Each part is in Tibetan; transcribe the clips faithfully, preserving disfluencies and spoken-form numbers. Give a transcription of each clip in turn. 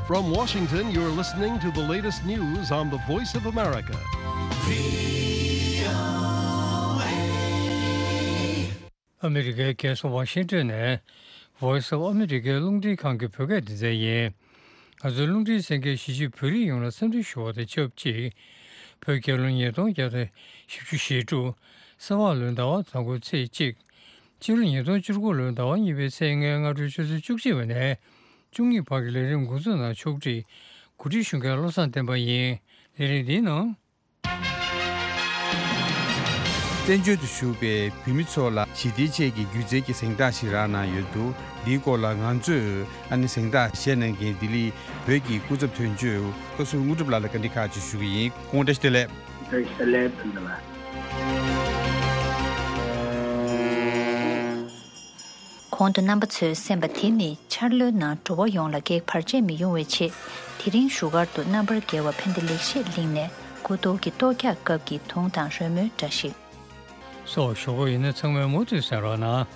From Washington, you're listening to the latest news on the Voice of America. ཨ་མི་རི་ཀའི་རྒྱལ་ས་ཝ་ཤིང་ཏོན་ནས་Voice of America རླུང་འཕྲིན་ཁང་གི་བོད་སྐད་སྡེ་ཚན་ཡིན། ང་ཚོའི་རླུང་འཕྲིན་གསན་མཁན་གཞིས་བྱེས་བོད་རིགས་ཡོངས་ལ་འཚམས་འདྲི་ཞུ་བ་དང་ཆབས་ཅིག་བོད་རྒྱལ་ལོ་ཉིས་སྟོང་བརྒྱ་དང་བཞི་བཅུ་ཞེ་དྲུག་གསར་པ་ལོའི་ཟླ་བ་དང་པོའི་ཚེས་གཅིག་སྤྱི་ལོ་ཉིས་སྟོང་བཅུ་དགུ་ལོའི་ཟླ་བ་གཉིས་པའི་ཚེས་ལྔའི་སྔ་དྲོའི་ཆུ་ཚོད་བཅུ་གཅིག་པ་ནས་བཅུ་གཉིས་བར་གྱི་ལས་རིམ་འགོ་འཛུགས་གནང་ཆོག་འདྲི་གོ་སྒྲིག་ཞུ་མཁན་བློ་བཟང་བསྟན་པ་ཡིན། ལས་རིམ་འདིའི་ནང་། བཙན་བྱོལ་དུ་བཞུགས་པའི་བོད་མི་ཚོ་ལ་ཞི་བདེའི་ཆེད་ཀྱི་སྒྱུ་རྩལ་གྱི་གཟེངས་རྟགས་ཤིག་རག་གནང་ཡོད་འདུག་འདིའི་སྐོར་ལ་ང་ཚོས་ཨ་ནི་གཟེངས་རྟགས་བཞེས་གནང་མཁན་ལྡི་ལི་བོད་ཀྱི་སྐུ་ཚབ་དོན་གཅོད་བཀའ་ཟུར་དངོས་གྲུབ་ལགས་ལ་བཀའ་འདྲི་ཁག་ཅིག་ཞུ་གི་ཡིན། སྐུ་ངོ་བཀྲ་ཤིས་བདེ་ལེགས། བཀྲ་ཤིས་བདེ་ལེགས་ཕུན་ཚོགས་ལགས། གོང་དུ་རྣམ་པ་ཚོས་གསན་པ་དེ་ནི་འཆར་ལོའི་ནང་འགྲོ་བ་ཡོངས་ལ་གེགས་བར་ཆད་མི་ཡོང་བའི་ཆེད། དེ་རིང་བཞུགས་སྒར་དུ་རྣམ་པར་རྒྱལ་བ་ཕན་བདེ་ལེགས་བཤད་གླིང་ནས་སྐུ་གཏོར་གྱི་གཏོར་རྒྱག་སྐབས་ཀྱི་དུང་དང་རོལ་མོའི་སྒྲ་ཞིག་སོགས་ཞུ་གི་ཡིན་ན། ཚང་མས་མུ་མཐུད་གསན་རོགས་གནང་།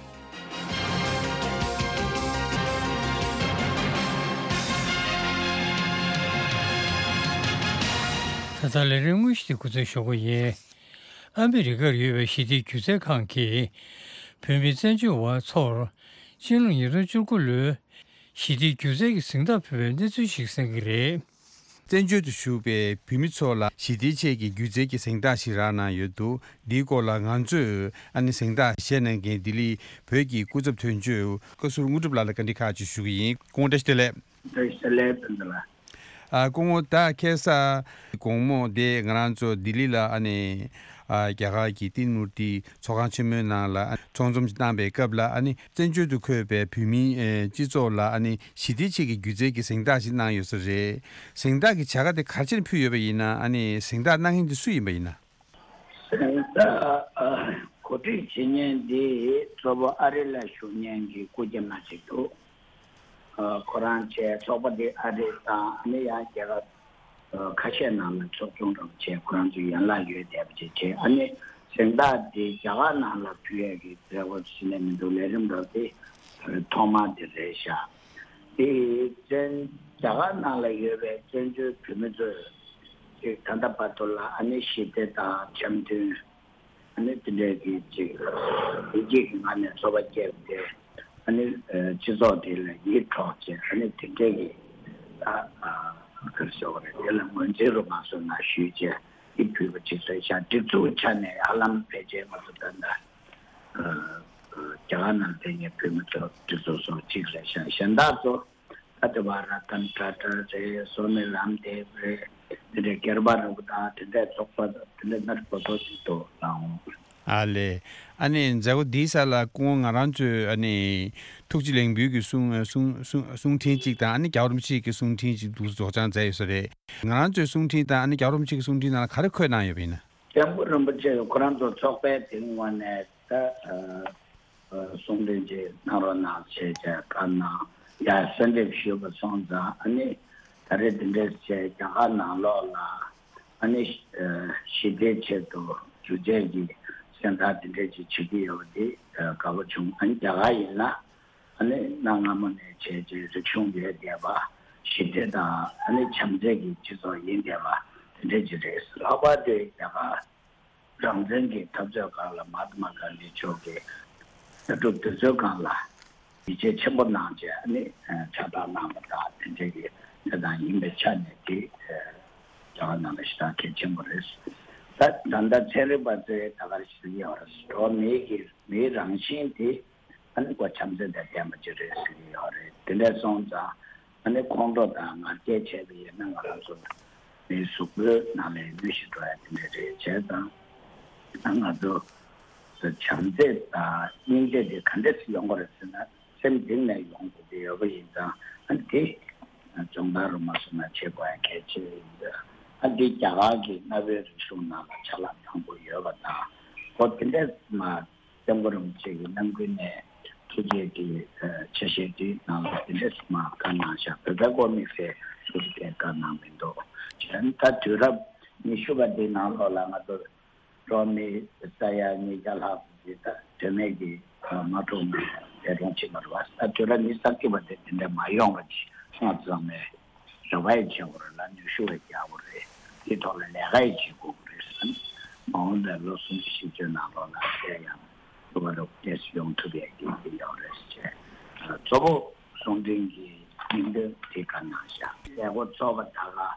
ད་ལྟ་ལས་རིམ་དངོས་གཞི་དེ་འགོ་འཛུགས་ཞུ་གི་ཡིན། ཨ་མི་རི་ཀར་ཡོད་པའི་ཞི་བདེའི་སྒྱུ་རྩལ་ཁང་གིས་བོད་མི་བཙན་བྱོལ་བ་ཚོར་སྤྱི་ལོ་ཉིས་སྟོང་བཅུ་དགུ་ལོའི་ཞི་བདེའི་སྒྱུ་རྩལ་གྱི་གཟེངས་རྟགས་ཕུལ་བའི་གནས་ཚུལ་ཞིག་གསན་གྱི་རེད། བཙན་བྱོལ་དུ་བཞུགས་པའི་བོད་མི་ཚོ་ལ་ཞི་བདེའི་ཆེད་ཀྱི་སྒྱུ་རྩལ་གྱི་གཟེངས་རྟགས་ཤིག་རག་གནང་ཡོད་འདུག་འདིའི་སྐོར་ལ་ང་ཚོས་ཨ་ནི་གཟེངས་རྟགས་བཞེས་གནང་མཁན་ལྡི་ལི་བོད་ཀྱི་སྐུ་ཚབ་དོན་གཅོད་བཀའ་ཟུར་དངོས་གྲུབ་ལགས་ལ་བཀའ་འདྲི་ཁག་ཅིག་ཞུ་གི་ཡིན། སྐུ་ངོ་བཀྲ་ཤིས་བདེ་ལེགས། བཀྲ་ཤིས་བདེ་ལེགས་ཕུན་ཚོགས་ལགས། ཨ། སྐུ་ངོ། ད་ཁ་སང་དགོང་མོ་དེ་ང་རང་ཚོ་ལྡི་ལི་ལ་ཨ་ནི་ཨ་རྒྱ་གར་གྱི་ཏིན་མུར་ཏི་ཚོགས་ཁང་ཆེན་མོའི་ནང་ལ་ཨ་ཚོགས་འཛོམས་ཤིག་བཏང་པའི་སྐབས་ལ་ཨ་ནི་བཙན་བྱོལ་དུ་འཁོད་པའི་བོད་མིའི་ཨེ་སྤྱི་ཚོགས་ལ་ཨ་ནི་ཞི་བདེའི་ཆེད་ཀྱི་སྒྱུ་རྩལ་གྱི་གཟེངས་རྟགས་ཤིག་གནང་ཡོད་ས་རེད། གཟེངས་རྟགས་ཀྱི་བྱ་དགའ་དེ་ག་རེ་བྱས་ནས་ཕུལ་ཡོད་པ་ཡིན་ན། ཨ་ནི་གཟེངས་རྟགས་གནང་མཁན་དེ་སུ་ཡིན་པ་ཡིན་ན། གཟེངས་རྟགས་ཨ་གོ་སྒྲིག་བྱེད་མཁན་འདི་གཙོ་བོ་ཨ་རི་ལ་བཞུགས་མཁན་གྱི་སྐུ་སྐྱེས་མ་ཅིག་འདུག་ཨ་ཁོ་རང་བྱས་ཚོགས་པ་འདི་ཨ་རི་དང་ཨ་ནི་ཡང་རྒྱལ་ཁབ་ཨ་ཁ་ཤས་ནང་ལ་ཚོགས་ཆུང་འདྲ་བོ་བྱས་ཁོ་རང་ཚོའི་ཡན་ལག་ཡོད་བསྡད་པ་ཅིག་བྱས། ཨ་ནི་གཟེངས་རྟགས་འདི་རྒྱ་གར་ནང་ལ་ཕུལ་ཡས་ཀྱི་མཛད་སྒོ་ཟེར་ནས་མི་འདུག་ལས་རིམ་འདྲ་བོ་དེ་ཐོག་མ་དེ་རེད་ཤག་དེ་བཙན་རྒྱ་གར་ནང་ལ་ཡོད་པའི་བཙན་བྱོལ་བོད་མི་ཚོས་ཅིག་ད་ལྟ་བར་དུ་ལ་ཨ་ནི་ཞི་བདེ་དང་འཆམ་མཐུན། ཨ་ནི་དེ་འདྲའི་གི་ཅིག་བདེ་སྐྱིད་ཀྱི་ངང་ནས་འཚོ་བ་སྐྱེལ་ཏེ། ཨ་ནི་ཨ་སྤྱི་ཚོགས་དེ་ལ་ཡིད་འཕྲོག་བྱས། ཨ་ནི་དེ་འདྲའི་གི་ད་ཨ་ག་རེ་ཟེར་དགོས་རེད། དེ་ལ་ངོས་འཛིན་རུ་མ་སོང་ན་ཞུས་བྱས་འདི་ཕུལ་བ་ཅིག་རེད་ཤག་སྒྲིག་འཛུགས་ཆ་ནས་ཧ་ལམ་ཕལ་ཆེར་ང་ཚོ་ད་ལྟ་ཨ་ཨ་རྒྱ་གར་ནང་བསྡད་མཁན་བོད་མི་ཚོ་སྒྲིག་འཛུགས་སོགས་གཅིག་རེད་ཤག་གཞན་དག་ཚོ། ད་དེ་བར་ར་ཏན་ཊ་ཊ་རེད། སོ་ནི་རམ་དེབ་རེད། དེ་འདྲའི་སྒེར་པ་རིན་པོ་དང་དེ་འདྲའི་ཚོགས་པ་དང་དེ་འདྲའི་སྣ་ཁ་ཚོགས་ཅིག་འདུག་ལགས་འོང་། ཨ་ལས། ཨ་ནི་མཛད་སྒོ་འདིའི་ས་ལ་སྐུ་ངོ་ང་རང་ཚོའི་ཨ་ནི་ཐུགས་རྗེ་ལེགས་འབུལ་གྱི་གསུང་གསུང་གསུང་གསུང་འཕྲིན་གཅིག་དང་། ཨ་ནི་རྒྱལ་བ་རིན་པོ་ཆེ་གི་གསུང་འཕྲིན་གཅིག་འདུག་སེ་སྒྲོག་སྦྱང་མཛད་ཡོད་ས་རེད། ང་རང་ཚོའི་གསུང་འཕྲིན་དང་ཨ་ནི་རྒྱལ་བ་རིན་པོ་ཆེ་གི་གསུང་འཕྲིན་ནང་ལ་ག་རེ་འཁོད་གནང་ཡོད་པ་ཡིན་ན། སྐྱབས་མགོན་རིན་པོ་ཆེ་ཁོ་རང་ཚོ་ཚོགས་པའི་སྟེང་ངོས་ནས་ད་ཨ། གསུང་འཕྲིན་ཅིག་གནང་རོགས་གནང་ཞེས་བྱས་བཀའ་གནང་། ཡ་གསོལ་འདེབས་ཞུས་པ་སོང་ཙང་། ཨ་ནི་ད་རེས་འདི་འདྲས་བྱས་རྒྱ་གར་ནང་ལོགས་ལ་ཨ་ནི་ཞི་བདེའི་ཆེད་དུ་སྒྱུ་རྩལ་གྱི་གཟེངས་རྟགས་འདི་འདྲས་ཅིག་བྱེད་ཀྱི་ཡོད་པ་འདི་དགའ་པོ་བྱུང་། ཨ་ནི་རྒྱ་གར་ཡིན་ན་ཨ་ནི་གནའ་སྔ་མོ་ནས་བྱས་རྗེས་རིག་གཞུང་ཡོད་བསྡད་པ། ཞི་བདེ་དང་ཨ་ནི་བྱམས་བརྩེ་གི་སྤྱི་ཚོགས་ཡིན་བསྡད་པ་དེ་འདྲས་ཅིག་རེད། ལྷག་པར་དུ་རྒྱ་གར་རང་བཙན་གྱི་འཐབ་རྩོད་སྒང་ལ་མ་ཧཱ་ཏ་མ་གྷན་དྷི་མཆོག་གིས་ལྟ་གྲུབ་དེ་ཚོའི་སྒང་ལ་ཡིད་ཆེས་ཆེན་པོ་གནང་བྱས་ནས་ཕྱག་རྟགས་གནང་བ་དང་དེ་འདྲའི་གི་གནས་སྟངས་ཡིན་པའི་ཆ་ནས་དེ་རྒྱ་གར་ནང་ལ་ཞེ་དྲག་གལ་ཆེན་པོ་རེད། ད་ད་ལྟ་ཚན་རིག་པ་ཚོས་ད་ག་རེ་ཞུ་གི་ཡོད་རེད། འགྲོ་བ་མིའི་གི་མིའི་རང་བཞིན་དེ་ཨ་ནི་ཁོ་བྱམས་བརྩེ་དང་ལྡན་པ་ཅིག་རེད་ཟེར་གྱི་ཡོད་རེད། དེ་འདྲ་སོང་ཙང་ཨ་ནི་ཁོང་ཁྲོ་དང་ང་རྒྱལ་བྱས་པ་ཡིན་ན་ང་རང་ཚོ་མིའི་གཟུགས་པོའི་ནང་ལ་གནོད་གཞི་འགྲོ་ཡ་དེ་འདྲ་རེད། བྱས་ཙང་ཨ་ང་ཚོ་བྱམས་བརྩེ་དང་སྙིང་རྗེ་དེ་ག་འདྲས་སེ་ཡོང་གི་རེད་ཟེར་ན། སེམས་གཏིང་ནས་ཡོང་དགོས་ཀྱི་ཡོད་པ་ཡིན་ཙང་། ཨ་ནི་དེ་སྦྱོང་བརྡར་རུ་མ་སོང་ན་བྱེད་དགོས་ཡ་གལ་ཆེ་ཡིན་ཙང་། ཨ་ནི་དེ་རྒྱ་གར་གྱི་གནའ་བོའི་རིག་གཞུང་ནང་ལ་ཆ་ལག་དང་པོ་ཡོད་པ་དང་། ཁོ་དེ་འདྲས་མ་སྐྱབས་མགོན་རིན་པོ་ཆེ་གི་རྣམ་ཀུན་ནས་ཐུགས་རྗེ་གི་ཆ་ཤས་དེའི་ནང་ལ་དེ་འདྲས་མ་བཀའ་གནང་བཞག་བོད་པའི་དབུ་མའི་ལས་ཐུགས་རྗེ་བཀའ་གནང་མི་འདུག་བྱས་ན་ད་དུས་རབས་ཉི་ཤུ་པ་འདིའི་ནང་ལོགས་ལ་ང་ཚོ་འགྲོ་བ་མི་ས་ཡ་ཉིས་བརྒྱ་ལྷག་ཙམ་ཅིག་ད་དོན་མེད་ཀྱི་མ་འགྲོ་ནས་འདས་གྲོངས་ཕྱིན་པ་རེད་བ། ད་དུས་རབས་ཉི་ཤུ་རྩ་གཅིག་པ་དེ་དེ་འདྲ་མ་ཡོང་བ་ཅིག་སྔ་ཙམ་ནས་ རེ་བ་ཡང་བྱེད་དགོས་རེད་ལ། ནུས་ཤུགས་ཡང་རྒྱག་དགོས་རེད། དེའི་ཐོག་ལ་ལས་ཀ་ཡང་བྱེད་དགོས་ཀྱི་རེད་ཟེར། མ་འོངས་པའི་ལོ་སུམ་ཅུ་བཞི་བཅུ་ནང་ལོགས་ལ་དེ་ཡང་ཐུབ་པ་རུ་ཏོག་ཙམ་ཡོང་ཐུབ་ཡག་གི་ཡོད་རེད་ཟེར་བྱས། གཙོ་བོ་གསུང་འཕྲིན་གྱི་སྙིང་དོན་དེ་ག་གནང་བཞག་མཛད་སྒོ་ཚོགས་པ་ད་ག་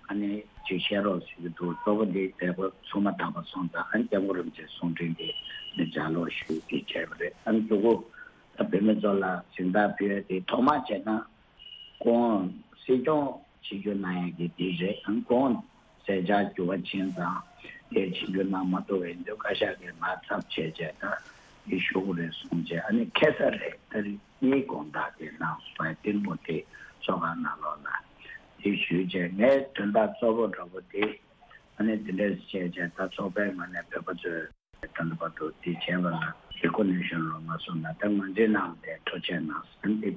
ཨ་ནི་ཅིག་བཤད་རོགས་ཟེར་གྱི་འདུག་གཙོ་བོ་འདི་མཛད་སྒོ་ཚོགས་མ་དང་པོ་སོང་ཙང་ཨ་ནི་སྐྱབས་མགོན་རིན་པོ་ཆེའི་གསུང་འཕྲིན་དེ་ནི་ལྗགས་ཀློག་ཞུས་ཏེ་བྱས་པ་རེད། ཨ་ནི་མཇུག་གུ་ད་བོད་མི་ཚོ་ལ་གཟེངས་རྟགས་ཕུལ་ཡ་དེ་ཐོག་མ་བྱས་ན། ཁོང་སྲིད་སྐྱོང་ཆིབས་བསྒྱུར་གནང་ཡག་གི་དེ་རེད། ཨང་ཁོང་མཛད་འཆར་འགྱུར་བ་ཕྱིན་ཙང་དེ་ཆིབས་བསྒྱུར་གནང་མ་ཐུབ་པ་ཡིན་དུས་བཀའ་ཤག་གིས་མར་ཚབ་བྱས་བྱས་ད་དེ་ཞུ་དགོས་རེད་གསུངས་བྱས། ཨ་ནི་ཁ་སང་རེད། ད་རེས་གཉིས་དགོང་དག་དེ་གནང་སོང་བས་དེ་མོ་དེ་ཚོགས་ཁང་ནང་ལོགས་ལ་དེ་ཞུས་བྱས། ངའི་དོན་དག་གཙོ་བོ་འདྲ་པོ་དེ་ཨ་ནི་དེ་འདྲས་བྱས་བྱས་ད་ཚོགས་པའི་ངོས་ནས་བོད་པ་ཚོས། ད་ལྟ་བར་དུ་དེ་བྱས་པ་ལ་རེ་ཀོ་ནེ་ཤན་རོགས་མ་སོང་ན་ད་ང་ཚོའི་ནང་ལ་དེ་ཐུགས་རྗེ་གནང་ཟེར་ཏེ་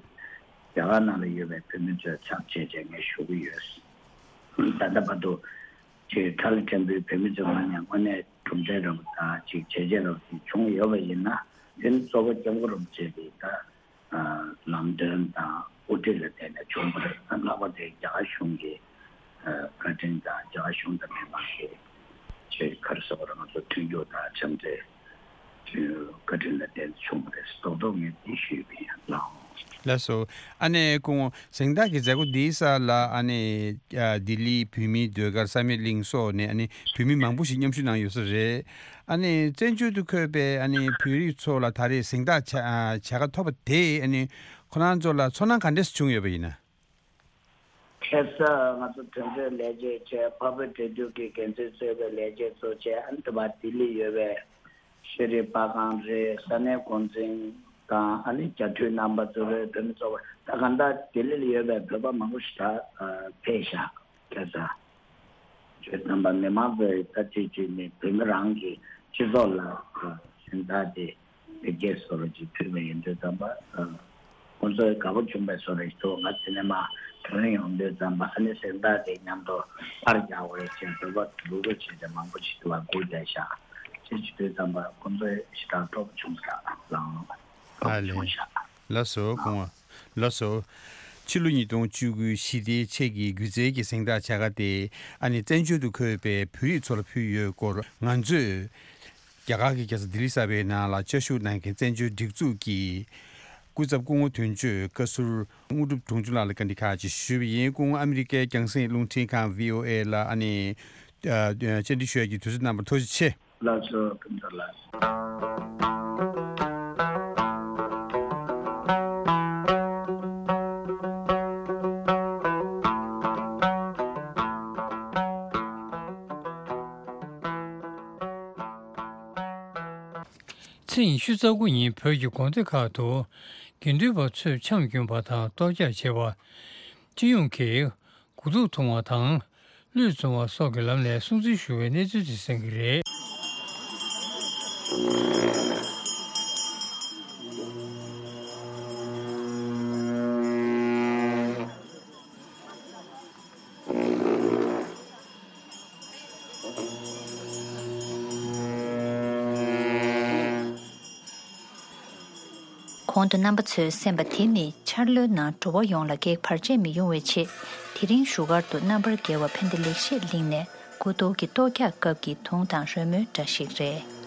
རྒྱ་གར་ནང་ལ་ཡོད་པའི་བོད་མི་ཚོས་ཚབ་བྱས་བྱས་ངས་ཞུ་གི་ཡོད། ད་ལྟ་བར་དུ་ཅིག་ཁ་ལ་ཕྲན་བུའི་བོད་མི་ཚོའི་ངོས་ནས་དངོས་གནས་གྲུབ་འབྲས་རབ་དང་ཅིག་བྱས་རྗེས་རབ་ཅིག་བྱུང་ཡོད་པ་ཡིན་ན་དེ་ནི་གཙོ་བོ་སྐྱབས་མགོན་རིན་པོ་ཆེ་གི་ད། ལམ་སྟོན་དང་དབུ་ཁྲིད་ལ་བརྟེན་ནས་བྱུང་བ་རེད། ལྷག་པར་དུ་རྒྱ་གར་གཞུང་གི་བཀའ་དྲིན་དང་རྒྱ་གར་གཞུང་དང་མི་མང་གི་ཆེད་ག་རེ་ཟེར་དགོས་རེད། ང་ཚོ་མཐུན་འགྱུར་དང་འཆམ་མཐུན་བཀའ་དྲིན་ལ་བརྟེན་ནས་བྱུང་བ་རེད། རྡོག་རྡོག་ངས་འདི་ཞུས་པ་ཡིན། ལགས་འོང་། ལགས་སོ། ཨ་ནེ་སྐུ་ངོ་གཟེངས་རྟགས་ཀྱི་མཛད་སྒོ་འདིའི་ས་ལ་ཨ་ནེ་ལྡི་ལི་བོད་མིའི་ཟློས་གར་བསམ་ཡས་གླིང་སོགས་ནས་ཨ་ནེ་བོད་མི་མང་པོ་ཞིག་མཉམ་ཞུགས་གནང་ཡོད་ས་རེད། ཨ་ནི་བཙན་བྱོལ་དུ་འཁོད་པའི་ཨ་ནི་བོད་རིགས་ཚོ་ལ་ད་རེས་གཟེངས་རྟགས་བྱ་བྱ་དགའ་ཐོབ་པ་དེས་ཨ་ནི་ཁོ་རང་ཚོ་ལ་ཚོར་སྣང་ག་འདྲས་བྱུང་ཡོད་པ་ཡིན་ན། ཁ་སང་ང་ཚོ་དོན་གཅོད་ལས་བྱེད་བཅས་འཕགས་བོད་འབྲེལ་མཐུད་ཀྱི་འགན་འཛིན་གཙོས་པའི་ལས་བྱེད་ཚོ་བཅས་ཨ་ནི་དེ་བར་ལྡི་ལི་ཡོད་པའི་ཤེས་རིག་པར་ཁང་རེད། ས་གནས་འགོ་འཛིན་དང་ཨ་ནི་རྒྱ་འཐུས་རྣམ་པ་ཚོ་རེད། བོད་མི་ཚོ་ད་གང་ལྟར་ལྡི་ལི་ལ་ཡོད་པའི་བོད་པ་མང་པོ་ཞིག་ད་ཕེབས་ཤག་ཁ་སང་། ཁྱོད་རྣམ་པ་མི་མང་ཚོས་ད་དེ་བརྒྱུད་ནས་བོད་མི་རང་གི་སྤྱི་ཚོགས་ལ་གཟེངས་རྟགས་དེ་བེད་སྤྱོད་བཟོ་རོགས་ཅིག་ཕུལ་བ་ཡིན་དུས་ཙམ་པ། ཁོང་ཚོས་དགའ་པོ་བྱུང་བའི་བཟོ་རོགས་ཞིག་འདུག་ང་དེ་ནས་མར་བགྲོ་གླེང་ཡོང་དུས་ཙམ་པ་ཨ་ནི་གཟེངས་རྟགས་དེ་མཉམ་དུ་པར་རྒྱག་དགོས་རེད་ཅེས་བོད་པ་ལུག་ལུག་བྱས་ཏེ་མང་པོ་ཞིག་ཏུ་བ་སྒུག་བསྡད་ཤག་ཅེས་བྱེད་དུས་ཙམ་པ་ཁོང་ཚོས་ཞེ་དྲག་སྤྲོ་པོ་བྱུང་ས་ལའང་སྤྲོ་ཨ་པོ་ལེ། བྱུང་ཤག་ལགས་སོ་སྐུ་ངོ། ལགས་སོ། ཕྱི་ལོ་ཉིས་སྟོང་བཅུ་དགུ་ཞི་བདེའི་ཆེད་ཀྱི་སྒྱུ་རྩལ་གྱི་གཟེངས་རྟགས་བྱ་དགའ་དེ་ཨ་ནི་བཙན་བྱོལ་དུ་འཁོད་པའི་བོད་རིགས་ཚོ་ལ་ཕུལ་ཡོད་སྐོར་ང་ཚོས་རྒྱ་གར་གྱི་རྒྱལ་ས་ལྡི་ལི་གསར་པའི་ནང་ལ་བཅའ་བཞུགས་གནང་མཁན་བཙན་བྱོལ་སྒྲིག་འཛུགས་ཀྱི་སྐུ་ཚབ་སྐུ་ངོ་དོན་གཅོད་བཀའ་ཟུར་དངོས་གྲུབ་དུང་ཕྱུར་ལགས་ལ་བཀའ་འདྲི་ཁག་ཅིག་ཞུས་པ་ཡིན། སྐུ་ངོ་ཨ་མི་རི་ཀའི་རྒྱང་སྲིང་རླུང་འཕྲིན་ཁང་བྷི་ཨོ་ཨེ་ལ་ཨ་ནི་ཨ་བཅར་འདྲི་ཞུ་ཡག་གི་དུས་ཚོད་གནང་བར་ཐུགས་རྗེ་ཆེ། ལགས་སོ། ཕུན་ཚོགས་ལགས། ཚེས་ཉི་ཤུ་རྩ་དགུ་ཉིན་བོད་ཀྱི་དགོན་སྡེ་ཁག་ཏུ་དགེ་འདུན་པ་ཚོས་འཆམ་སྐྱོང་བ་དང་གཏོར་རྒྱག་བྱས་པ། སྤྱི་ཡོངས་ཀྱིས་དགུ་ཐུག་འཐུང་བ་དང་། བླུད་བཙོང་བ་སོགས་ཀྱི་ལམ་ནས་སྲུང་བརྩི་ཞུ་བའི་གནས་ཚུལ་དེ་གསན་གྱི་རེད། གོང་དུ་རྣམ་པ་ཚོས་གསན་པ་དེ་ནི་འཆར་ལོའི་ནང་འགྲོ་བ་ཡོངས་ལ་གེགས་བར་ཆད་མི་ཡོང་བའི་ཆེད། དེ་རིང་བཞུགས་སྒར་དུ་རྣམ་པར་རྒྱལ་བ་ཕན་བདེ་ལེགས་བཤད་གླིང་ནས་དགུ་ཐུག་གི་གཏོར་རྒྱག་སྐབས་ཀྱི་དུང་དང་རོལ་མོའི་སྒྲ་ཞིག་རེད།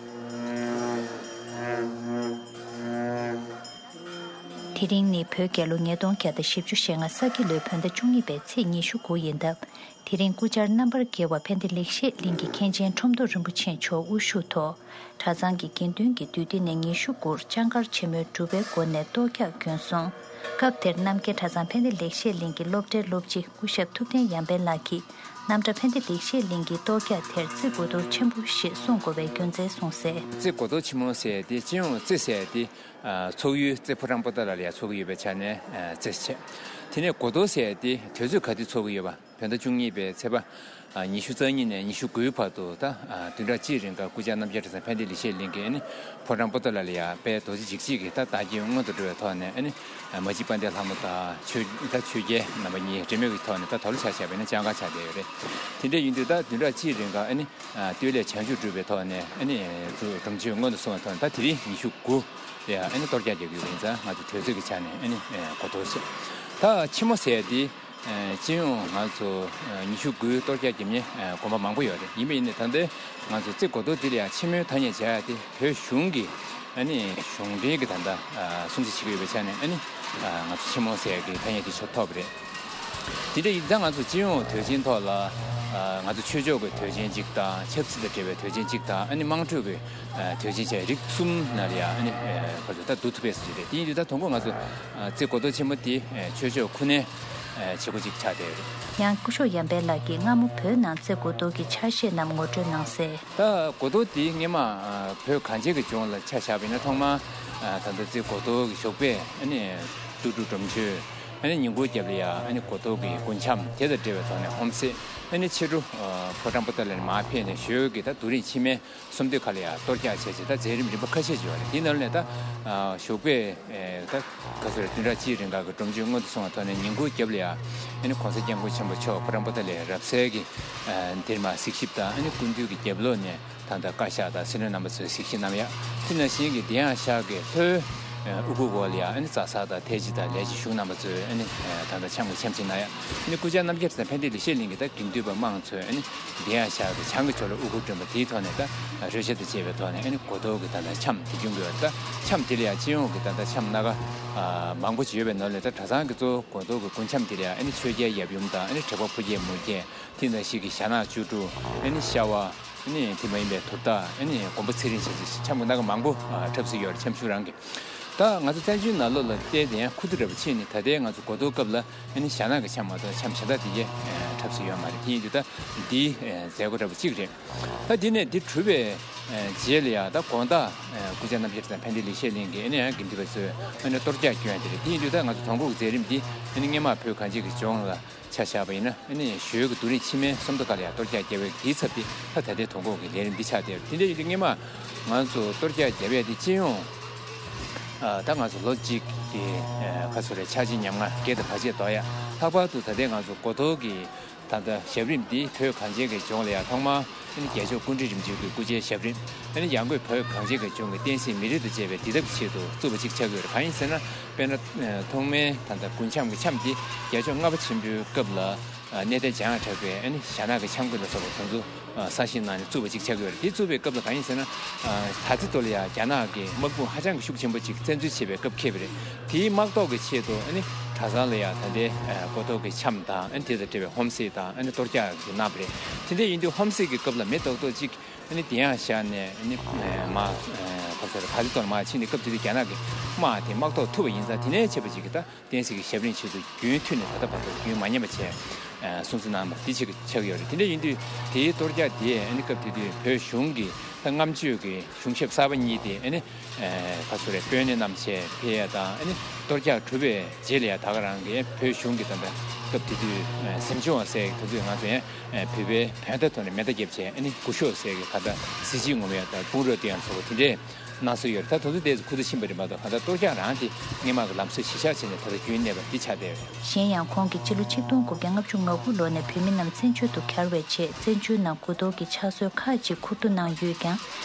དེ་རིང་ནི་བོད་རྒྱལ་ལོ་ཉིས་སྟོང་བརྒྱ་དང་བཞི་བཅུ་ཞེ་ལྔ་ས་ཁྱི་ལོའི་བོད་ཟླ་བཅུ་གཉིས་པའི་ཚེས་ཉི་ཤུ་དགུ་ཡིན་སྟབས། དེ་རིང་སྐུ་བཅར་རྣམ་པར་རྒྱལ་བ་ཕན་བདེ་ལེགས་བཤད་གླིང་གི་མཁན་ཆེན་ཁྲོམ་ཐོག་རིན་པོ་ཆེ་མཆོག་དབུ་བཞུགས་ཐོག་གྲྭ་ཚང་གི་དགེ་འདུན་གྱི་འདུས་སྡེ་ནས་ཉི་ཤུ་དགུར་ལྕང་མཁར་ཆེན་མོའི་སྒྲུབ་པའི་སྒོ་ནས་གཏོར་རྒྱག་བརྒྱུད་སོང་། སྐབས་དེར་རྣམ་རྒྱལ་གྲྭ་ཚང་ཕན་བདེ་ལེགས་བཤད་གླིང་གི་སློབ་གྲྭའི་སློབ་སྤྱི་སྐུ་ཞབས་ཐུབ་བསྟན་ཡར་འཕེལ་ལགས་ཀྱིས། རྣམ་གྲྭ་ཕན་བདེ་ལེགས་བཤད་གླིང་གི་གཏོར་རྒྱག་དེར་བརྩི་དགོས་དོན་ཆེན་པོ་ཞེས་གསུང་དགོས་པའི་རྒྱུ་མཚན་གསུངས་གསལ། བརྩི་དགོས་དོན་ཆེན་མོ་ཟེར་ཏེ་སྤྱི་ཡོངས་བརྩི་ཟེར་ཏེ། ཚོགས་ཡུལ་རྩེ་ཕོ་བྲང་པོ་ཏཱ་ལ་ལ་ཡང་ཚོགས་ཀྱི་ཡོད་པའི་ཆ་ནས་བརྩི་བྱས། དེ་ནས་དགོས་དོན་ཟེར་ཏེ་དུས་ཚོད་ག་དུས་ཚོགས་ཀྱི་ཡོད་པ། བོད་ཟླ་བཅུ་གཉིས་པའི་ཚེས་པ་ཉི་ཤུ་རྩ་གཉིས་ནས་ཉི་ཤུ་དགུའི་བར་དུ་ད་བདུན་ཕྲག་གཅིག་རིང་ག་སྐུ་བཅར་རྣམ་རྒྱལ་གྲྭ་ཚང་ཕན་བདེ་ལེགས་བཤད་གླིང་གི་ནི་ཕོ་བྲང་པོ་ཏཱ་ལ་ལ་ཡ་དཔལ་རྡོ་རྗེ་འཇིགས་བྱེད་ཀྱི་ད་བདག་རྐྱེན་མངོན་དུ་འགྲོ་བའི་ཐོག་ནས་ཨ་ནི་མ་གཅིག་དཔལ་ལྡན་ལྷ་མོ་དང་ཆོས་ད་ཆོས་རྒྱལ་རྣམ་པ་གཉིས་འབྲེལ་མོལ་གྱི་ཐོག་ནས་ད་དོ་ལོ་ཆ་བཞག་པ་ཡིན་ན་ལྕང་མཁར་ཆགས་བསྡད་ཡོད་རེད། དེ་འདྲ་ཡིན་དུས་ད་བདུན་ཕྲག་གཅིག་རིང་ག་ཨ་ནི་སྟོད་ལས་བྱང་ཆུབ་སྒྲུབ་པའི་ཐོག་ནས་ཨ་ནི་སྒྲུབ་མཆོད་མངོན་དུ་སོང་བའི་ཐོག་ནས་ད་དེ་རིང་ཉི་ཤུ་དགུ་ལ་ཡ་ཨ་ནི་གཏོར་རྒྱག་རྒྱག་གི་ཡོད་པ་ཡིན་ཙང་ང་ཚོ་དུས་ཚོད་ཀྱི་ཆ་ནས་ཨ་ནི་གོ་ཐོས་བྱས། ད་ཕྱི་མོ་ཟེར་ཏེ། སྤྱི་ཡོངས་ང་ཚོ་ཉི་ཤུ་དགུའི་གཏོར་རྒྱག་བརྒྱབ་མཁན་དགོན་པ་མང་པོ་ཡོད་རེད། ཡིན་པ་ཡིན་ནའི་ད་ལྟའི་ང་ཚོ་རྩེ་སྒོ་རྡོ་འདི་ལ་ཡང་ཆེན་མོའི་ཐ་སྙད་བྱ་ཡ་དེ་བོད་གཞུང་གི་ཨ་ནི་གཞུང་འབྲེལ་གྱི་ད་ལྟ་སྲུང་བརྩི་བྱེད་ཀྱི་ཡོད་པའི་ཆ་ནས་ཨ་ནི་ང་ཚོ་ཆེན་མོ་ཟེར་ཡ་གི་ཐ་སྙད་དེ་ཆོག་ཐོབ་རེད། དེ་འདྲ་ཡིན་ཙང་ང་ཚོ་སྤྱི་ཡོངས་དུས་ཆེན་ཐོག་ལ་ང་ཚོ་ཆོས་ཕྱོགས་ཀྱི་དུས་ཆེན་གཅིག་དང་ཆབ་སྲིད་དང་འབྲེལ་བའི་དུས་ཆེན་གཅིག་དང་ཨ་ནི་དམངས་ཁྲོད་ཀྱི་དུས་ཆེན་བཅས་རིགས་གསུམ་ནང་ལ་ཡང་ཨ་ནི་ཕར་ཚུར་ད་བསྡུ་ཐུབ་པའི་སྲིད་ཇུས་རེད། དེ་ཡིན་དུས་ད་དུང་ཁོ་ང་ཚོ་རྩེ་སྒོ་རྡོ་ཆེན་མོ་དེ་ཆོས་ཕྱོགས་ཁུ་ནའི་བྱེད་སྒོ་གཅིག་ཆགས་བསྡད་ཡོད་རེད། ཡང་སྐུ་ཞབས་ཡར་འཕེལ་ལགས་ཀྱིས་སྔ་མོ་བོད་ནང་རྩེ་སྒོ་རྡོ་གི་ཆ་ཤས་རྣམས་ངོ་སྤྲོད་གནང་གསལ། ད་སྒོ་རྡོ་དེ་སྔོན་མ་བོད་གངས་ཅན་གྱི་ལྗོངས་ལ་ཆ་བཞག་པ་ཡིན་ན་ཐོག་མར་ད་ལྟ་རྩེ་སྒོ་རྡོ་གི་ཞོགས་པས་ཨ་ནི་ཏུ་ཀྲུ་སྒྲོམ་གཞི། ཨ་ནི་ཉིན་གུང་རྒྱབ་ལ་ཡ་ཨ་ནི་སྒོ་རྡོ་གི་རྒུན་འཁྱམས་དེ་དང་འབྲེལ་བའི་ཐོག་ནས་ཧོམ་སེ། ཨ་ནི་ཕྱི་དྲོ་ཕོ་བྲང་པོ་ཏ་ལ་ནས་མར་ཕེབས་ནས་ཞོལ་གྱི་ད་རྡོ་རིང་ཕྱི་མའི་གསུམ་སྡེ་ཁག་ལ་ཡ་གཏོར་རྒྱག་བྱས་རྗེས་ད་མཛད་རིམ་རིམ་པ་ཁ་ཤས་ཅིག་ཡོད་རེད། དེའི་ནང་ནས་ད་ཞོགས་པས་ད་ག་ཚོད་རེད། བདུན་ཕྲག་གཅིག་རིང་ག་གི་སྒྲོམ་གཞི་སྔོན་དུ་སོང་བའི་ཐོག་ནས་ཉིན་གུང་རྒྱབ་ལ་ཡ་ཨ་ནི་གོང་ས་སྐྱབས་མགོན་ཆེན་པོ་མཆོག་ཕོ་བྲང་པོ་ཏ་ལའི་རབ་གསལ་གྱི་འདིར་མར་གཟིགས་ཞིབ་དང་ཨ་ནི་སྐུ་མདུན་གྱི་རྒྱབ་ལོགས་ནས། ད་ལྟ་བཀའ་ཤག་དང་སྲིད་བློན་རྣམ་པ་ཚོའི་གཟིགས་ཞིབ་གནང་ཡ། དེ་ནང་བཞིན་གྱི་དེ་ཡང་ཤག་གི་ལྷོའི་དབུ་གུར་འོག་ལ་ཡ་ཨ་ནི་རྩ་གསར་དང་ཐའི་ཇི་དང་ལས་བྱེད་གཞུང་རྣམ་པ་ཚོས་ཨ་ནི་ད་ལྟ་འཆམ་གྱི་འཆམ་གཞིས་གནང་ཡ། ཨ་ནི་སྐུ་བཅར་རྣམ་རྒྱལ་དང་ཕན་བདེ་ལེགས་བཤད་གླིང་གི་ད་དགེ་འདུན་པ་དམངས་ཚོས་ཨ་ནི་དེ་ཡང་ཤག་གི་བྱང་གི་ཕྱོགས་ལ་དབུ་གུར་སྒྲོན་པ་དེའི་ཐོག་ནས་ད་རོལ་ཆ་དང་བཅས་པའི་ཐོག་ནས་ཨ་ནི་སྒོ་རྡོ་གི་ད་ལྟ་འཆམ་དེ་སྐྱོང་གི་ཡོད་རེད། ད་འཆམ་དེ་ལ་ཡ་སྤྱི་ཡོངས་ཀྱི་ད་ལྟ་འཆམ་སྣ་ཁ་མང་པོ་ཅིག་ཡོད་པའི་ནང་ལས་ད་གྲྭ་ཚང་གི་གཙོ་བོ་སྒོ་རྡོ་གི་རྒུན་འཆམ་དེ་ལ་ཡ་ཨ་ནི་ཆོས་རྒྱལ་ཡབ་ཡུམ་དང་ཨ་ནི་དྲེགས་པ་ཕོ་རྒྱས་མོ་རྒྱས། དེ་ནང་བཞིན་གྱི་ཞྭ་ནག་བཅུ་དྲུག་ཨ་ནི་ཤ་བ། ཨ་ནི་དེ་མ་ཡིན་པའི་དུར་བདག་ཨ་ནི་མགོན་པོ་ཚེ་རིང་བཅས་ཀྱི་འཆམ་གྱི་སྣ་ཁ་མང་པོ་འཁྲབ་སྲོལ་ཡོད་རེད། འཆམ་གཞུང་རང་གི། ད་ང་ཚོ་བཙན་བྱོལ་ནང་ལོགས་ལ་བལྟས་ཏེ་ཡང་ཁུ་བསྡུ་འདྲ་པོ་ཕྱིན་ནས་ད་ལྟའི་ང་ཚོ་སྒོ་རྡོ་སྐབས་ལ་ཨ་ནི་ཞྭ་ནག་གི་འཆམ་མ་གཏོགས་འཆམ་གཞན་དག་དེ་གའི་འཁྲབ་སྲོལ་ཡོད་མ་རེད། དེ་ཡིན་དུས་ད་འདིའི་མཛད་སྒོ་འདྲ་པོ་གཅིག་རེད། ད་འདི་ནས་འདི་གྲུབ་པའི་རྗེས་ལ་ཡང་ད་དགོང་དག་སྐུ་བཅར་རྣམ་རྒྱལ་དང་ཕན་བདེ་ལེགས་བཤད་གླིང་གི་ཨ་ནི་ཡང་དགེ་འདུན་པ་ཚོས་ཨ་ནི་གཏོར་རྒྱག་སྐྱོན་དེ་རེད། དེ་ཡིན་དུས་ད་ང་ཚོ་དོང་ཁུག་མཛད་རིམ་འདི་ཨ་ནི་སྔོན་མ་བོད་གངས་ཅན་གྱི་ལྗོངས་ལ་ཆ་བཞག་པ་ཡིན་ན་ཨ་ནི་ཞོལ་གྱི་རྡོ་རིང་ཕྱི་མའི་སུམ་མདོ་ཁ་ལ་ཡང་གཏོར་རྒྱག་བརྒྱབ་པའི་དེའི་ཚབ་དེ་ད་ད་ལྟའི་དོ་འགོག་གི་ལས་རིམ་འདི་ཆགས་བསྡད་ཡོད། དེ་འདྲ་ཡིན་དུས་སྔོན་མ་ང་ཚོ་གཏོར་རྒྱག་བརྒྱབ་ཡས་དེ་སྤྱི་ཡོངས་ཨ་ད་ང་ཚོ་ལོ་གཅིག་གི་ཨ་ག་ཚོད་རེད། འཆར་གཞི་ཉམས་མྱོང་སྒེར་དང་བར་ཆད་དོ་ཡ། ལྷག་པར་དུ་ད་ལྟའི་ང་ཚོ་སྒོ་རྡོ་གི་ད་ལྟ་ཞབས་རིམ་འདི་བོད་གངས་ཅན་གྱི་ལྗོངས་ལ་ཡང་ཐོག་མར་ཨ་ནི་རྒྱལ་མཆོག་སྐུ་ཕྲེང་རིམ་བྱོན་གྱི་སྐུ་ཕྱྭའི་ཞབས་རིམ། ཨ་ནི་ཡང་སྒོས་བོད་གངས་ཅན་གྱི་ལྗོངས་ཀྱི་བསྟན་སྲིད་མི་རིགས་དང་བཅས་པའི་བདེ་ཐབས་ཀྱི་ཆེད་དུ་བཙུགས་པ་ཅིག་ཆགས་ཀྱི་ཡོད་རེད། གང་ཡིན་ཟེར་ན། དཔེར་ན། ཐོག་མའི་ད་ལྟ་རྒུན་འཆམ་གྱི་འཆམ་འདི་རྒྱལ་མཆོག་ལྔ་པ་ཆེན་པོའི་སྐབས་ལ་གནས་བརྟན་འཇམ་དབྱངས་གྲགས་པས་ཨ་ནི་ཞྭ་ནག་གི་འཆམ་གྱི་ལ་སོགས་པ་དེ་ཚོ་གསར་བཞེངས་གནང་ནས་བཙུགས་པ་ཅིག་ཆགས་ཀྱི་ཡོད་རེད། དེ་བཙུགས་པའི་སྐབས་ལ་གང་ཡིན་ཟེར་ན། ད་ལྟའི་ཐོག་ལ་ཡང་རྒྱ་ནག་གི་དམག་དཔུང་ཧ་ཅང་གི་ཤུགས་ཆེན་པོ་ཅིག་བཙན་འཛུལ་བྱེད་པའི་སྐབས་འཁེལ་བ་རེད། དེའི་དམག་ཐོག་གི་ཆེད་དུ་ཨ་ནི་གྲྭ་ཚང་ལ་ཡང་ད་ལྟའི་སྒོ་ཐོག་གི་འཆམ་དང་ཨ་ནི་དེ་དང་འབྲེལ་བའི་ཧོམ་སེ་དང་ཨ་ནི་གཏོར་རྒྱག་གི་གནང་བ་རེད། དེ་འདྲ་ཡིན་དུས་ཧོམ་སེ་གི་སྐབས་ལ་མི་རྡོག་རྡོག་ཅིག་ཨ་ནི་དེ་ཡང་བཞག་ནས་ཨ་ནི་མ་ག་ཚོད་རེད། ཕ་ཚི་ཐོག་ལ་མར་ཕྱིན་ནས་སྐབས་དེ་དུས་རྒྱ་ནག་གི་དམག་དེ་དམག་ཐོག་ཐུག་པ་ཡིན་ཙང་དེ་ནས་བྱས་པ་ཅིག་གི་ད་བསྟན་སྲིད་ཀྱི་ཞབས་རིམ་ཆེད་དུ་རྒྱུན་མཐུད་ནས་ད་ལྟ་བར་དུ་རྒྱུན་མ་ཉམས་པ་བྱས་སྲུང་བརྩི་གནང་བ་འདི་ཆེད་ཀྱི་ཆགས་ཡོད་རེད། དེ་འདྲ་ཡིན་དུས་དེའི་གཏོར་རྒྱག་དེ་ཨ་ནི་སྐབས་དེ་དུས་བོད་གཞུང་གི་ད་སྔ་མ་ཆོས་ཀྱི་གཞུང་ཞབས་གསར་པ་གཉིས་དེ་ཨ་ནི་ག་ཚོད་རེད། དཔོན་གནས་རྣམ་བྱས་ཕེབས་ཡ་དང་ཨ་ནི་གཏོར་རྒྱག་གྲུབ་པའི་རྗེས་ལ་ཡ་ད་ག་རང་གི་བོད་གཞུང་གི་ད་ལྟ་སྐབས་དེ་དུས་གཟིམ་ཆུང་བ་ཟེར་དུས་ང་ཚོ་ཡང་བོད་པའི་བོད་ཟླ་ཐོག་ནས་མེ་མདའ་བརྒྱབ་བྱས་ཨ་ནི་སྐུ་ཞབས་ཟེར་གི་ད་ལྟ་གཟི་བརྗིད་ངོམ་ཡ་དང་དཔུང་རོགས་སྟོན་ཡ་ཚོ་དེ་འདྲས་གནང་སྲོལ་ཡོད་རེད། ད་དེ་ཚོ་ཏོག་ཙམ་ཁུ་བསྡུ་ཕྱིན་པ་རེད་མ་གཏོགས་གང་ལྟར་གཏོར་རྒྱག་རང་དེ་སྔོན་མ་གི་ལམ་སྲོལ་གཞི་བཞག་བྱས་ནས་ད་ལྟ་རྒྱུན་གནས་པ་འདི་ཆགས་བསྡད་ཡོད་རེད། གཞན་ཡང་ཁོང་གིས་སྤྱི་ལོ་ཆིག་སྟོང་དགུ་བརྒྱ་ལྔ་བཅུ་ང་དགུ་ལོ་ནས་བོད་མི་རྣམས་བཙན་བྱོལ་དུ་གྱར་བའི་རྗེས་བཙན་བྱོལ་ནང་སྒོ་རྡོ་གི་ཕྱག་སྲོལ་ཁག་ཅིག་ཁུ་བསྡུ་གནང་ཡོད་ཀྱང་།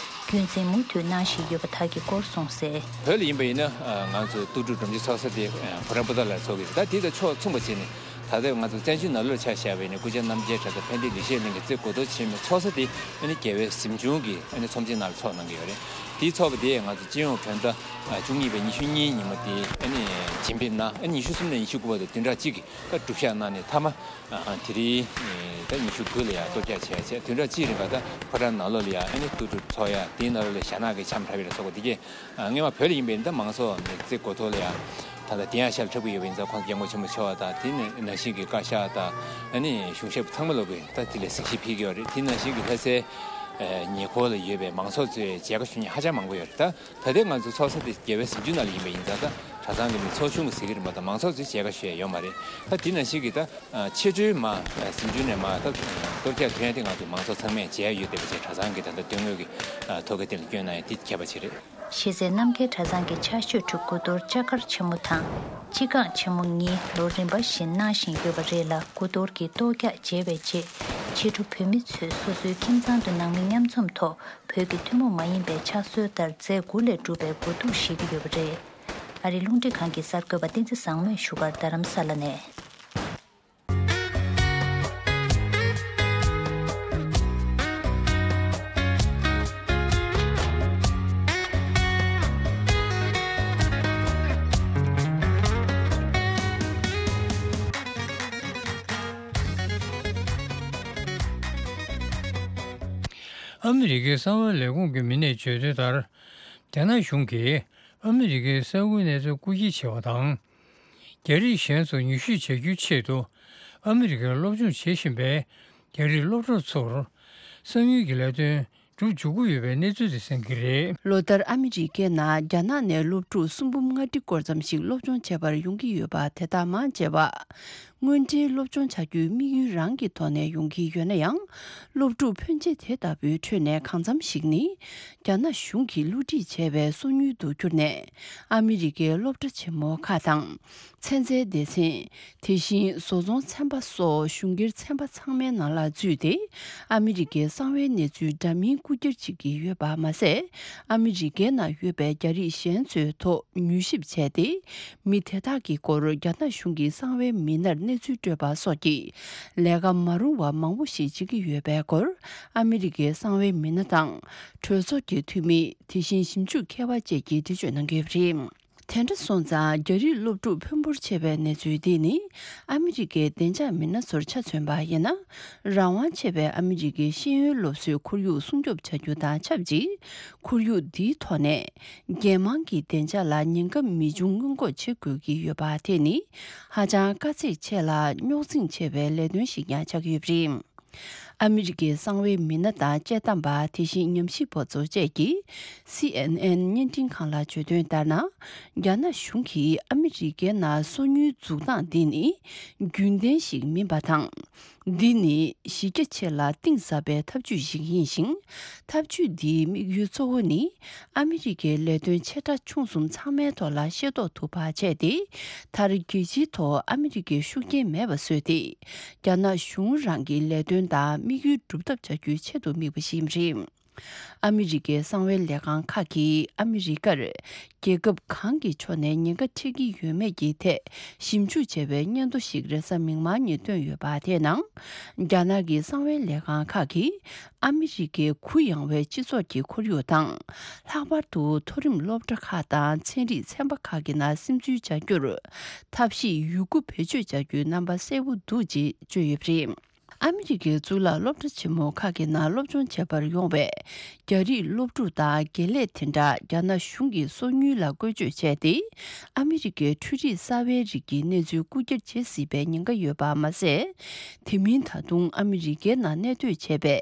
རྒྱུན་འཛིན་མུ་མཐུད་གནང་བཞིན་ཡོད་པ་དག་གི་སྐོར་གསུངས་གསལ། བོད་ལ་ཡིན་པ་ཡིན་ན་ང་ཚོ་ཏུའུ་ཀྲུའུ་སྒྲོམ་གཞི་ཚོགས་ས་དེ་ཕོ་བྲང་པོ་ཏཱ་ལར་ཚོགས་ཀྱི་རེད། ད་དེ་དང་ཕྱོགས་མཚུངས་པ་བྱས་ནས། ད་ལྟ་ང་ཚོ་བཙན་བྱོལ་ནང་ལོགས་ཆ་བཞག་པ་ཡིན་ན་སྐུ་བཅར་རྣམ་རྒྱལ་གྲྭ་ཚང་ཕན་བདེ་ལེགས་བཤད་གླིང་གི་རྩེ་སྒོ་རྡོ་ཆེན་མོའི་ཚོགས་ས་དེ་ཨ་ནི་རྒྱལ་བའི་གཟིམ་ཆུང་གི་ཨ་ནི་ཚོམས་ཆེན་ནང་ལ་ཚོགས་གནང་གི་ཡོད་རེད། དེའི་ཚོགས་པ་དེ་ང་ཚོ་སྤྱི་ཡོངས་བོད་ཟླ་བཅུ་གཉིས་པའི་ཉི་ཤུ་གཉིས་ཉིན་མོ་དེ་ཨ་ནི་བྱིན་ཕེབས་གནང་། ཨ་ནི་ཉི་ཤུ་གསུམ་ནས་ཉི་ཤུ་དགུ་བར་དུ་བདུན་ཕྲག་གཅིག་གི་ད་སྒྲུབ་ཞག་གནང་ནས་མཐའ་མ་དེ་རིང་ད་ཉི་ཤུ་དགུ་ལ་ཡང་གཏོར་རྒྱག་བྱས་བྱས་བདུན་ཕྲག་གཅིག་རིང་ག་ད་ཕོ་བྲང་ནང་ལོགས་ལ་ཡང་ཨ་ནི་ཏུའུ་ཀྲུའུ་ཚོགས་ཡ་དེའི་ནང་ལོགས་ལ་ཞྭ་ནག་གི་འཆམ་འཁྲབ་ཡ་ལ་སོགས་པ་དེ་གས། ཨ། སྔོན་མ་བོད་ལ་ཡིན་པའི་ད་མང་ཚོགས་ནི་རྩེ་སྒོ་ཐོག་ལ་ཡང་ད་ལྟ་དེ་ཡང་ཤར་འཁྲབ་ཀྱི་ཡོད་པ་ཡིན་ཙང་། ཁོང་སྐྱབས་མགོན་ཆེན་པོ་མཆོག་དང་དེ་ནི་ནང་བཞིན་གྱི་བཀའ་ཤག་དང་ཨ་ནི་གཞུང་ཞབས་ཚང་མ་ལོག་གིས་ད་དེ་ལ་གཟིགས་ཞིབ་ཕེབས་ཀྱི་ཡོད་རེད། དེ་ནང་བཞིན་གྱི་ལྷ་སའི་ཉེ་འཁོར་ལ་ཡོད་པའི་མང་ཚོགས་ཚོས་མཇལ་ཁ་ཞུ་མཁན་ཧ་ཅང་མང་པོ་ཡོད་རེད། ད་ད་ལྟའི་ང་ཚོ་ཚོགས་ས་དེ་རྒྱལ་བའི་གཟིམ་ཆུང་ནང་ལ་ཡིན་པ་ཡིན་ཙང་། ད་གྲྭ་ཚང་གི་མི་ཚོགས་ཆུང་གི་ཟེར་གྱི་རེད་མ་གཏོགས་མང་ཚོགས་ཚོས་མཇལ་ཁ་ཞུ་ཡ་ཡོད་མ་རེད། ད་དེ་ནང་བཞིན་གྱི་ད་ཕྱི་དྲོའི་མ་གཟིམ་ཆུང་ནས་མ་ད་གཏོར་རྒྱག་ཐོན་ཡ་དེ་ང་ཚོ་མང་ཚོགས་ཚང་མས་མཇལ་ཡ་ཡོད་བསྡད་པ་བྱས། གྲྭ་ཚང་གི་ད་ལྟ་དོན་དངོས་ཀྱི་ཐོ་ག་དེ་ལ་བསྐྱོན་གནང་ཡ་དེ་ཁྱད་པར་ཅིག་རེད། གཞི་རྩའི་རྣམ་རྒྱལ་གྲྭ་ཚང་གི་ཕྱག་མཆོད་ཁྲི་དགུ་གཏོར་ལྕགས་མཁར་ཆེན་མོ་དང་སྤྱི་ཁང་ཆེན་མོ་གཉིས་ལོ་རིམ་པ་བཞིན་གནང་བཞིན་ཡོད་པ་རེད་ལ། དགུ་གཏོར་གྱི་གཏོར་རྒྱག་མཇལ་བའི་རྗེས་ཕྱི་དྲོ་བོད་མི་ཚོས་སོ་སོའི་ཁྱིམ་ཚང་དུ་ནང་མི་མཉམ་འཛོམས་ཐོག་བོད་ཀྱི་ཐུན་མོང་མ་ཡིན་པའི་ཕྱག་སྲོལ་ལྟར་རྫས་དགུ་ལས་གྲུབ་པའི་སྒོ་གདུགས་བཞེས་ཀྱི་ཡོད་པ་རེད། ཨ་རིའི་རླུང་འཕྲིན་ཁང་གི་གསར་འགོད་པ་བསྟན་འཛིན་བཟང་མོས་བཞུགས་སྒར་རྡ་རམ་ས་ལ་ནས། ཨ་མི་རི་ཀའི་གསང་བའི་ལས་ཁུངས་ཀྱི་མི་སྣས་བརྗོད་དོན་ལྟར། རྒྱ་ནག་གཞུང་གིས་ཨ་མི་རི་ཀའི་ས་ཁུལ་གནས་ཚུལ་རྐུ་འཁྱེར་བྱས་པ་དང་། རྒྱ་རིགས་གཞན་ཚོ་མྱུལ་ཞིབ་བྱ་རྒྱུའི་ཆེད་དུ། ཨ་མི་རི་ཀར་སློབ་སྦྱོང་བྱེད་བཞིན་པའི་རྒྱ་རིགས་སློབ་གྲོགས་ཚོར། གསང་མྱུལ་གྱི་ལས་དོན་སྒྲུབ་འཇུག་གི་ཡོད་པའི་གནས་ཚུལ་དེ་གསན་གྱི་རེད། ལོ་ལྟར་ཨ་མི་རི་ཀའི་ནང་རྒྱ་ནག་ནས་སློབ་ཕྲུག་སུམ་འབུམ་ལྔ་ཁྲི་སྐོར་ཙམ་ཞིག་སློབ་སྦྱོང་བྱེད་པར་ཡོང་གི་ཡོད་པ། དེ་དག་མང་ཆེ་བ། དངོས་འབྲེལ་སློབ་སྦྱོང་བྱ་རྒྱུའི་དམིགས་ཡུལ་རང་གི་ཐོག་ནས་ཡོང་གི་ཡོད་ན་ཡང་། སློབ་ཕྲུག་ཕོན་ཆེ་དེ་ལྟ་བུའི་ཁྲོད་ནས་གང་འཚམ་ཞིག་ནི། རྒྱ་ནག་གཞུང་གིས་བསླུ་བྲིད་བྱས་པའི་སོ་ཉུལ་དུ་གྱུར་ནས། ཨ་མི་རི་ཀའི་སློབ་གྲྭ་ཆེན་མོ་ཁག་དང་། ཚན་རྩལ་སྡེ་ཚན། དེ་བཞིན་བཟོ་ཚོང་ཚན་པ་སོགས་གཞུང་སྒེར་ཚན་པ་ཚང་མའི་ནང་ལ་འཛུལ་ཏེ། ཨ་མི་རི་ཀའི་གསང་བའི་གནས་ཚུལ་འདྲ་མིན་རྐུ་འཁྱེར་བྱེད་ཀྱི་ཡོད་པ་མ་ཟད། ཨ་མི་རི་ཀའི་ནང་ཡོད་པའི་རྒྱ་རིགས་གཞན་ཚོའི་ཐོག་མྱུལ་ཞིབ་བྱས་ཏེ། མི་དེ་དག་གི་སྐོར་རྒྱ་ནག་གཞུང་གི་གསང་བའི་མི་སྣར་གནས་ཚུལ་སྤྲོད་པ་སོགས་ཀྱི་ལས་ཀ་མ་རུང་བ་མང་པོ་ཞིག་བྱེད་ཀྱི་ཡོད་པའི་སྐོར། ཨ་མི་རི་ཀའི་གསང་བའི་མི་སྣ་དང་། གྲོས་ཚོགས་ཀྱི་འཐུས་མི། དེ་བཞིན་ཞིབ་འཇུག་མཁས་པ་བཅས་ཀྱིས་འགྲེལ་བརྗོད་གནང་གི་ཡོད་པ་རེད། དེ་འདྲ་སོང་ཙང་། རྒྱ་རིགས་སློབ་ཕྲུག་ཕོན་པོར་ཕྱེ་བའི་གནས་ཚུལ་འདི་ནི། ཨ་མི་རི་ཀའི་བདེ་འཇགས་མི་སྣ་ཚོར་ཆ་མཚོན་པ་ཡིན་ན། རང་དབང་ཆེ་བའི་ཨ་མི་རི་ཀའི་ཤེས་ཡོན་སློབ་གསོའི་ཁོར་ཡུག་སྲུང་སྐྱོབ་བྱ་རྒྱུ་དང་ཆབས་ཅིག་ཁོར་ཡུག་འདིའི་ཐོག་ནས། རྒྱལ་དམངས་ཀྱི་བདེ་འཇགས་ལ་ཉེན་ཁ་མི་འབྱུང་སྔོན་འགོག་བྱེད་དགོས་ཀྱི་ཡོད་པ་དེ་ནི། ཧ་ཅང་དཀའ་ཚེགས་ཆེ་ལ་རྙོག་འཛིང་ཆེ་བའི་ལས་དོན་ཞིག་ཀྱང་ཆགས་ཀྱི་ཡོད་པ་རེད། ཨ་མི་རི་ཀའི་གསང་བའི་མི་སྣ་དང་དཔྱད་གཏམ་པ། དེ་བཞིན་ཉམས་ཞིབ་པ་ཚོ་བཅས་ཀྱིས། སི་ཨེན་ཨེན་བརྙན་འཕྲིན་ཁང་ལ་བརྗོད་དོན་ལྟར་ན། རྒྱ་ནག་གཞུང་གིས་ཨ་མི་རི་ཀའི་ནང་སོ་ཉུལ་འཛུགས་སྟངས་འདི་ནི། རྒྱུན་ལྡན་ཞིག་མིན་པ་དང་། འདི་ནི་གཞི་རྒྱ་ཆེ་ལ་གཏིང་ཟབ་པའི་ཐབས་ཇུས་ཤིག་ཡིན་ཞིང་། ཐབས་ཇུས་འདིའི་དམིགས་ཡུལ་གཙོ་བོ་ནི། ཨ་མི་རི་ཀའི་ལས་དོན་ཆེ་ཕྲ་ཆུང་གསུམ་ཚང་མའི་ཐོག་ལ་ཤེས་རྟོགས་ཐུབ་པ་བྱས་ཏེ། མཐར་རྒྱལ་སྤྱིའི་ཐོག་ཨ་མི་རི་ཀའི་ཤུགས་རྐྱེན་མེད་པ་བཟོས་ཏེ། རྒྱ་ནག་གཞུང་རང་གི་ལས་དོན་དང་དམིགས་ཡུལ་སྒྲུབ་ཐབས་བྱ་རྒྱུའི་ཆེད་དུ་དམིགས་པ་ཞིག་ཡིན་པ་རེད། ཨ་མི་རི་ཀའི་གསང་བའི་ལས་ཁང་ཁག་གིས་ཨ་མི་རི་ཀར་རྒྱལ་ཁབ་གང་གི་ཕྱོགས་ནས་ཉེན་ཁ་འཕྲད་ཀྱི་ཡོད་མེད་ཀྱི་ཐད་ཞིབ་འཇུག་བྱས་པའི་སྙན་ཐོ་ཞིག་རེས་གཟའ་མིག་དམར་ཉིན་བཏོན་ཡོད་པ་དེའི་ནང་། རྒྱ་ནག་གི་གསང་བའི་ལས་ཁང་ཁག་གིས། ཨ་མི་རི་ཀའི་གུ་ཡངས་པའི་སྤྱི་ཚོགས་ཀྱི་ཁོར་ཡུག་དང་། ལྷག་པར་དུ་མཐོ་རིམ་སློབ་གྲྭ་ཁག་དང་ཚན་རིག་ཚན་པ་ཁག་གི་ནང་སིམ་འཛུལ་བྱ་རྒྱུར། ཐབས་ཤེས་ཡོད་རྒུ་བེད་སྤྱོད་བྱ་རྒྱུའི་རྣམ་པ་གསལ་པོ་འདུག་ཅེས་བརྗོད་ཡོད་པ་རེད། ཨ་མི་རི་ཀའི་གཙུག་ལག་སློབ་གྲྭ་ཆེན་མོ་ཁག་གི་ནང་སློབ་སྦྱོང་བྱེད་པར་ཡོང་བའི་རྒྱ་རིགས་སློབ་ཕྲུག་དང་དགེ་ལས་དེ་འདྲ་རྒྱ་ནག་གཞུང་གིས་སོ་ཉུལ་ལ་བཀོལ་སྤྱོད་བྱས་ཏེ། ཨ་མི་རི་ཀའི་འཕྲུལ་རིག་གསར་བའི་རིགས་ཀྱི་གནས་ཚུལ་རྐུ་འཁྱེར་བྱེད་སྲིད་པའི་ཉེན་ཁ་ཡོད་པ་མ་ཟད། དེ་མིན་ད་དུང་ཨ་མི་རི་ཀའི་ནང་གནས་སྡོད་བྱས་པའི་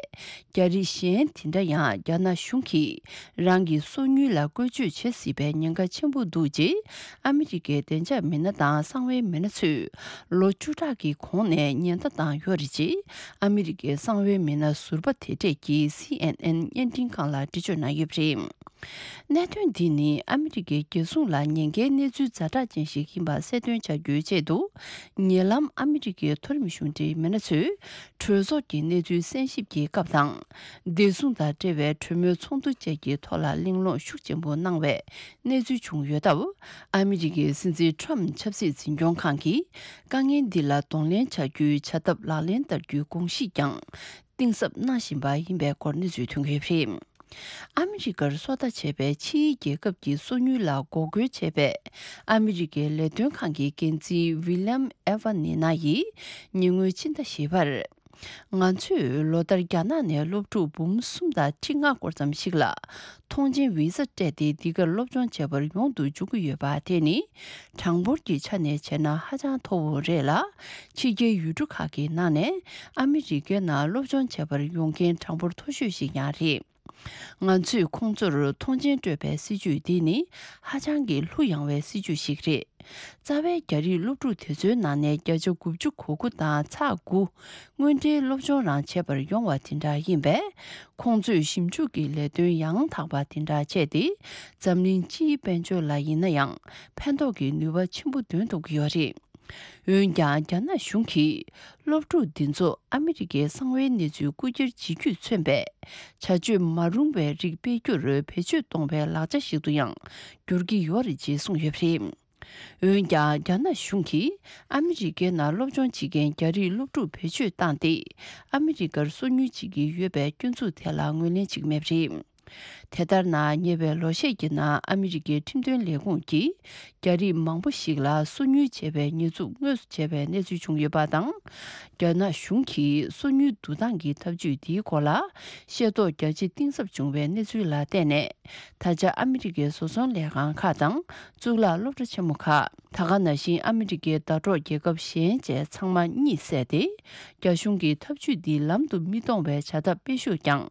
རྒྱ་རིགས་གཞན་དེ་འདྲ་ཡང་རྒྱ་ནག་གཞུང་གིས་རང་གི་སོ་ཉུལ་ལ་བཀོལ་སྤྱོད་བྱེད་སྲིད་པའི་ཉེན་ཁ་ཆེན་པོ་འདུག་ཅེས་ཨ་མི་རི་ཀའི་བདེ་འཇགས་མི་སྣ་དང་གསང་བའི་མི་སྣ་ཚོས་ལོ་བཅུ་ཕྲག་གི་གོང་ནས་ཉེན་བརྡ་བཏང་ཡོད་རེད་ཅེས་ཨ་མི་རི་ཀའི་གསང་བའི་མི་སྣ་ཟུར་པ་དེ་གྲས་ཀྱིས་སི་ཨེན་ཨེན་བརྙན་འཕྲིན་ཁང་ལ་འགྲེལ་བརྗོད་གནང་ཡོད་པ་རེད། གནད་དོན་འདི་ནི་ཨ་མི་རི་ཀའི་རྒྱལ་སྲུང་ལ་ཉེན་ཁའི་གནས་ཚུལ་ཛ་དྲག་ཅན་ཞིག་ཡིན་པ་གསལ་སྟོན་བྱ་རྒྱུའི་ཆེད་དུ། ཉེ་ལམ་ཨ་མི་རི་ཀའི་མཐོ་རིམ་གཞུང་འབྲེལ་མི་སྣ་ཚོས་གྲོས་ཚོགས་ཀྱི་གནས་ཚུལ་གསན་ཞིབ་ཀྱི་སྐབས་དང་། བདེ་སྲུང་དང་འབྲེལ་བའི་གྲོས་མོལ་ཚོགས་འདུ་བཅས་ཀྱི་ཐོག་ལ་གླེང་སློང་ཤུགས་ཆེན་པོ་གནང་བའི་གནས་ཚུལ་བྱུང་ཡོད་སྟབས། ཨ་མི་རི་ཀའི་སྲིད་འཛིན་ཁྲོམ་ཆབ་སྲིད་འཛིན་སྐྱོང་ཁང་གིས་དཀའ་ངལ་འདི་ལ་གདོང་ལེན་བྱ་རྒྱུའི་བྱ་ཐབས་ལག་ལེན་བསྟར་རྒྱུའི་དགོངས་གཞི་ཀྱང་གཏིང་ཟབ་གནང་བཞིན་པ་ཡིན་པའི་སྐོར་གནས་ཚུལ་ཐོན་གྱི་ཡོད་པ་རེད། ཨ་མི་རི་ཀར་སོ་ལྟ་བྱས་པའི་ཕྱིའི་རྒྱལ་ཁབ་ཀྱི་སོ་ཉུལ་ལ་འགོག་རྒོལ་བྱས་པའི་ཨ་མི་རི་ཀའི་ལས་དོན་ཁང་གི་འགན་འཛིན་ཝི་ལམ་ཨེ་ཝ་ནི་ན་ཡིས་ཉེ་སྔོན་ཕྱི་ཟླ་བཞི་པར། ང་ཚོས་ལོ་ལྟར་རྒྱ་ནག་ནས་སློབ་ཕྲུག་འབུམ་གསུམ་དང་ཁྲི་ལྔ་སྐོར་ཙམ་ཞིག་ལ་ཐོངས་མཆན་ཝི་ས་སྤྲད་དེ་འདི་གར་སློབ་སྦྱོང་བྱེད་པར་ཡོང་དུ་འཇུག་གི་ཡོད་པ་དེ་ནི་གྲངས་འབོར་གྱི་ཆ་ནས་བྱས་ན་ཧ་ཅང་མཐོ་བོ་རེད་ལ། ཕྱི་རྒྱལ་ཡུལ་གྲུ་ཁག་གི་ནང་ནས་ཨ་མི་རི་ཀའི་ནང་སློབ་སྦྱོང་བྱེད་པར་ཡོང་མཁན་གྲངས་འབོར་མཐོ་ཤོས་ཤིག་ཡང་རེད། ང་ཚོས་ཁོང་ཚོར་ཐོངས་མཆན་སྤྲོད་པའི་སྲིད་ཇུས་འདི་ནི་ཧ་ཅང་གི་གླུ་ཡངས་པའི་སྲིད་ཇུས་ཤིག་རེད། རྩ་བའི་རྒྱ་རིགས་སློབ་ཕྲུག་དེ་ཚོའི་ནང་ནས་བརྒྱ་ཆ་དགུ་བཅུ་གོ་དགུ་དང་ཚེག་དགུ་དངོས་འབྲེལ་སློབ་སྦྱོང་རང་བྱེད་པར་ཡོང་བ་དེ་འདྲ་ཡིན་པས། ཁོང་ཚོས་ཞིབ་འཇུག་གི་ལས་དོན་ཡང་དག་པ་དེ་འདྲ་བྱས་ཏེ། འཛམ་གླིང་སྤྱིའི་དཔལ་འབྱོར་ལ་ཡིན་ན་ཡང་ཕན་ཐོགས་ཀྱི་ནུས་པ་ཆེན་པོ་འདོན་ཐུབ་ཀྱི་ཡོད་རེད། འོན་ཀྱང་། རྒྱ་ནག་གཞུང་གིས་སློབ་ཕྲུག་འདི་ཚོ་ཨ་མི་རི་ཀའི་གསང་བའི་གནས་ཚུལ་རྐུ་འཁྱེར་བྱེད་རྒྱུས་མཚོན་པའི་བྱ་སྤྱོད་མ་རུང་བའི་རིགས་སྤེལ་རྒྱུར་བེད་སྤྱོད་གཏོང་བའི་ལག་ཆ་ཞིག་ཏུ་ཡང་འགྱུར་གྱི་ཡོད་རེད་ཅེས་གསུངས་ཡོད་པ་རེད། འོན་ཀྱང་། རྒྱ་ནག་གཞུང་གིས་ཨ་མི་རི་ཀའི་ནང་སློབ་སྦྱོང་བྱེད་མཁན་རྒྱ་རིགས་སློབ་ཕྲུག་བེད་སྤྱོད་བཏང་སྟེ། ཨ་མི་རི་ཀར་སོ་ཉུལ་བྱེད་ཀྱི་ཡོད་པའི་སྐྱོན་འཛུགས་དེ་ལ་ངོས་ལེན་བྱེད་ཀྱི་མེད་པ་རེད། དེ་ལྟར་ན། ཉེ་བའི་ལོ་ཤས་ཀྱི་ནང་ཨ་མི་རི་ཀའི་ཁྲིམས་དོན་ལས་ཁུངས་ཀྱིས་རྒྱ་རིགས་མང་པོ་ཞིག་ལ་སོ་ཉུལ་བྱས་པའི་ཉེས་འཛུགས་དངོས་སུ་བྱས་པའི་གནས་ཚུལ་བྱུང་ཡོད་པ་དང་། རྒྱ་ནག་གཞུང་གིས་སོ་ཉུལ་བསྡུ་སྟངས་ཀྱི་ཐབས་ཇུས་འདིའི་སྐོར་ལ་ཤེས་རྟོགས་རྒྱ་ཆེ་གཏིང་ཟབ་བྱུང་བའི་གནས་ཚུལ་ལ་བརྟེན་ནས། ད་ཆ་ཨ་མི་རི་ཀའི་བཟོ་ཚོང་ལས་ཁང་ཁག་དང་གཙུག་ལག་སློབ་གྲྭ་ཆེན་མོ་ཁག་ད་ག་ནང་བཞིན་ཨ་མི་རི་ཀའི་ཟླ་གྲོགས་རྒྱལ་ཁབ་གཞན་བཅས་ཚང་མ་གཉིད་སད་དེ། རྒྱ་གཞུང་གི་ཐབས་ཇུས་འདི་ལམ་དུ་མི་གཏོང་བའི་བྱ་ཐབས་སྤེལ་ཤུགས་ཀྱང་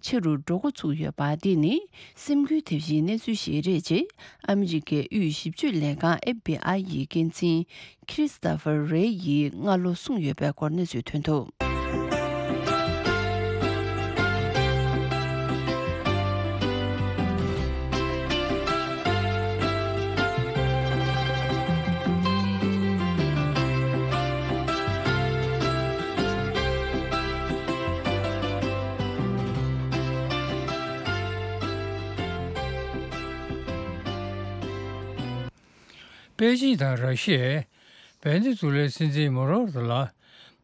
ཆེ་རུ་འགྲོ་འགོ་ཚུགས་ཡོད་པ། འདི་ནི་སེམས་འགུལ་ཐེབས་གཞིའི་གནས་ཚུལ་ཞིག་རེད། ཅེས་ཨ་མི་རི་ཀའི་དབུས་ཞིབ་དཔྱོད་ལས་ཁང་ཨེཕ་བྷི་ཨའི་ཡི་འགན་འཛིན་ཁྲི་སི་ཏོ་ཕར་རེ་ཡིས་སྔ་ལོ་གསུངས་ཡོད་པའི་སྐོར་གནས་ཚུལ་ཐོན་འདུག་པེ་ཅིང་དང་ར་ཤི་ཡས་ཝེ་ནེ་ཛུ་ལའི་སྲིད་འཛིན་མ་དུ་རོ་ལ་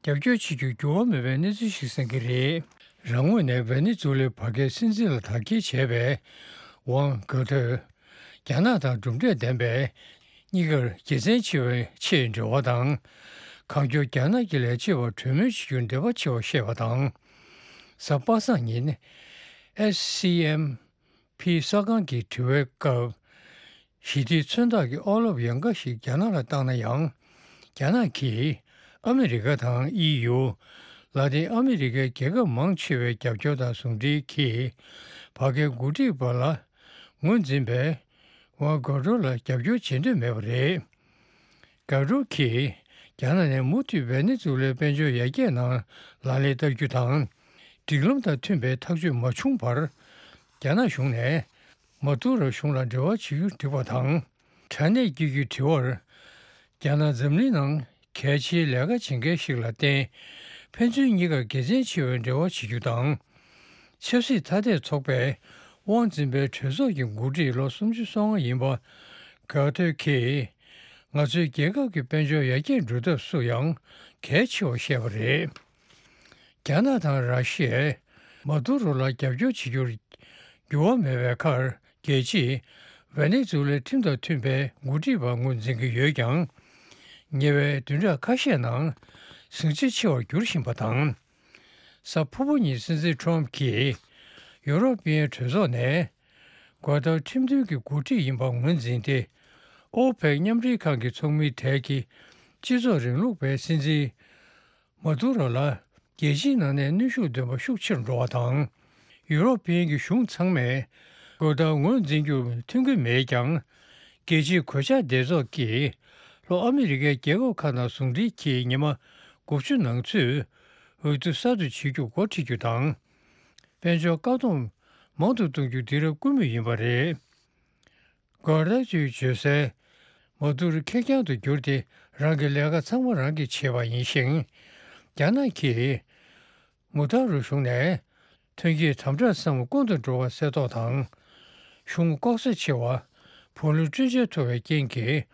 རྒྱབ་སྐྱོར་བྱེད་རྒྱུར་འགྱུར་བ་མེད་པའི་གནས་ཚུལ་ཞིག་གསན་གྱི་རེད། རང་ངོས་ནས་ཝེ་ནེ་ཛུ་ལའི་བར་བརྒལ་སྲིད་འཛིན་ལ་དར་རྒྱས་བྱས་པའི་ཝང་གྷ་ཐོས། རྒྱ་ནག་དང་གྲུབ་འབྲས་ལྡན་པའི་གཉིས་ཀར་དགེ་མཚན་ཆེ་བའི་ཆེས་འབྲེལ་བ་དང་། གང་མགྱོགས་རྒྱ་ནག་གི་ལས་བྱེད་པར་གྲོས་མོལ་བྱེད་རྒྱུར་འབད་པ་ཆེ་བར་བཤད་པ་དང་། གཟའ་པ་སངས་ཉིན་ཨེ་སི་ཨེམ་ཕི་གསར་ཁང་གི་དྲི་བའི་སྐབས། ཞི་བདེའི་མཚོན་རྟགས་ཀྱི་ཨོ་ལོབ་ཡང་འགའ་ཞིག་རྒྱ་ནག་ལ་བཏང་ན་ཡང་། རྒྱ་ནག་གིས་ཨ་མི་རི་ཀ་དང་ཨི་ཡུ། ལ་ཏིན་ཨ་མི་རི་ཀའི་རྒྱལ་ཁབ་མང་ཆེ་བའི་རྒྱབ་སྐྱོར་དང་ཟུང་འབྲེལ་གྱིས། བར་བརྒལ་འགོ་ཁྲིད་པ་ལ་ངོས་འཛིན་པའི་ཝང་གྷ་ཐོས་ལ་རྒྱབ་སྐྱོར་བྱེད་འདོད་མེད་པ་རེད། གྷ་ཐོས་ཀྱིས་རྒྱ་ནག་ནས་མུ་མཐུད་ཝེ་ནེ་ཛུ་ལའི་དཔལ་འབྱོར་ཡར་རྒྱས་ནང་ལག་ལེན་བསྟར་རྒྱུ་དང་། སྒྲིག་ལམ་དང་མཐུན་པའི་ཐག་གཅོད་མ་བྱུང་བར། རྒྱ་ནག་གཞུང་ནས་མ་དུ་རོ་གཞུང་ལ་འབྲེལ་བ་བྱེད་རྒྱུ་འགྲིག་པ་དང་། དྲ་གནས་བརྒྱུད་ཀྱི་དྲི་བར། རྒྱ་ནག་འཛམ་གླིང་ནང་གལ་ཆེའི་ལས་ཀ་བྱེད་མཁན་ཞིག་ལ་བརྟེན། ཕན་ཚུན་གཉིས་ཀར་དགེ་མཚན་ཆེ་བའི་འབྲེལ་བ་བྱེད་རྒྱུ་དང་། ཆབ་སྲིད་ཐ་དད་ཚོགས་པས་དབང་འཛིན་པའི་གྲོས་ཚོགས་ཀྱི་འགོ་ཁྲིད་ལོ་སུམ་ཅུ་སོ་ལྔ་ཡིན་པ་གྷ་ཐོས་ཀྱིས། ང་ཚོའི་རྒྱལ་ཁབ་ཀྱི་དཔལ་འབྱོར་ཡར་རྒྱས་འགྲོ་ཐབས་སུ་ཡང་གལ་ཆེ་བར་བཤད་པ་རེད། རྒྱ་ནག་དང་ར་ཤི་ཡས་མ་དུ་རོ་ལ་རྒྱབ་སྐྱོར་བྱེད་རྒྱུར་འགྱུར་བ་མེད་པའི་ཁར། རྒྱལ་སྤྱིས་ཝེ་ནེ་ཛུ་ལའི་ཁྲིམས་དང་མཐུན་པའི་འགོ་ཁྲིད་པ་ངོས་འཛིན་གྱི་ཡོད་ཀྱང་། ཉེ་བའི་བདུན་ཕྲག་ཁ་ཤས་ནང་ཟིང་ཆ་ཆེ་བར་འགྱུར་བཞིན་པ་དང་། གཟའ་ཕུར་བུ་ཉིན་སྲིད་འཛིན་ཁྲོམ་གྱིས་ཡུ་རོབ་པའི་གྲོས་ཚོགས་ནས་གྷ་ཐོས་ཁྲིམས་མཐུན་གྱི་འགོ་ཁྲིད་ཡིན་པ་ངོས་འཛིན་ཏེ། ཨོ་པེག་མཉམ་འབྲེལ་ཁང་གི་ཚོགས་མིའི་གྲས་ཀྱི་སྤྱི་ཚོགས་རིང་ལུགས་པའི་སྲིད་འཛིན་མ་དུ་རོ་ལ་རྒྱལ་སྤྱིའི་ནང་ནས་གནོན་ཤུགས་འདོན་པ་ཤུགས་ཆེར་འགྲོ་བ་དང་། ཡུ་རོབ་པའི་གི་གཞུང་ཚང་མས་གྷ་ཐོས་ངོས་འཛིན་རྒྱུར་མཐུན་གྱི་མེད་ཀྱང་། རྒྱལ་སྤྱིའི་གོད་ཆག་སྡེ་ཚོགས་ཀྱིས་ལྷོ་ཨ་མི་རི་ཀའི་རྒྱལ་ཁབ་ཁག་དང་ཟུང་འབྲེལ་གྱིས་ཉི་མ་དགུ་བཅུ་ནང་ཚུད་འོས་བསྡུ་གསར་དུ་བྱེད་རྒྱུ་འགོ་ཁྲིད་རྒྱུ་དང་། དཔལ་འབྱོར་བཀག་སྡོམ་མང་དུ་གཏོང་རྒྱུ་དེང་རབས་སྐུལ་མ་ཡིན་པ་རེད། གྷ་ཐོས་ཀྱིས་བརྗོད་གསལ། མ་དུ་རོ་ཁེར་རྐྱང་དུ་གྱུར་ཏེ་རང་གི་ལས་ཀ་ཚང་མ་རང་གིས་བྱས་པ་ཡིན་ཞིང་། རྒྱ་ནག་གིས་མ་དུ་རོ་གཞུང་ནས་ཐོན་སྐྱེད་དམ་དྲག་ཚང་མ་སྐོང་དུ་འགྲོ་བ་གསལ་རྟོགས་དང་། གཞུང་ལྐོག་ཟ་ཆེ་བ། བུ་ལོན་སྤྲོད་འཇལ་མཐོ་བའི་རྐྱེན་གྱིས་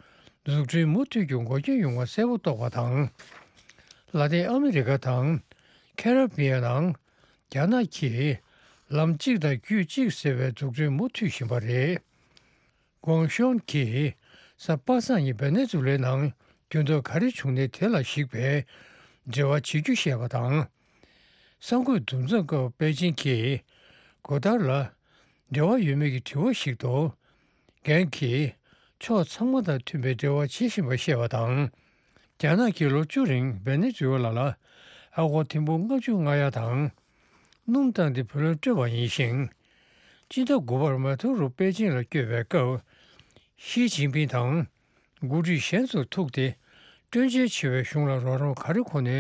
འཛུགས་སྐྲུན་མུ་མཐུད་རྒྱུ་འགོག་རྐྱེན་ཡོང་བ་གསལ་པོ་རྟོགས་པ་དང་། ལ་ཏིན་ཨ་མི་རི་ཀ་དང་ཁེ་ར་བི་ཡན་ནང་རྒྱ་ནག་གིས་ལམ་གཅིག་དང་རྒྱུད་གཅིག་ཟེར་བའི་འཛུགས་སྐྲུན་མུ་མཐུད་བཞིན་པ་རེད། ཀོང་ཤོན་གྱིས་གཟའ་པ་སངས་ཉིན་ཝེ་ནེ་ཛུ་ལའི་ནང་འགྱུར་ལྡོག་ག་རེ་བྱུང་ནའི་དེ་ལ་གཞིགས་པའི་འབྲེལ་བ་བྱེད་རྒྱུ་བཤད་པ་དང་། གསར་འགོད་འདུ་འཛོམས་སྐབས་པེ་ཅིང་གིས་གྷ་ཐོས་ལ་འབྲེལ་བ་ཡོད་མེད་ཀྱི་དྲི་བ་ཞིག་ཏུ། རྒན་གྱིས་ཕྱོགས་ཚང་མ་དང་མཐུན་པའི་འབྲེལ་བ་བྱེད་བཞིན་པ་བཤད་པ་དང་། རྒྱ་ནག་གིས་ལོ་བཅུ་རིང་ཝེ་ནེ་ཛུ་ལ་ལ་ཨ་སྒོར་ཐེར་འབུམ་ལྔ་བཅུ་ང་ཡ་དང་། སྣུམ་བཏང་སྟེ་བུ་ལོན་སྤྲོད་པ་ཡིན་ཞིང་། སྤྱི་ཟླ་དགུ་པར་མ་དུ་རོ་པེ་ཅིང་ལ་བསྐྱོད་པའི་སྐབས། ཞི་ཅིན་ཕིང་དང་འགོ་ཁྲིད་གཞན་ཚོར་ཐུག་སྟེ། སྤྲོད་འཇལ་ཆེ་བའི་གཞུང་ལ་རོགས་རམ་ག་རེ་དགོས་ནའི་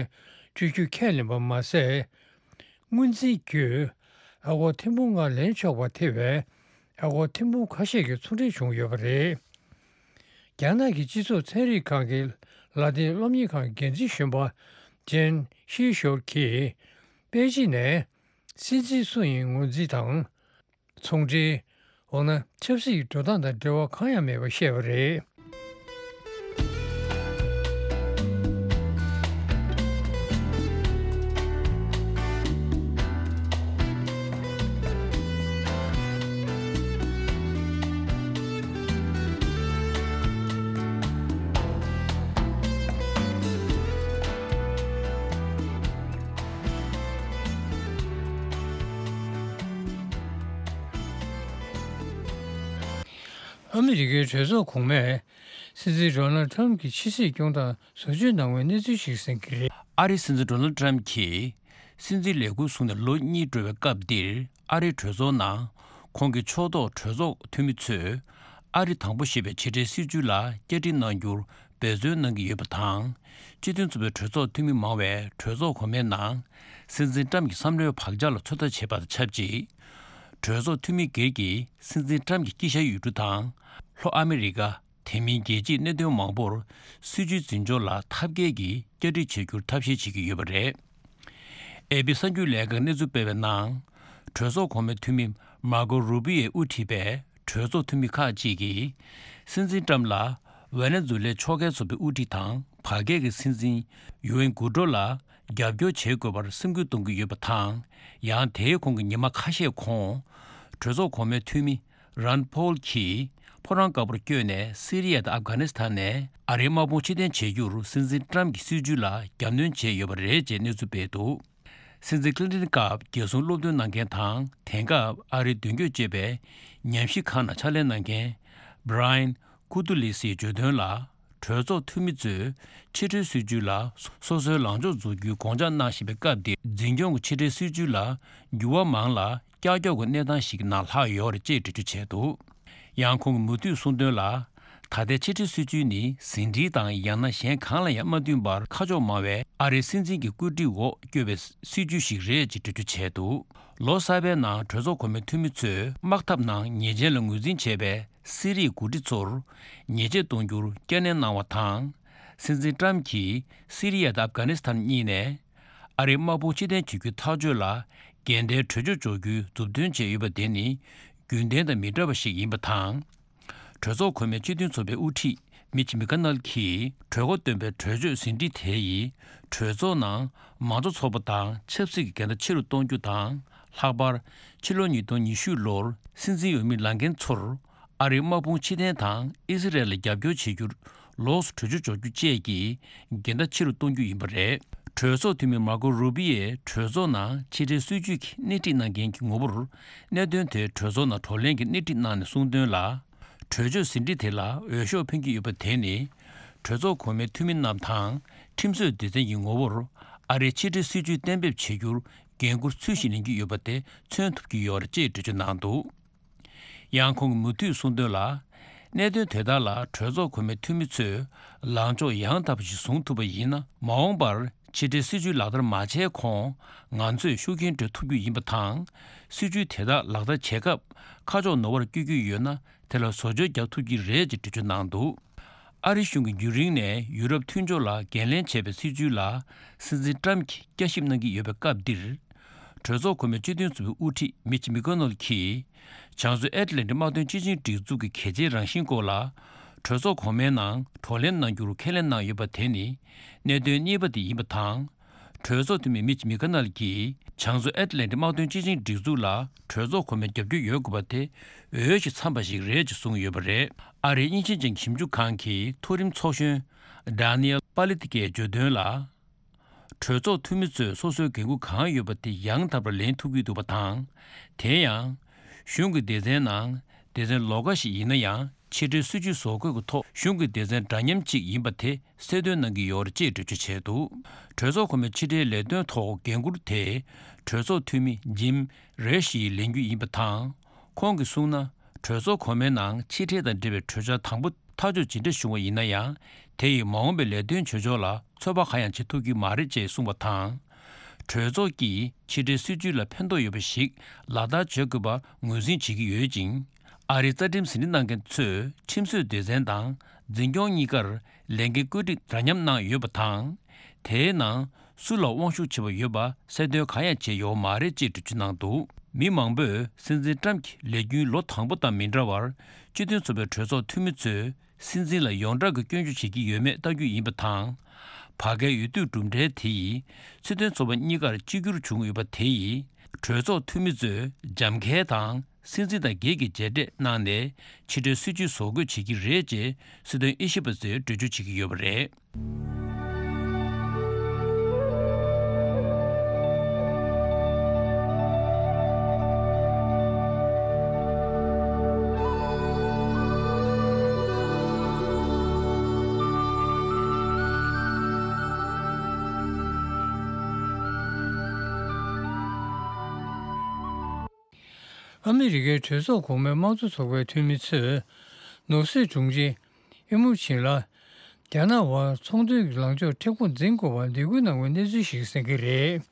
སྤྲོད་རྒྱུ་ཁས་ལེན་པ་མ་ཟད། སྔོན་རྩིས་བརྒྱུད་ཨ་སྒོར་ཐེར་འབུམ་ལྔ་ལེན་ཆོག་པ་ཐེ་བའི་ཨ་སྒོར་ཐེར་འབུམ་ཁ་ཤས་ཀྱི་ཚོང་འབྲེལ་བྱུང་ཡོད་པ་རེད། རྒྱ་ནག་གི་སྤྱི་ཚོགས་ཚན་རིག་ཁང་གི་ལ་ཏིན་སློབ་གཉེར་ཁང་འགན་འཛིན་གཞོན་པ་ཇན་ཤི་ཤོ་གིས་པེ་ཅིན་ནས་སྲིད་འཛིན་སུ་ཡིན་ངོས་འཛིན་དང་། ཚོང་འབྲེལ། འོ་ན་ཆབ་སྲིད་ཀྱི་འགྲོ་སྟངས་དང་འབྲེལ་བ་གང་ཡང་མེད་པ་བཤད་པ་རེད། ཨ་མི་རི་ཀའི་གྲོས་ཚོགས་གོང་མས་སྲིད་འཛིན་ཌོ་ནལ་ཌི་ཊརམ་ཕི་གྱི་ཕྱི་སྲིད་སྐྱོང་སྟངས་བཟོ་བཅོས་གནང་བའི་གནས་ཚུལ་ཞིག་གསན་གྱི་རེད། ཨ་རིའི་སྲིད་འཛིན་ཌོ་ནལ་ཌི་ཊརམ་ཕི་གྱིས་སྲིད་འཛིན་ལས་འཁུར་བཟུང་ནས་ལོ་གཉིས་འགྲོ་བའི་སྐབས་འདིར། ཨ་རིའི་གྲོས་ཚོགས་ནང་ཁོང་གི་ཕྱོགས་གཏོགས་གྲོས་ཚོགས་འཐུས་མི་ཚོས་ཨ་རི་དང་པོ་ཞེས་པའི་ཕྱི་འབྲེལ་སྲིད་ཇུས་ལ་བསྐྱར་སྒྲིག་གནང་རྒྱུར་འབད་བརྩོན་གནང་གི་ཡོད་པ་དང་། སྤྱི་མཐུན་ཚོགས་པའི་གྲོས་ཚོགས་འཐུས་མི་མང་བས་གྲོས་ཚོགས་གོང་མའི་ནང་སྲིད་འཛིན་ཊརམ་གྱི་བསམ་བློའི་བག་ཆགས་ལ་ཚོད་ལྟ་བྱས་པ་དང་ཆབས་ཅིག་གྲོས་ཚོགས་འཐུས་མི་སྒེར་གྱིས་སྲིད་འཛིན་ཊརམ་གྱི་དཀྱིལ་ཤར་ཡུལ་གྲུ་དང་ལྷོ་ཨ་མི་རི་ཀ། དེ་མིན་རྒྱལ་སྤྱིའི་གནད་དོན་མང་པོར་སྲིད་ཇུས་འཛིན་སྐྱོང་ལ་ཐབས་མཁས་ཀྱིས་བསྐྱར་སྒྲིག་བྱེད་རྒྱུར་ཐབས་ཤེས་བྱེད་ཀྱི་ཡོད་པ་རེད། ཨེ་པི་གསར་འགྱུར་ལས་ཁང་གནས་ཚུལ་སྤེལ་བའི་ནང་། གྲོས་ཚོགས་གོང་མའི་འཐུས་མི་མར་ཀོ་རུ་པི་ཡོས་དབུ་ཁྲིད་པའི་གྲོས་ཚོགས་འཐུས་མི་ཁག་ཅིག་གིས། སྲིད་འཛིན་ཊརམ་ལ་ཝེ་ནེ་ཛུ་ལའི་ཕྱོགས་འགལ་ཚོགས་པའི་དབུ་ཁྲིད་དང་བར་བརྒལ་གྱི་སྲིད་འཛིན་ཡུ་ཨེན་གུ་ཏྲོ་ལ་རྒྱབ་སྐྱོར་བྱེད་དགོས་པར་སེམས་འགུལ་གཏོང་གི་ཡོད་པ་དང་། ཡང་དེའི་ཁོངས་ཀྱི་ཉི་མ་ཁ་ཤས་གོང་། གྲོས་ཚོགས་གོང་མའི་འཐུས་མི་རན་ཕོལ་གྱིས་ཕོ་བྲང་དཀར་པོར་བསྐྱོད་ནས་སི་རི་ཡ་དང་ཨབ་གྷ་ནི་སི་ཐན་ནས་ཨ་རིའི་དམག་དཔུང་ཕྱིར་འཐེན་བྱེད་རྒྱུར་སྲིད་འཛིན་ཊརམ་གྱི་སྲིད་ཇུས་ལ་རྒྱབ་སྣོན་བྱས་ཡོད་པ་རེད་ཅེས་གནས་ཚུལ་སྤེལ་འདུག་སྲིད་འཛིན་ཀླིན་ཊོན་སྐབས་རྒྱལ་སྲུང་སློབ་སྟོན་གནང་མཁན་དང་། དེང་སྐབས་ཨ་རིའི་མདུན་སྐྱོད་ཅེས་པའི་ཉམས་ཞིབ་ཁང་ནང་ཕྱག་ལས་གནང་མཁན་བྷི་ར་ཡན་ཀུ་ཏུ་ལི་སིས་བརྗོད་དོན་ལ། གྲོས་ཚོགས་འཐུས་མི་ཚོས་ཕྱི་འབྲེལ་སྲིད་ཇུས་ལ་སོ་སོའི་ལངས་ཕྱོགས་འཛུགས་རྒྱུའི་དགོངས་འཇགས་གནང་བཞིན་པའི་སྐབས་འདིར། འཛིན་སྐྱོང་གི་ཕྱི་འབྲེལ་སྲིད་ཇུས་ལ་འགྱུར་བ་མང་ལ་ཀྱག་ཀྱོག་གི་གནས་སྟངས་ཤིག་གི་ནང་ལྷག་ཡོད་རེད་ཅེས་འགྲེལ་བརྗོད་བྱས་འདུག་ཡང་ཁོང་གིས་མུ་མཐུད་གསུངས་དོན་ལ། ད་ལྟའི་ཕྱི་འབྲེལ་སྲིད་ཇུས་ནི་ཟིན་བྲིས་དང་ཡང་ན་གཞན་གང་ལ་ཡང་མ་བསྟུན་པར་ཁ་ཕྱོགས་མང་བའི་ཨ་རིའི་སྲིད་འཛིན་གྱི་བཀོད་སྒྲིག་འོག་བསྐྱོད་པའི་སྲིད་ཇུས་ཤིག་རེད་ཅེས་འགྲེལ་བརྗོད་བྱས་འདུག་ལོ་གསར་པའི་ནང་གྲོས་ཚོགས་གོང་མའི་འཐུས་མི་ཚོས་དམག་འཐབ་ནང་ཉེས་ཅན་ལ་ངོས་འཛིན་བྱས་པའི་སི་རིའི་འགོ་ཁྲིད་ཚོར་ཉེས་ཆད་གཏོང་རྒྱུར་བསྐྱར་ནན་གནང་བ་དང་། སྲིད་འཛིན་ཊརམ་གྱིས་སི་རི་ཡ་དང་ཨབ་གྷ་ནི་སི་ཐན་གཉིས་ནས་ཨ་རིའི་དམག་དཔུང་ཕྱིར་འཐེན་བྱེད་རྒྱུའི་ཐག་གཅོད་ལ་འགལ་ཟླའི་གྲོས་ཆོད་འཇོག་རྒྱུའི་མཛུབ་སྟོན་བྱས་ཡོད་པ་དེ་ནི་རྒྱུན་ལྡན་དང་མི་འདྲ་བ་ཞིག་ཡིན་པ་དང་། གྲོས་ཚོགས་གོང་མའི་སྤྱི་མཐུན་ཚོགས་པའི་དབུ་ཁྲིད་མིཆ་མི་ཀ་ནལ་གྱིས་གྲོས་འགོ་བཏོན་པའི་གྲོས་ཆོད་ཟིན་བྲིས་དེ་ཡིས་གྲོས་ཚོགས་ནང་མང་གཙོ་ཚོགས་པ་དང་ཆབ་སྲིད་ཀྱི་འགལ་ཟླ་ཆེ་རུ་གཏོང་རྒྱུ་དང་། ལྷག་པར་ཕྱི་ལོ་ཉིས་སྟོང་ཉི་ཤུ་ལོར་སྲིད་འཛིན་འོས་མི་ལངས་མཁན་ཚོར་ཨ་རིའི་དམག་དཔུང་ཕྱིར་འཐེན་དང་ཨི་སི་རལ་ལ་རྒྱབ་སྐྱོར་བྱེད་རྒྱུར་ལོགས་སུ་གྲོས་ཆོད་འཇོག་རྒྱུ་བཅས་ཀྱི་འགལ་ཟླ་ཆེ་རུ་གཏོང་རྒྱུ་ཡིན་པ་རེད། གྲོས་ཚོགས་འཐུས་མི་མར་ཀོ་རུ་པི་ཡས་གྲོས་ཚོགས་ནང་ཕྱི་འབྲེལ་སྲིད་ཇུས་ཀྱི་སྣེ་ཁྲིད་གནང་མཁན་གྱི་ངོ་བོར་གནད་དོན་དེ་གྲོས་ཚོགས་ནང་བགྲོ་གླེང་གི་སྣེ་ཁྲིད་གནང་ནས་གསུངས་དོན་ལ། གྲོས་ཆོད་ཟིན་བྲིས་དེ་ལ་འོས་ཤོག་འཕེན་གྱི་ཡོད་པ་དེ་ནི། གྲོས་ཚོགས་གོང་མའི་འཐུས་མི་རྣམས་དང་ཁྲིམས་བཟོའི་སྡེ་ཚན་གྱི་ངོ་བོར་ཨ་རིའི་ཕྱི་འབྲེལ་སྲིད་ཇུས་གཏན་འབེབས་བྱེད་རྒྱུར་འགན་འཁུར་ཚུལ་བཞིན་ལེན་གྱི་ཡོད་པ་དེ་མཚོན་ཐུབ་ཀྱི་ཡོད་རེད་ཅེས་འགྲེལ་བརྗོད་གནང་འདུག་ཡང་ཁོང་གིས་མུ་མཐུད་གསུངས་དོན་ལ། གནད་དོན་དེ་དག་ལ་གྲོས་ཚོགས་གོང་མའི་འཐུས་མི་ཚོས་ལངས་ཕྱོགས་ཡང་དག་པ་ཞིག་བཟུང་ཐུབ་པ་ཡིན་ན། མ་འོངས་པར་ཕྱི་འབྲེལ་སྲིད་ཇུས་ལག་བསྟར་མ་བྱས་གོང་ང་ཚོས་ཤུགས་རྐྱེན་སྤྲོད་ཐུབ་རྒྱུ་ཡིན་པ་དང་། སྲིད་ཇུས་དེ་དག་ལག་བསྟར་བྱེད་སྐབས་ཁ་ཕྱོགས་ནོར་བར་བསྐྱོད་རྒྱུ་ཡོད་ན། དེ་ལ་བཟོ་བཅོས་རྒྱག་ཐུབ་ཀྱི་རེད་ཅེས་འགྲེལ་བརྗོད་གནང་འདུག་ཨ་རི་གཞུང་གིས་རྒྱུན་རིང་ནས་ཡུ་རོབ་མཐུན་ཕྱོགས་ལ་འགན་ལེན་བྱས་པའི་སྲིད་ཇུས་ལ་སྲིད་འཛིན་ཊརམ་གྱིས་བསྐྱར་ཞིབ་གནང་གི་ཡོད་པའི་སྐབས་འདིར། གྲོས་ཚོགས་གོང་མའི་སྤྱི་མཐུན་ཚོགས་པའི་དབུ་ཁྲིད་མིཆ་མི་ཀོ་ནལ་གྱིས། བྱང་མཚོ་ཨེཊ་ལན་ཊིག་དམག་དོན་སྤྱི་ཆིངས་སྒྲིག་འཛུགས་ཀྱི་གལ་ཆེའི་རང་བཞིན་སྐོར་ལ། གྲོས་ཚོགས་གོང་མའི་ནང་བགྲོ་གླེང་གནང་རྒྱུར་ཁས་ལེན་གནང་ཡོད་པ་དེ་ནི། གནད་དོན་གཉིས་པ་དེ་ཡིན་པ་དང་། གྲོས་ཚོགས་འཐུས་མི་མིཆ་མི་ཀ་ནལ་གྱིས་བྱང་མཚོ་ཨེཊ་ལན་ཊིག་དམག་དོན་སྤྱི་ཆིངས་སྒྲིག་འཛུགས་ལ་གྲོས་ཚོགས་གོང་མའི་རྒྱབ་སྐྱོར་ཡོད་དགོས་པ་དེ་འོས་ཤིང་འཚམས་པ་ཞིག་རེད་ཅེས་གསུངས་ཡོད་པ་རེད། ཨ་རིའི་དབྱིན་ཇི་ཅན་ཞིབ་འཇུག་ཁང་གི་མཐོ་རིམ་ཚོགས་གཞོན་ཌ་ནི་ཨེལ་པ་ལི་ཏི་ཀས་བརྗོད་དོན་ལ། གྲོས་ཚོགས་འཐུས་མི་ཚོས་སོ་སོའི་འགན་འཁུར་གང་ཡོད་པ་དེ་ཡང་དག་པར་ལེན་ཐུབ་ཀྱི་འདུག་པ་དང་། དེ་ཡང་། གཞུང་གི་སྡེ་ཚན་ནང་སྡེ་ཚན་ལོགས་ཀ་ཞིག་ཡིན་ན་ཡང་། ཕྱི་འབྲེལ་སྲིད་ཇུས་བཟོ་འགོད་ཀྱི་ཐོག་གཞུང་གི་སྡེ་ཚན་འདྲ་མཉམ་གཅིག་ཡིན་པ་དེ་གསལ་སྟོན་གནང་གི་ཡོད་རེད་ཅེས་འགྲེལ་བརྗོད་བྱས་འདུག་གྲོས་ཚོགས་གོང་མའི་ཕྱི་འབྲེལ་ལས་དོན་ཐོག་འགན་འཁུར་དེ་གྲོས་ཚོགས་འཐུས་མི་ཇིམ་རེ་ཤིས་ལེན་རྒྱུ་ཡིན་པ་དང་། ཁོང་གིས་གསུངས་ན། གྲོས་ཚོགས་གོང་མའི་ནང་ཕྱི་འབྲེལ་དང་འབྲེལ་བའི་གྲོས་འཆར་དང་པོ་ཐག་གཅོད་ཇི་འདྲ་བྱུང་བ་ཡིན་ན་ཡང་། དེ་ཡིས་མ་འོངས་པའི་ལས་དོན་བྱེད་ཕྱོགས་ལ་ཚོད་དཔག་གང་ཡང་བྱེད་ཐུབ་ཀྱི་མ་རེད་ཅེས་གསུངས་པ་དང་། གྲོས་ཚོགས་ཀྱིས་ཕྱི་འབྲེལ་སྲིད་ཇུས་ལ་ཕན་ཐོགས་ཡོད་པ་ཞིག་ལག་བསྟར་བྱེད་དགོས་པར་ངོས་འཛིན་བྱེད་ཀྱི་ཡོད་ཅིང་། ཨ་རིའི་རྩ་ཁྲིམས་ཟིན་བྲིས་གནང་མཁན་ཚོས་ཁྲིམས་བཟོའི་སྡེ་ཚན་དང་འཛིན་སྐྱོང་གཉིས་ཀར་ལས་འགན་བཀོད་སྒྲིག་འདྲ་མཉམ་གནང་ཡོད་པ་དང་། དེའི་ནང་སུ་ལ་དབང་ཤུགས་ཆེ་བ་ཡོད་པ་གསལ་སྟོན་གང་ཡང་བྱས་ཡོད་མ་རེད་ཅེས་འགྲེལ་བརྗོད་གནང་འདུག་མི་མང་པོས་སྲིད་འཛིན་ཊམ་གྱི་ལས་རྒྱུན་ལོ་དང་པོ་དང་མི་འདྲ་བར་སྤྱི་མཐུན་ཚོགས་པའི་གྲོས་ཚོགས་འཐུས་མི་ཚོས་སྲིད་འཛིན་ལ་ཡོངས་གྲགས་ཀྱི་སྐྱོན་བརྗོད་བྱེད་ཀྱི་ཡོད་མེད་ལྟ་རྒྱུ་ཡིན་པ་དང་། བར་བརྒལ་འོས་བསྡུའི་གྲུབ་འབྲས་དེ་ཡིས་སྲིད་དོན་ཚོགས་པ་གཉིས་ཀར་གཅིག་གྱུར་བྱུང་ཡོད་པ་དེ་ཡིས་གྲོས་ཚོགས་འཐུས་མི་ཚོས་འཇམ་འཁལ་དང་། སྲིད་འཛིན་དང་སྒེར་གྱི་མཇལ་འཕྲད་གནང་ནས་ཕྱི་འབྲེལ་སྲིད་ཇུས་བཟོ་འགོད་བྱེད་ཀྱི་རེད་ཅེས་སྲིད་དོན་དབྱེ་ཞིབ་པ་ཚོས་འགྲེལ་བརྗོད་བྱེད་ཀྱི་ཡོད་པ་རེད། ཨ་མི་རི་ཀའི་གྲོས་ཚོགས་གོང་མའི་དམངས་གཙོ་ཚོགས་པའི་འཐུས་མི་ཚོས། ནོར་སྲིད་དྲུང་ཆེ་ཨི་མུ་ཆིན་ལ། རྒྱ་ནག་དབར་ཚོང་དོན་གྱི་ལངས་ཕྱོགས་མཁྲེགས་པོ་འཛིན་དགོས་པར་འདེད་སྐུལ་གནང་བའི་གནས་ཚུལ་ཞིག་གསན་གྱི་རེད།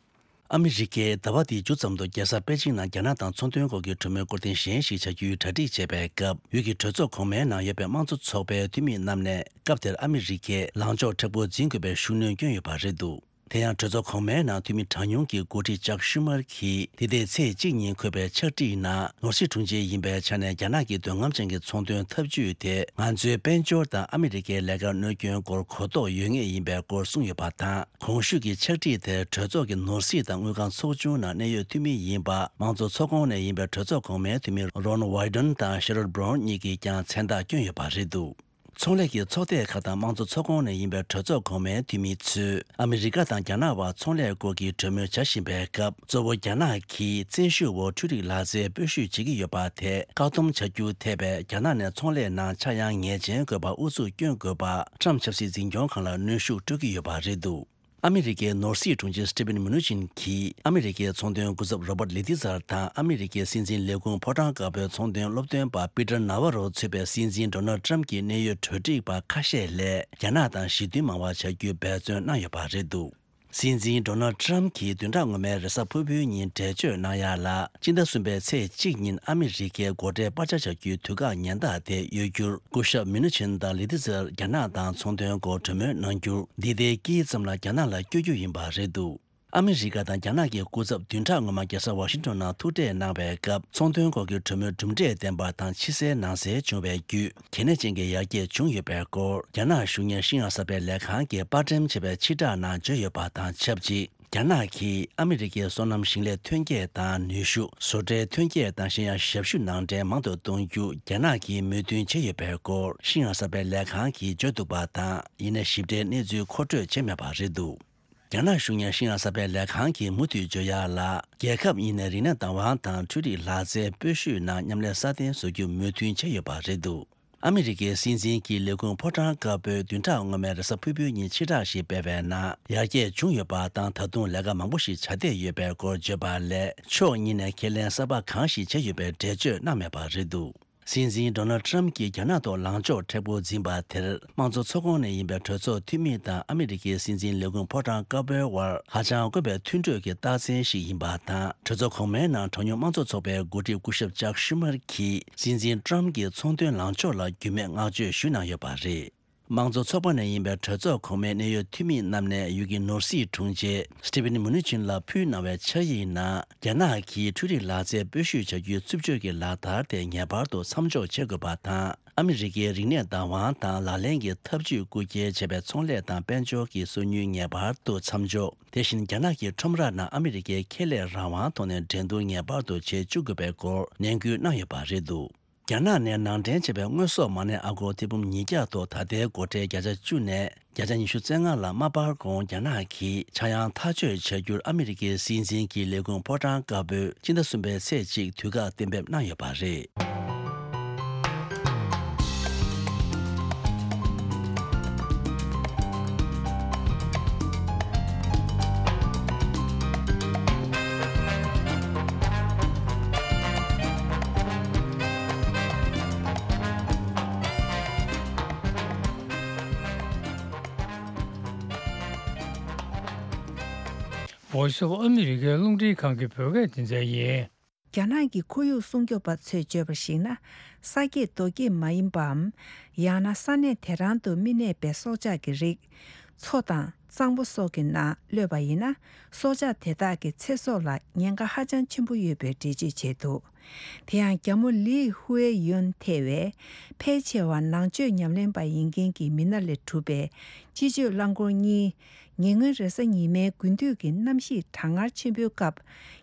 ཨ་མི་རི་ཀས་ཟླ་བ་འདིའི་མཇུག་ཙམ་དུ་རྒྱལ་ས་པེ་ཅིང་ནང་རྒྱ་ནག་དང་ཚོང་དོན་སྐོར་གྱི་གྲོས་མོལ་སྐོར་ཐེངས་གཞན་ཞིག་བྱ་རྒྱུའི་གྲ་སྒྲིག་བྱེད་པའི་སྐབས། ཡུལ་གྱི་གྲོས་ཚོགས་གོང་མའི་ནང་ཡོད་པའི་དམངས་གཙོ་ཚོགས་པའི་འཐུས་མི་རྣམས་ནས་སྐབས་དེར་ཨ་མི་རི་ཀས་ལངས་ཕྱོགས་མཁྲེགས་པོ་འཛིན་དགོས་པའི་ཤུགས་སྣོན་བསྐྱོན་ཡོད་པ་རེད་འདུག་དེ་ཡང་གྲོས་ཚོགས་གོང་མའི་ནང་འཐུས་མི་གྲངས་ཉུང་གི་འགོ་ཁྲིད་ཅག་ཤུ་མར་གྱིས། འདི་ཟླའི་ཚེས་གཅིག་ཉིན་འཁོད་པའི་ཕྱག་བྲིས་ནང་། ནོར་སྲིད་དྲུང་ཆེ་ཡིན་པའི་ཆ་ནས། རྒྱ་ནག་གི་འདོད་རྔམ་ཅན་གྱི་ཚོང་དོན་འཐབ་ཇུས་དེ། ང་ཚོའི་དཔལ་འབྱོར་དང་ཨ་མི་རི་ཀའི་ལས་ཀར་གནོད་སྐྱོན་སྐོར་གོ་རྟོགས་ཡོད་ངེས་ཡིན་པའི་སྐོར་གསུངས་ཡོད་པ་དང་། གོང་ཞུས་ཀྱི་ཕྱག་བྲིས་དེར་གྲོས་ཚོགས་ཀྱི་ནོར་སྲིད་དང་དངུལ་ཁང་ཚོགས་ཆུང་ནང་གནད་ཡོད་འཐུས་མི་ཡིན་པ། དམངས་གཙོ་ཚོགས་ཁོངས་ནས་ཡིན་པའི་གྲོས་ཚོགས་གོང་མའི་འཐུས་མི་རོན་ཝའི་ཌོན་དང་ཤེ་རོད་བྷ་རོན་གཉིས་ཀྱིས་ཀྱང་མཚན་རྟགས་བསྐྱོན་ཡོད་པ་རེད་འདུག་ཚོང་ལས་ཀྱི་ཚོགས་སྡེ་ཁག་དང་དམངས་གཙོ་ཚོགས་ཁོངས་ནས་ཡིན་པའི་གྲོས་ཚོགས་གོང་མའི་འཐུས་མི་ཚོས། ཨ་མི་རི་ཀ་དང་རྒྱ་ནག་དབར་ཚོང་ལས་སྐོར་གྱི་གྲོས་མོལ་བྱ་བཞིན་པའི་སྐབས། གཙོ་བོ་རྒྱ་ནག་གིས་བཙན་ཤུགས་འོག་འཕྲུལ་རིག་ལག་རྩལ་སྤོ་བཤུད་བྱེད་ཀྱི་ཡོད་པ་དེ་བཀག་སྡོམ་བྱ་རྒྱུ་ཐེ་བའི་རྒྱ་ནག་ནས་ཚོང་ལས་ནང་ཆག་ཡང་ངེས་ཅན་དགོས་པར་ཨུ་ཚུགས་སྐྱོན་དགོས་པ། ཊམ་ཕྱི་སྲིད་འཛིན་སྐྱོང་ཁང་ལ་གནོན་ཤུགས་སྤྲོད་ཀྱི་ཡོད་པ་རེད་འདུག་ཨ་མི་རི་ཀའི་ནོར་སྲིད་དྲུང་ཆེ་སི་ཊི་ཕིན་མུ་ནུ་ཆིན་གྱིས། ཨ་མི་རི་ཀའི་ཚོང་དོན་སྐུ་ཚབ་རོ་པར་ལི་ཏི་ཛར་དང་། ཨ་མི་རི་ཀའི་སྲིད་འཛིན་ལས་ཁུངས་ཕོ་བྲང་དཀར་པོའི་ཚོང་དོན་སློབ་སྟོན་པ་པི་ཏར་ན་ཝ་རོ་གཙོས་པའི་སྲིད་འཛིན་ཌོ་ནལ་ཏྲམ་གྱི་གནད་ཡོད་གྲོས་སྒྲིག་པ་ཁ་ཤས་ལ། རྒྱ་ནག་དང་ཞི་མཐུན་མང་བ་བྱ་རྒྱུའི་འབད་བརྩོན་གནང་ཡོད་པ་རེད་འདུག་སྲིད་འཛིན་ཌོ་ནལ་ཏྲམ་གྱིས་བདུན་ཕྲག་སྔོན་མའི་རེས་གཟའ་ཕུར་བུའི་ཉིན་འགྲེལ་བརྗོད་གནང་ཡ་ལ། སྤྱི་ཟླ་གསུམ་པའི་ཚེས་གཅིག་ཉིན་ཨ་མི་རི་ཀའི་སྒོ་ཁྲལ་སྤར་ཆ་བྱ་རྒྱུའི་དུས་བཀག་ཉེན་བརྡ་དེ་ཡོད་རྒྱུར། སྐུ་ཞབས་མུ་ནུ་ཆིན་དང་ལི་ཏི་ཛར་རྒྱ་ནག་དང་ཚོང་དོན་སྐོར་གྲོས་མོལ་གནང་རྒྱུར། འདི་ཟླའི་དཀྱིལ་ཙམ་ལ་རྒྱ་ནག་ལ་བསྐྱོད་རྒྱུ་ཡིན་པ་རེད་འདུག་ཨ་མི་རི་ཀ་དང་རྒྱ་ནག་གི་སྐུ་ཚབ་བདུན་ཕྲག་སྔོན་མ་རྒྱལ་ས་ཝ་ཤིང་ཊོན་ནང་ཐུག་འཕྲད་གནང་བའི་སྐབས། ཚོང་དོན་སྐོར་གྱི་གྲོས་མོལ་གྲུབ་འབྲས་ལྡན་པ་དང་ཕྱི་གསལ་ནང་གསལ་བྱུང་བའི་བརྒྱུད། གལ་གནད་ཅན་གྱི་ཡར་རྒྱས་བྱུང་ཡོད་པའི་སྐོར། རྒྱ་ནག་གཞུང་གཉེར་ཤིན་ཡང་གསར་པའི་ལས་ཁང་གིས་པར་འགྲེམས་བྱས་པའི་ཕྱིར་བསྒྲགས་ནང་བརྗོད་ཡོད་པ་དང་ཆབས་ཅིག་རྒྱ་ནག་གིས་ཨ་མི་རི་ཀའི་སོ་ནམ་ཞིང་ལས་ཐོན་སྐྱེད་དང་ནུས་ཤུགས། བཟོ་གྲྭའི་ཐོན་སྐྱེད་དང་གཞན་ཡང་ཞབས་ཞུ་ནང་འདྲེན་མང་དུ་གཏོང་རྒྱུ་རྒྱ་ནག་གིས་མོས་མཐུན་བྱས་ཡོད་པའི་སྐོར། ཤིན་ཡང་གསར་པའི་ལས་ཁང་གིས་བརྗོད་འདུག་པ་དང་། ཡིན་ནའི་ཞིབ་ཕྲའི་གནས་ཚུལ་མཁོ་སྤྲོད་བྱས་མེད་པ་རེད་འདུག་རྒྱ་ནག་གཞུང་གཉེར་ཤིན་ཡང་གསར་པའི་ལས་ཁང་གིས་མུ་མཐུད་བརྗོད་ཡག་ལ། རྒྱལ་ཁབ་གཉིས་ནས་རིག་གནས་བདག་དབང་དང་འཕྲུལ་རིག་ལག་རྩལ་སྤོ་བཤུད་ནང་མཉམ་ལས་སྲ་བརྟན་བཟོ་རྒྱུ་མོས་མཐུན་བྱས་ཡོད་པ་རེད་འདུག་ཨ་མི་རི་ཀའི་སྲིད་འཛིན་གྱི་ལས་ཁུངས་ཕོ་བྲང་དཀར་པོས་བདུན་ཕྲག་སྔོན་མའི་རེས་གཟའ་ཕུར་བུའི་ཉིན་ཕྱིར་བསྒྲགས་ཤིག་སྤེལ་བའི་ནང་། ཡར་རྒྱས་བྱུང་ཡོད་པ་དང་། ད་དུང་ལས་ཀ་མང་པོ་ཞིག་བྱ་བསྡད་ཡོད་པའི་སྐོར་བརྗོད་པ་ལས། ཕྱོགས་གཉིས་ནས་ཁས་ལེན་གསར་པ་གང་ཞིག་བྱས་ཡོད་པའི་འགྲེལ་བརྗོད་གནང་མེད་པ་རེད་འདུག་སྲིད་འཛིན་ཌོ་ནལ་ཏྲམ་གྱིས་རྒྱ་ནག་ཐོག་ལངས་ཕྱོགས་མཁྲེགས་པོ་འཛིན་པ་དེར། དམངས་གཙོ་ཚོགས་ཁོངས་ནས་ཡིན་པའི་གྲོས་ཚོགས་འཐུས་མི་དང་ཨ་མི་རི་ཀའི་སྲིད་འཛིན་ལས་ཁུངས་ཕོ་བྲང་དཀར་པོའི་དབར་ཧ་ཅང་དཀོན་པའི་མཐུན་གྲོས་ཀྱི་རྟགས་མཚན་ཞིག་ཡིན་པ་དང་། གྲོས་ཚོགས་གོང་མའི་ནང་གྲངས་ཉུང་དམངས་གཙོ་ཚོགས་པའི་འགོ་ཁྲིད་སྐུ་ཞབས་ཅག་ཤུ་མར་གྱིས། སྲིད་འཛིན་ཏྲམ་གྱི་ཚོང་དོན་ལངས་ཕྱོགས་ལ་རྒྱུས་མེད་བསྔགས་བརྗོད་ཞུས་གནང་ཡོད་པ་རེད། དམངས་གཙོ་ཚོགས་པ་ནས་ཡིན་པའི་གྲོས་ཚོགས་གོང་མའི་གནད་ཡོད་འཐུས་མི་རྣམས་ནས་ཡུལ་གྱི་ནོར་སྲིད་དྲུང་ཆེ་སི་ཊི་ཕིན་མུ་ནུ་ཆིན་ལ་ཕུལ་གནང་བའི་ཕྱག་ཡིག་ནང་། རྒྱ་ནག་གིས་འཕྲུལ་རིག་ལག་རྩལ་སྤོ་བཤུད་བྱ་རྒྱུའི་རྩུབ་སྤྱོད་ཀྱི་ལག་བསྟར་དེ་ངེས་པར་དུ་མཚམས་འཇོག་བྱེད་དགོས་པ་དང་། ཨ་མི་རི་ཀའི་རིག་གནས་བདག་དབང་དང་ལག་ལེན་གྱི་ཐབས་ཇུས་རྐུ་འཁྱེར་བྱས་པའི་ཚོང་ལས་དང་དཔལ་འབྱོར་གྱི་སོ་ཉུལ་ངེས་པར་དུ་མཚམས་འཇོག་དེ་བཞིན་རྒྱ་ནག་གི་ཁྲོམ་ར་ནང་ཨ་མི་རི་ཀའི་ཁེ་ལས་རང་དབང་ཐོག་ནས་འགྲན་བསྡུར་ངེས་པར་དུ་བྱེད་བཅུག་དགོས་པའི་སྐོར་ནན་སྐུལ་གནང་ཡོད་པ་རེད་འདུག་རྒྱ་ནག་ནས་ནང་འདྲེན་བྱས་པའི་དངོས་ཟོག་མ་གནས་ཨ་སྒོར་ཐེར་འབུམ་ཉིས་བརྒྱ་ཐོག་ད་ལྟའི་སྒོ་ཁྲལ་བརྒྱ་ཆ་བཅུ་ནས་བརྒྱ་ཆ་ཉི་ཤུ་རྩ་ལྔ་ལ་མ་སྤར་གོང་རྒྱ་ནག་གིས་ཆག་ཡང་ཐག་གཅོད་བྱ་རྒྱུར་ཨ་མི་རི་ཀའི་སྲིད་འཛིན་གྱི་ལས་ཁུངས་ཕོ་བྲང་དཀར་པོས་སྤྱི་ཟླ་གསུམ་པའི་ཚེས་གཅིག་དུས་བཀག་གཏན་འབེབས་གནང་ཡོད་པ་རེད། Voice of America རླུང་འཕྲིན་ཁང་གི་བོད་སྐད་སྡེ་ཚན་ཡིན། རྒྱ་ནག་གི་ཁོར་ཡུག་སྲུང་སྐྱོབ་པ་ཚོས་བརྗོད་པར་གཞིགས་ན། ས་སྐྱེས་རྡོ་སྐྱེས་མ་ཡིན་པའམ། ཡང་ན་ས་གནས་དེ་རང་དུ་མི་གནས་པའི་སྲོག་ཆགས་ཀྱི་རིགས། མཚོ་དང་གཙང་པོ་སོགས་ཀྱི་ནང་གློད་པ་ཡིན་ན། སྲོག་ཆགས་དེ་དག་གི་ཚེ་སྲོག་ལ་ཉེན་ཁ་ཧ་ཅང་ཆེན་པོ་ཡོད་པའི་འགྲེལ་བརྗོད་བྱས་འདུག་དེ་ཡང་རྒྱ་མོ་ལི་ཧུའེ་ཡོན་ཐེ་བའི་ཕལ་ཆེ་བ་ནང་ཆོས་ཉམས་ལེན་པ་ཡིན་མཁན་གྱི་མི་སྣ་ལས་གྲུབ་པའི་སྤྱི་སྤྱོད་རླངས་འཁོར་གཉིས། ཉེ་སྔོན་རེས་གཟའ་ཉི་མའི་དགུན་དུས་ཀྱི་གནམ་གཤིས་གྲང་ངར་ཆེན་པོའི་སྐབས།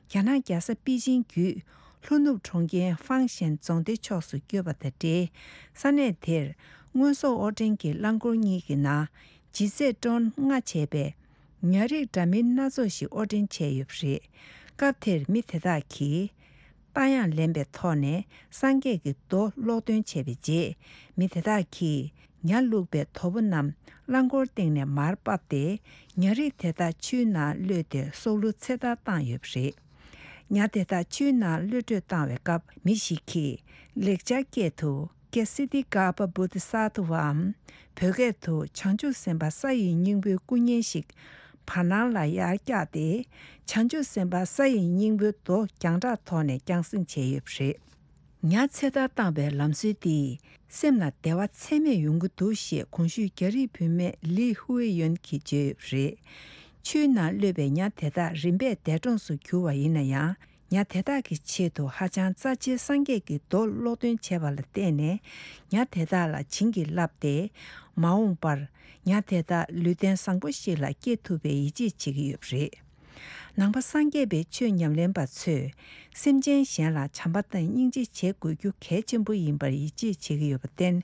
རྒྱ་ནག་རྒྱལ་ས་པེ་ཅིང་བརྒྱུད་ལྷོ་ནུབ་གྲོང་ཁྱེར་ཧྥང་ཞན་རྫོང་སྡེ་ཕྱོགས་སུ་བསྐྱོད་པ་དང་འབྲེལ། ས་གནས་དེར་དངོས་ཟོག་དབོར་འདྲེན་གྱི་རླངས་འཁོར་གཉིས་ཀྱི་ནང་ལྗིད་ཚད་ཏོན་ལྔ་བྱས་པའི་ཉ་རིགས་འདྲ་མིན་སྣ་ཚོགས་ཤིག་དབོར་འདྲེན་བྱས་ཡོད་པ་རེད། སྐབས་དེར་མི་དེ་དག་གིས། རྟ་གཡང་ལེན་པའི་ཐོག་ནས་སངས་རྒྱས་ཀྱི་མདོ་ཀློག་འདོན་བྱས་པའི་རྗེས། མི་དེ་དག་གིས་ཉ་བླུགས་པའི་དོ་པོ་རྣམས་རླངས་འཁོར་སྟེང་ནས་མར་ཕབ་སྟེ། ཉ་རིགས་དེ་དག་ཆུའི་ནང་གློད་དེ་སྲོག་བླུ་ཚེ་ཐར་བཏང་ཡོད་པ་རེད། ཉ་དེ་དག་ཆུའི་ནང་གློད་བཀྲོལ་བཏང་བའི་སྐབས། མི་ཞིག་གིས་ལེགས་སྦྱར་སྐད་དུ་ཀེ་སི་ཏི་ཀ་པ་བོ་དྷི་ས་ཏྭ་བའམ། བོད་སྐད་དུ་བྱང་ཆུབ་སེམས་དཔའ་ས་ཡི་སྙིང་པོའི་སྐུ་བརྙན་ཞིག་བར་སྣང་ལ་ཡར་བཀྱགས་ཏེ། བྱང་ཆུབ་སེམས་དཔའ་ས་ཡི་སྙིང་པོའི་མདོ་རྒྱང་གྲགས་ཐོག་ནས་རྒྱང་སྲིང་བྱས་ཡོད་པ་རེད། ཉ་ཚེ་ཐར་བཏང་བའི་ལམ་སྲོལ་འདིས་སེམས་ལ་བདེ་བ་ཚད་མེད་ཡོང་གི་འདུག་ཞེས་གོང་ཞུས་རྒྱ་རིགས་བུད་མེད་ལི་ཧུའེ་ཡོན་གྱིས་བརྗོད་ཡོད་པ་རེད། ཆུའི་ནང་གློད་པའི་ཉ་དེ་དག་རིམ་པས་འདས་གྲོངས་སུ་གྱུར་བ་ཡིན་ན་ཡང་། ཉ་དེ་དག་གི་ཆེད་དུ་ཧ་ཅང་རྩ་ཆེའི་སངས་རྒྱས་ཀྱི་མདོ་ཀློག་འདོན་བྱས་པ་ལ་བརྟེན་ནས། ཉ་དེ་དག་ལ་བྱིན་གྱིས་བརླབས་ཏེ། མ་འོངས་པར་ཉ་དེ་དག་ལུས་རྟེན་བཟང་པོ་ཞིག་ལ་སྐྱེ་ཐུབ་པའི་ཡིད་ཆེས་བྱེད་ཀྱི་ཡོད་པ་རེད། ནང་པ་སངས་རྒྱས་པའི་ཆོས་ཉམས་ལེན་པ་ཚོས་སེམས་ཅན་གཞན་ལ་བྱམས་པ་དང་སྙིང་རྗེ་བྱེད་དགོས་རྒྱུ་གལ་ཆེན་པོ་ཡིན་པར་ཡིད་ཆེས་བྱེད་ཀྱི་ཡོད་པར་བརྟེན།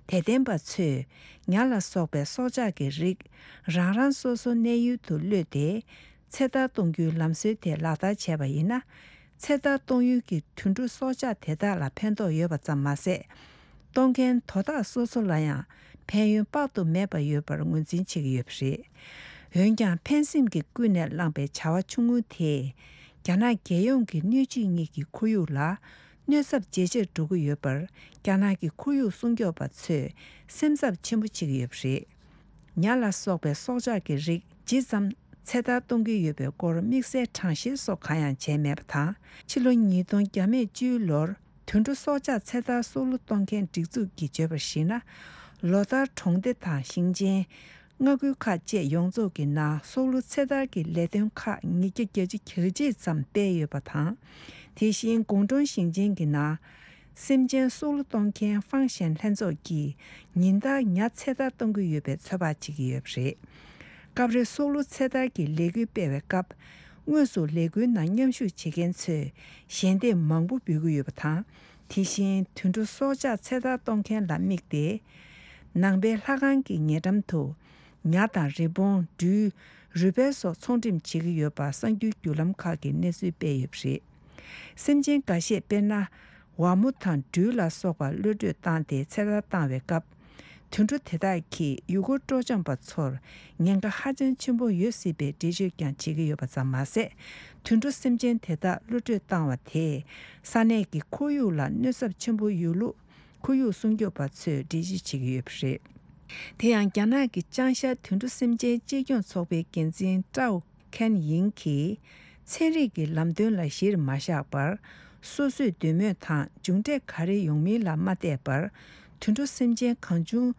དད་ལྡན་པ་ཚོས་ཉ་ལ་སོགས་པའི་སྲོག་ཆགས་ཀྱི་རིགས་རང་རང་སོ་སོ་གནས་ཡུལ་དུ་གློད་དེ། ཚེ་ཐར་གཏོང་རྒྱུའི་ལམ་སྲོལ་དེ་ལག་བསྟར་བྱས་པ་ཡིན་ན། ཚེ་ཐར་གཏོང་ཡུལ་གྱི་དུད་འགྲོ་སྲོག་ཆགས་དེ་དག་ལ་ཕན་ཐོགས་ཡོད་པ་ཙམ་མ་ཟད། གཏོང་མཁན་དོ་བདག་སོ་སོ་ལ་ཡང་ཕན་ཡོན་དཔག་ཏུ་མེད་པ་ཡོད་པར་ངོས་འཛིན་བྱེད་ཀྱི་ཡོད་པ་རེད། འོན་ཀྱང་ཕན་སེམས་ཀྱིས་ཀུན་ནས་བསླངས་པའི་བྱ་བ་ཆུང་ངུ་དེས། རྒྱ་ནག་རྒྱལ་ཡོངས་ཀྱི་སྣོད་བཅུད་གཉིས་ཀྱི་ཁོར་ཡུག་ལ་གནོད་ཚབས་ཇེ་ཆེར་འགྲོ་གི་ཡོད་པར། རྒྱ་ནག་གི་ཁོར་ཡུག་སྲུང་སྐྱོབ་པ་ཚོས་སེམས་འཚབ་ཆེན་པོ་བྱེད་ཀྱི་ཡོད་པ་རེད། ཉ་ལ་སོགས་པའི་སྲོག་ཆགས་ཀྱི་རིགས་ཇི་ཙམ་ཚེ་ཐར་གཏོང་གི་ཡོད་པའི་སྐོར་དམིགས་བསལ་གྲངས་བཤེར་སོགས་གང་ཡང་བྱས་མེད་པ་དང་། ཕྱི་ལོ་ཉིས་སྟོང་བཅུའི་ལོར་དུད་འགྲོ་སྲོག་ཆགས་ཚེ་ཐར་སྲོག་བླུ་གཏོང་མཁན་སྒྲིག་འཛུགས་ཀྱིས་བརྗོད་པར་གཞིགས་ན། ལོ་ལྟར་གྲོང་སྡེ་དང་ཞིང་ཆེན། མངའ་ཁུལ་ཁག་བཅས་ཡོངས་རྫོགས་ཀྱི་ནང་སྲོག་བླུ་ཚེ་ཐར་གྱི་ལས་དོན་ཁག་ཉིས་བརྒྱ་གྱ་གཅིག་ཙམ་སྤེལ་ཡོད་པ་དང་། དེ་བཞིན་དགུང་གྲོང་ཞིང་ཆེན་གྱི་ནང་སེམས་ཅན་སྲོག་བླུ་གཏོང་མཁན་ཧྥང་ཞན་ལྷན་ཚོགས་ཀྱིས་ཉིན་ལྟར་ཉ་ཚེ་ཐར་གཏོང་གི་ཡོད་པའི་ཚོད་དཔག་བྱེད་ཀྱི་ཡོད་པ་རེད། སྐབས་རེ་སྲོག་བླུ་ཚེ་ཐར་གྱི་ལས་འགུལ་སྤེལ་བའི་སྐབས། དངོས་སུ་ལས་འགུལ་ནང་མཉམ་ཞུགས་བྱེད་མཁན་ཚོས་ཞལ་འདེབས་མང་པོ་འབུལ་གྱི་ཡོད་པ་དང་། དེ་བཞིན་དུད་འགྲོ་སྲོག་ཆགས་ཚེ་ཐར་གཏོང་མཁན་ལ་དམིགས་ཏེ། ནང་པའི་ལྷ་ཁང་གི་ཉེ་འགྲམ་དུ་ཉ་དང་རི་བོང་། སྦྲུལ། རུས་སྦལ་སོགས་ཚོང་འགྲེམས་བྱེད་ཀྱི་ཡོད་པ་གསར་འགྱུར་བརྒྱུད་ལམ་ཁག་གིས་གནས་ཚུལ་སྤེལ་ཡོད་པ་རེད། སེམས་ཅན་འགའ་ཤས་དཔེར་ན། ཝ་མོ་དང་སྦྲུལ་ལ་སོགས་པ་གློད་བཀྲོལ་བཏང་སྟེ་ཚེ་ཐར་བཏང་བའི་སྐབས། དུད་འགྲོ་དེ་དག་གིས་ཡུལ་སྐོར་སྤྲོ་འཆམ་པ་ཚོར་ཉེན་ཁ་ཧ་ཅང་ཆེན་པོ་ཡོད་སྲིད་པའི་འགྲེལ་བརྗོད་ཀྱང་བྱེད་ཀྱི་ཡོད་པ་ཙམ་མ་ཟད། དུད་འགྲོ་སེམས་ཅན་དེ་དག་གློད་བཀྲོལ་བཏང་བ་དེས་ས་གནས་ཀྱི་ཁོར་ཡུག་ལ་གནོད་ཚབས་ཆེན་པོ་ཡོད་ལུགས་ཁོར་ཡུག་སྲུང་སྐྱོབ་པ་ཚོས་འགྲེལ་བརྗོད་བྱེད་ཀྱི་ཡོད་པ་རེད། དེ་ཡང་རྒྱ་ནག་གི་ཅང་ཤ་དུད་འགྲོ་སེམས་ཅན་གཅེས་སྐྱོང་ཚོགས་པའི་འགན་འཛིན་ཀྲའོ་ཁན་ཡིང་གིས། ཚན་རིག་གི་ལམ་སྟོན་ལ་གཞིར་མ་བཞག་པར། སོ་སོས་འདོད་མོས་དང་མཇུག་འབྲས་ག་རེ་ཡོང་མིན་ལ་མ་བལྟས་པར། དུད་འགྲོ་སེམས་ཅན་གང་བྱུང་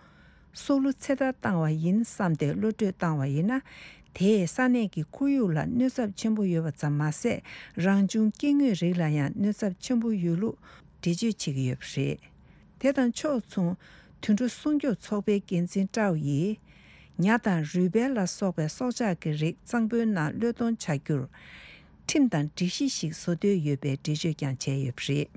སྲོག་བླུ་ཚེ་ཐར་བཏང་བ་ཡིན་བསམ་སྟེ་གློད་བཀྲོལ་བཏང་བ་ཡིན་ན། དེས་ས་གནས་ཀྱི་ཁོར་ཡུག་ལ་གནོད་ཚབས་ཆེན་པོ་ཡོད་པ་ཙམ་མ་ཟད། རང་བྱུང་སྐྱེ་དངོས་རིགས་ལ་ཡང་གནོད་ཚབས་ཆེན་པོ་ཡོད་ལུགས་འགྲེལ་བརྗོད་བྱེད་ཀྱི་ཡོད་པ་རེད། དེ་དང་ཕྱོགས་མཚུངས། དུད་འགྲོ་སྲུང་སྐྱོབ་ཚོགས་པའི་འགན་འཛིན་ཀྲའོ་ཡིས། ཉ་དང་རུས་སྦལ་ལ་སོགས་པའི་སྲོག་ཆགས་ཀྱི་རིགས་གཙང་པོའི་ནང་གློད་གཏོང་བྱ་རྒྱུར། ཁྲིམས་དང་སྒྲིག་གཞི་ཞིག་བཟོ་འདོད་ཡོད་པའི་འགྲེལ་བརྗོད་ཀྱང་བྱས་ཡོད་པ་རེད།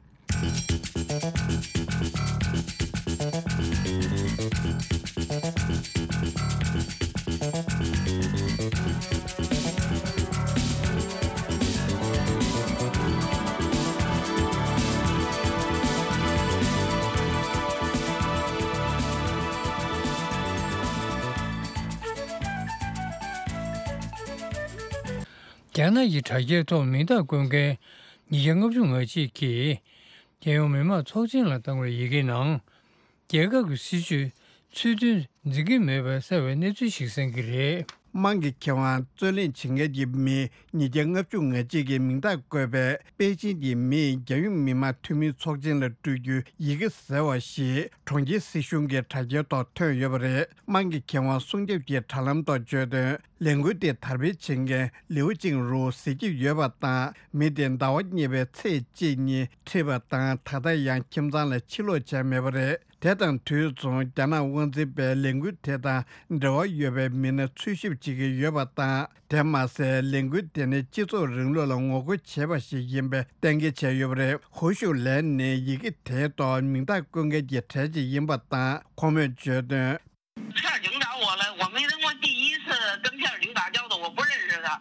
རྒྱ་ནག་གི་དྲ་རྒྱའི་ཐོག་མིང་རྟགས་བཀོད་མཁན་ཉིས་བརྒྱ་ལྔ་བཅུ་ང་གཅིག་གིས། རྒྱལ་ཡོངས་མི་དམངས་ཚོགས་ཆེན་ལ་བཏང་བའི་ཡི་གེ་ནང་། རྒྱལ་ཁབ་ཀྱི་སྲིད་ཇུས་ཚུལ་མཐུན་འཛིན་གྱི་མེད་པར་གསལ་བའི་གནས་ཚུལ་ཞིག་གསན་གྱི་རེད། དམངས་ཀྱི་ཁེ་དབང་རྩོད་ལེན་བྱེད་མཁན་གྱི་མི་ཉིས་བརྒྱ་ལྔ་བཅུ་ང་གཅིག་གི་མིང་རྟགས་བཀོད་པའི་པེ་ཅིན་གྱི་མིས་རྒྱལ་ཡོངས་མི་དམངས་འཐུས་མིའི་ཚོགས་ཆེན་ལ་སྤྲོད་རྒྱུའི་ཡི་གེ་ཟེར་བ་ཞིག་གྲོང་ཁྱེར་སྲིད་གཞུང་གི་དྲ་རྒྱའི་ཐོག་ཐོན་ཡོད་པ་རེད། དམངས་ཀྱི་ཁེ་དབང་སྲུང་སྐྱོབ་ཀྱི་དྲ་ལམ་ཐོག་བརྗོད་དོན། ལས་འགུལ་དེ་དར་སྤེལ་བྱེད་མཁན་ལིའུ་ཅིང་རུའུ་ཟེར་གྱི་ཡོད་པ་དང་། མི་དེ་ཟླ་བ་གཉིས་པའི་ཚེས་གཅིག་ཉིན་ཁྲིད་པ་དང་། ད་ལྟ་ཡང་ཁྱིམ་ཚང་ལ་ཕྱིར་ལོག་བྱས་མེད་པ་རེད། དེ་དང་དུས་མཚུངས། རྒྱ་ནག་དབང་འཛིན་པས་ལས་འགུལ་དེ་དང་འབྲེལ་བ་ཡོད་པའི་མི་སྣ་འཚོལ་ཞིབ་བྱེད་ཀྱི་ཡོད་པ་དང་། དེ་མ་ཟད། ལས་འགུལ་དེ་ནི་སྤྱི་ཚོགས་རིང་ལུགས་ལ་ངོ་རྒོལ་བྱས་པ་ཞིག་ཡིན་པའི་གཏན་འཁེལ་བྱས་ཡོད་པ་རེད། ཧུའུ་ཞུའུ་ལན་ནི་ཡི་གེ་དེའི་ཐོག་མིང་རྟགས་བཀོད་མཁན་གྱི་གྲས་ཤིག་ཡིན་པ་དང་། ཁོང་མོས་བརྗོད་དོན། 事儿领导我了，我没登过第一次跟片儿警打交道，我不认识他。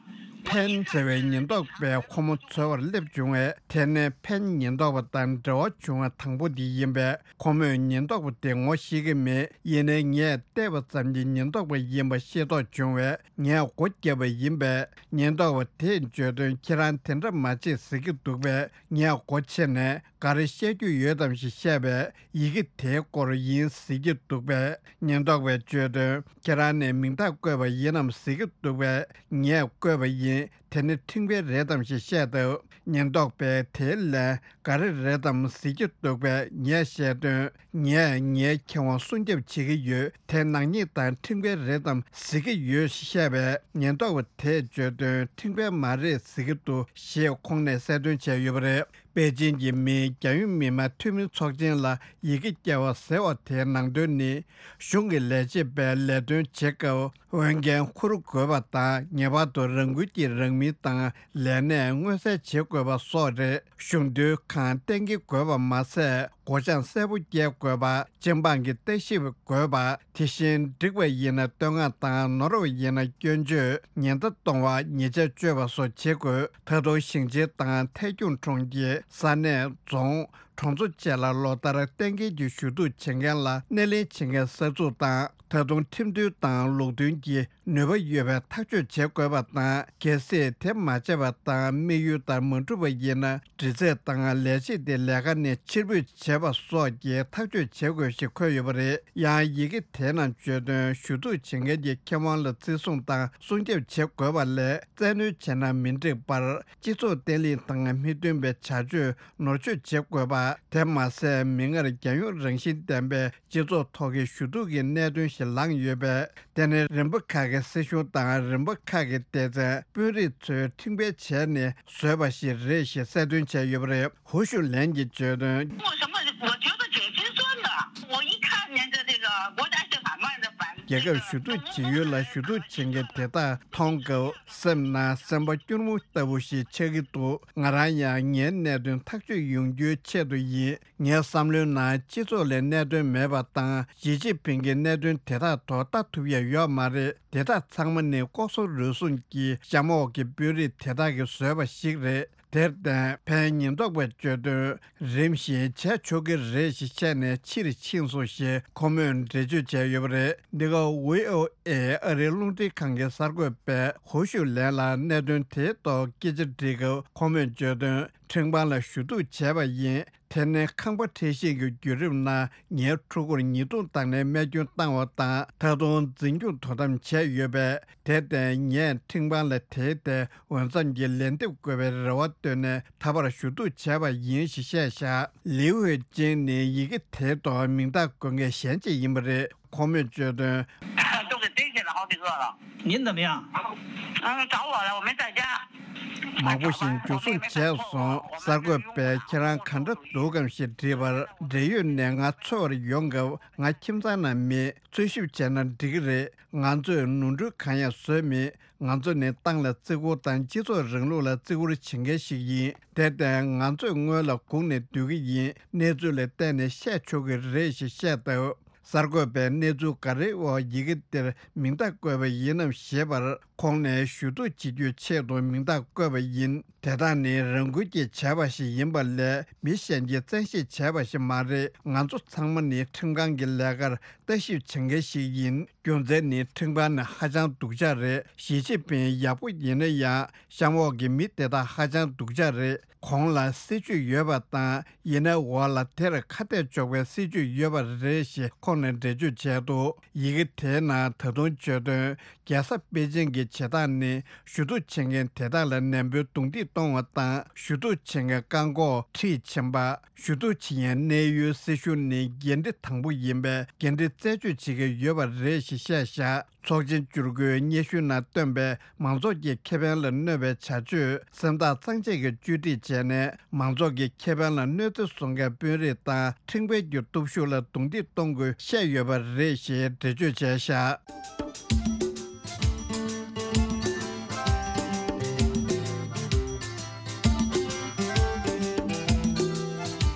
ཕན་ཟེར་བའི་ཉེན་རྟོག་པས་ཁོ་མོ་འཚོལ་བར་སླེབས་བྱུང་བས། དེ་ནི་ཕན་ཉེན་རྟོག་པ་དང་འབྲེལ་བ་བྱུང་བ་དང་པོ་དེ་ཡིན་པས། ཁོ་མོས་ཉེན་རྟོག་པ་དེ་ངོ་ཤེས་ཀྱི་མེད། ཡིན་ནའི་ངས་བལྟས་པ་ཙམ་གྱིས་ཉེན་རྟོག་པ་ཡིན་པ་ཤེས་རྟོགས་བྱུང་བས། ངས་སྒོ་བརྒྱབ་པ་ཡིན་པས། ཉེན་རྟོག་པ་དེས་བརྗོད་དོན། ཁྱེད་རང་དེ་འདྲ་མ་བྱེད་ཟེར་གྱི་འདུག་པས། ངས་སྒོ་ཕྱེ་ནས་ག་རེ་བཤད་རྒྱུ་ཡོད་དམ་ཞེས་བཤད་པས། ཡི་གེ་དེའི་སྐོར་ཡིན་ཟེར་གྱི་འདུག་པས། ཉེན་རྟོག་པས་བརྗོད་དོན། ཁྱེད་རང་ནས་མིང་རྟགས་བཀོད་པ་ཡིན་ནམ་ཟེར་གྱི་འདུག་པས། ངས་བཀོད་པ་ཡིན། དེ་ནི་ཁྲིམས་འགལ་རེད་དམ་ཞེས་བཤད་དོ། ཉེན་རྟོག་པས་དེའི་ལན་ག་རེ་རེད་དམ་ཟེར་གྱི་འདུག་པས། ངས་བཤད་དོན། ངས་ངའི་ཁེ་དབང་སྲུང་སྐྱོབ་བྱེད་ཀྱི་ཡོད། དེ་ནག་ཉེས་དང་ཁྲིམས་འགལ་རེད་དམ་ཟེར་གྱི་ཡོད་ཞེས་བཤད་པས། ཉེན་རྟོག་པ་དེས་བརྗོད་དོན། ཁྲིམས་འགལ་མ་རེད་ཟེར་གྱི་འདུག་ཞེས་ཁོང་ནས་གསལ་སྟོན་བྱས་ཡོད་པ་རེད། པེ་ཅིན་གྱི་མིའི་རྒྱལ་ཡོངས་མི་དམངས་འཐུས་མི་ཚོགས་ཆེན་ལ་ཡི་གེ་བསྐྱལ་བ་ཟེར་བ་དེའི་ནང་དོན་ནི། གཞུང་གི་ལས་བྱེད་པས་ལས་དོན་བྱེད་སྐབས་འོས་འགན་འཁུར་དགོས་པ་དང་། ངེས་པར་དུ་རང་འགུལ་གྱིས་རང་མིང་དང་ལས་གནས་མངོན་གསལ་བྱེད་དགོས་པ་སོགས་རེད། གཞུང་དོན་ཁང་གཏན་འཁེལ་དགོས་པ་མ་ཟད། སྒོ་བྱང་གསལ་པོ་བསྐྱལ་དགོས་པ། སྤྱི་འབངས་ཀྱི་ལྟ་ཞིབ་དགོས་པ། དེ་བཞིན་འགྲིག་པ་ཡིན་ན་བསྟོད་བསྔགས་དང་། ནོར་བ་ཡིན་ན་སྐྱོན་བརྗོད། ཉེན་བརྡ་གཏོང་བ། ཉེས་ཆད་གཅོད་པ་སོགས་བྱེད་དགོས། ད་དུང་ཞིང་ཆེན་དང་ཐད་སྐྱོང་གྲོང་ཁྱེར། ས་གནས། རྫོང་། གྲོང་ཚོ་བཅས་ལ་ལོ་ལྟར་གཏན་འཁེལ་གྱི་ཞུ་གཏུག་བྱེད་མཁན་ལ་སྣེ་ལེན་བྱེད་མཁན་གསར་འཛུགས་དང་། ད་དུང་ཁྲིམས་མཐུན་དང་ལུགས་མཐུན་གྱི་ནུས་པ་ཡོད་པའི་ཐག་གཅོད་བྱེད་དགོས་པ་དང་། གལ་སྲིད་དེ་མ་བྱས་པ་དང་། དམིགས་ཡུལ་ལྟར་མ་འགྲུབ་པ་ཡིན་ན། འདྲི་རྩད་དང་ལས་བྱེད་དེ་ལས་ཀ་ནས་ཕྱིར་འབུད་བྱེད་པ་སོགས་ཀྱི་ཐག་གཅོད་བྱེད་དགོས་ཞེས་འཁོད་ཡོད་པ་རེད། ཡང་ཡི་གེ་དེའི་ནང་བརྗོད་དོན། ཞུ་གཏུག་བྱེད་མཁན་གྱི་ཁེ་དབང་ལ་བརྩི་སྲུང་དང་སྲུང་སྐྱོབ་བྱེད་དགོས་པ་ལས། བཙན་གནོན་བྱས་ན་མི་འགྲིག་པར། སྤྱི་ཚོགས་བརྟན་ལྷིང་དང་མི་མཐུན་པའི་བྱ་སྤྱོད་ནོར་བཅོས་བྱེད་དགོས་པ། དེ་མ་ཟད། མིག་སྔར་རྒྱལ་ཡོངས་རང་བཞིན་ལྡན་པའི་སྤྱི་ཚོགས་ཐོག་གི་ཞུ་གཏུག་གི་གནད་དོན་ཞིག་ལངས་ཡོད་པས། དེ་ནི་རིམ་པ་ཁག་གི་སྲིད་གཞུང་དང་། རིམ་པ་ཁག་གི་སྡེ་ཚན། དཔོན་རིགས་ཚོས་ཁྲིམས་འགལ་བྱས་ནས་བཟོས་པ་ཞིག་རེད་ཞེས་གསལ་སྟོན་བྱས་ཡོད་པ་རེད། ཧུའུ་ཞུ་ལན་གྱིས་བརྗོད་དོན། 我什么？我觉得姐姐说的，我一看那个这个国家性还蛮的反。 རྒྱལ་ཁབ་ཞུ་གཏུག་བྱེད་ཡུལ་ལ་ཞུ་གཏུག་བྱེད་མཁན་དེ་དག་མཐོང་སྐབས། སེམས་ནང་སེམས་པ་སྐྱུར་མོ་ལྟ་བུ་ཞིག་ཆགས་ཀྱི་འདུག་ང་རང་ཡང་ངའི་གནད་དོན་ཐག་གཅོད་ཡོང་རྒྱུའི་ཆེད་དུ་ཡིན། ངའི་བསམ་བློའི་ནང་སྤྱི་ཚོགས་ལ་གནད་དོན་མེད་པ་དང་། ཞི་ཅིན་ཕིང་གི་གནད་དོན་དེ་དག་ཐོག་ལྟ་ཐུབ་ཡ་ཡོད་མ་རེད། དེ་དག་ཚང་མ་ནི་ལྐོག་ཟ་རུལ་སུངས་ཀྱིས་གཤམ་འོག་གི་དཔོན་རིགས་དེ་དག་གིས་བཟོས་པ་ཞིག་རེད། དེར་བརྟེན། ཕན་ཉེན་རྟོག་པས་བརྗོད་དོན། རིམ་བཞིན་བྱས་ཆོག་གི་རེད་ཞེས་བཤད་ནས་ཕྱིར་ཕྱིན་སོང་ཞེས་ཁོ་མོས་འགྲེལ་བརྗོད་བྱས་ཡོད་པ་རེད། འདི་ག་བྷི་ཨོ་ཨེ་ཨ་རིའི་རླུང་འཕྲིན་ཁང་གི་གསར་འགོད་པས་ཧུའུ་ཞུ་ལན་ལ་གནད་དོན་དེའི་ཐོག་སྐད་ཆ་དྲིས་སྐབས། ཁོ་མོས་བརྗོད་དོན། ཁྲིམས་ཁང་ལ་ཞུ་གཏུག་བྱས་པ་ཡིན། དེ་ནི་ཁང་པ་འཕྲལ་བཤིག་གི་བརྒྱུད་རིམ་ནང་ངའི་ཕྲུ་གུར་ཉེས་རྡུང་བཏང་ནས་རྨས་སྐྱོན་བཏང་བ་དང་། ད་དུང་འཛིན་སྐྱོང་དོ་དམ་བྱས་ཡོད་པས། དེར་བརྟེན། ངས་ཁྲིམས་ཁང་ལ་དེའི་ཐད་འོས་འཚམ་གྱི་ལན་འདེབས་དགོས་པའི་རེ་བ་བཏོན་ནས་ད་བར་ཞུ་གཏུག་བྱས་པ་ཡིན་ཞེས་བཤད་བཞག་ལིའུ་ཧུའེ་ཅིན་ནི་ཡི་གེ་དེའི་ཐོག་མིང་རྟགས་འགོད་མཁན་གཞན་ཅིག་ཡིན་པ་རེད། ཁོ་མོས་བརྗོད་དོན། 都给逮起来好几个了。您怎么样？嗯，找我了，我没在家。 མང་པོ་ཞིག་འཇུ་བཟུང་བྱས་སོང་། གསར་འགོད་པས་ཁྱེད་རང་ག་འདྲ་འདུག་གམ་ཞེས་དྲིས་པར། འབྲེལ་ཡོད་ནས་ང་འཚོལ་བར་ཡོང་སྐབས། ང་ཁྱིམ་ཚང་ནང་མེད། འཚོལ་ཞིབ་བྱས་ན་འགྲིག་གི་རེད། ང་ཚོས་ནོར་འཁྲུལ་གང་ཡང་བཟོས་མེད། ང་ཚོ་ནི་ཏང་ལ་བརྩི་བཀུར་དང་སྤྱི་ཚོགས་རིང་ལུགས་ལ་བརྩི་བཀུར་བྱེད་མཁན་ཞིག་ཡིན། དེར་བརྟེན། ང་ཚོས་སྔོན་ལ་སྒུག་ནས་སྡོད་ཀྱི་ཡིན། གནས་ཚུལ་ལ་བལྟས་ནས་བཤད་ཆོག་གི་རེད་ཞེས་བཤད་སྟབས། གསར་འགོད་པས་གནས་ཚུལ་ག་རེའི་འོག་ཡི་གེ་འདིར་མིང་རྟགས་བཀོད་པ་ཡིན་ནམ་ཞེས་པར། ཁོང་ནས་ཞུ་གཏུག་བྱེད་རྒྱུའི་ཆེད་དུ་མིང་རྟགས་བཀོད་པ་ཡིན། དེ་དག་ནི་རང་འགུལ་གྱིས་བྱས་པ་ཞིག་ཡིན་པ་ལས། མི་གཞན་གྱིས་བཙན་ཤེད་བྱས་པ་ཞིག་མ་རེད། ང་ཚོ་ཚང་མ་ནི་ཁྲིམས་ཁང་གི་ལས་ཀར་ལྟ་ཞིབ་བྱེད་མཁན་ཞིག་ཡིན། རྒྱུ་མཚན་ནི་ཁྲིམས་ཁང་ནི་ཧ་ཅང་སྡུག་ཅག་རེད། ཞི་ཅིན་ཕིང་ཡག་པོ་ཡིན་ན་ཡང་། གཤམ་འོག་གི་མི་དེ་དག་ཧ་ཅང་སྡུག་ཅག་རེད། གོང་ལ་སྲིད་ཇུས་ཡོད་པ་དང་། ཡིན་ནའི་འོག་ལ་དེར་ཁ་གཏད་གཅོག་པའི་སྲིད་ཇུས་ཡོད་པ་རེད་ཞེས་ཁོང་ནས་འགྲེལ་བརྗོད་བྱས་འདུག་ཡི་གེ་དེའི་ནང་ད་དུང་བརྗོད་དོན། རྒྱལ་ས་པེ་ཅིང་གི་བྱེད་སྟངས་ནི། ཞུ་གཏུག་བྱེད་མཁན་དེ་དག་ལ་ནན་པོའི་རྡུང་རྡེག་གཏོང་བ་དང་། ཞུ་གཏུག་བྱེད་མཁན་བཀག་འགོག་ཁྲིད་ཕྱིན་པ། ཞུ་གཏུག་བྱེད་མཁན་གནས་ཡུལ་སྲིད་གཞུང་ནི་འགན་འཁྲི་དང་པོ་ཡིན་པས། འགན་འཁྲི་རྩད་གཅོད་བྱེད་ཀྱི་ཡོད་པ་རེད་ཞེས་བཤད་བཞག་ཚོགས་ཆེན་བཅུ་དགུའི་སྙན་ཞུ་ནང་བཏོན་པའི་མང་ཚོགས་ཀྱི་ཁེ་ཕན་ལ་གནོད་པའི་བྱ་སྤྱོད་སེམས་ཐག་གཙང་བཅད་ཀྱིས་བཅོས་སྒྲིག་བྱས་ནས། མང་ཚོགས་ཀྱི་ཁེ་ཕན་ལ་གནོད་འཚེ་བཟོ་མཁན་དཔོན་རིགས་དང་ཁྲིམས་འགལ་གྱི་སྟོབས་ཤུགས་ལ་རྡུང་རྡེག་གཏོང་དགོས་བཤད་ཡོད་པ་རེད་ཞེས་འགྲེལ་བརྗོད་བྱས་བཞག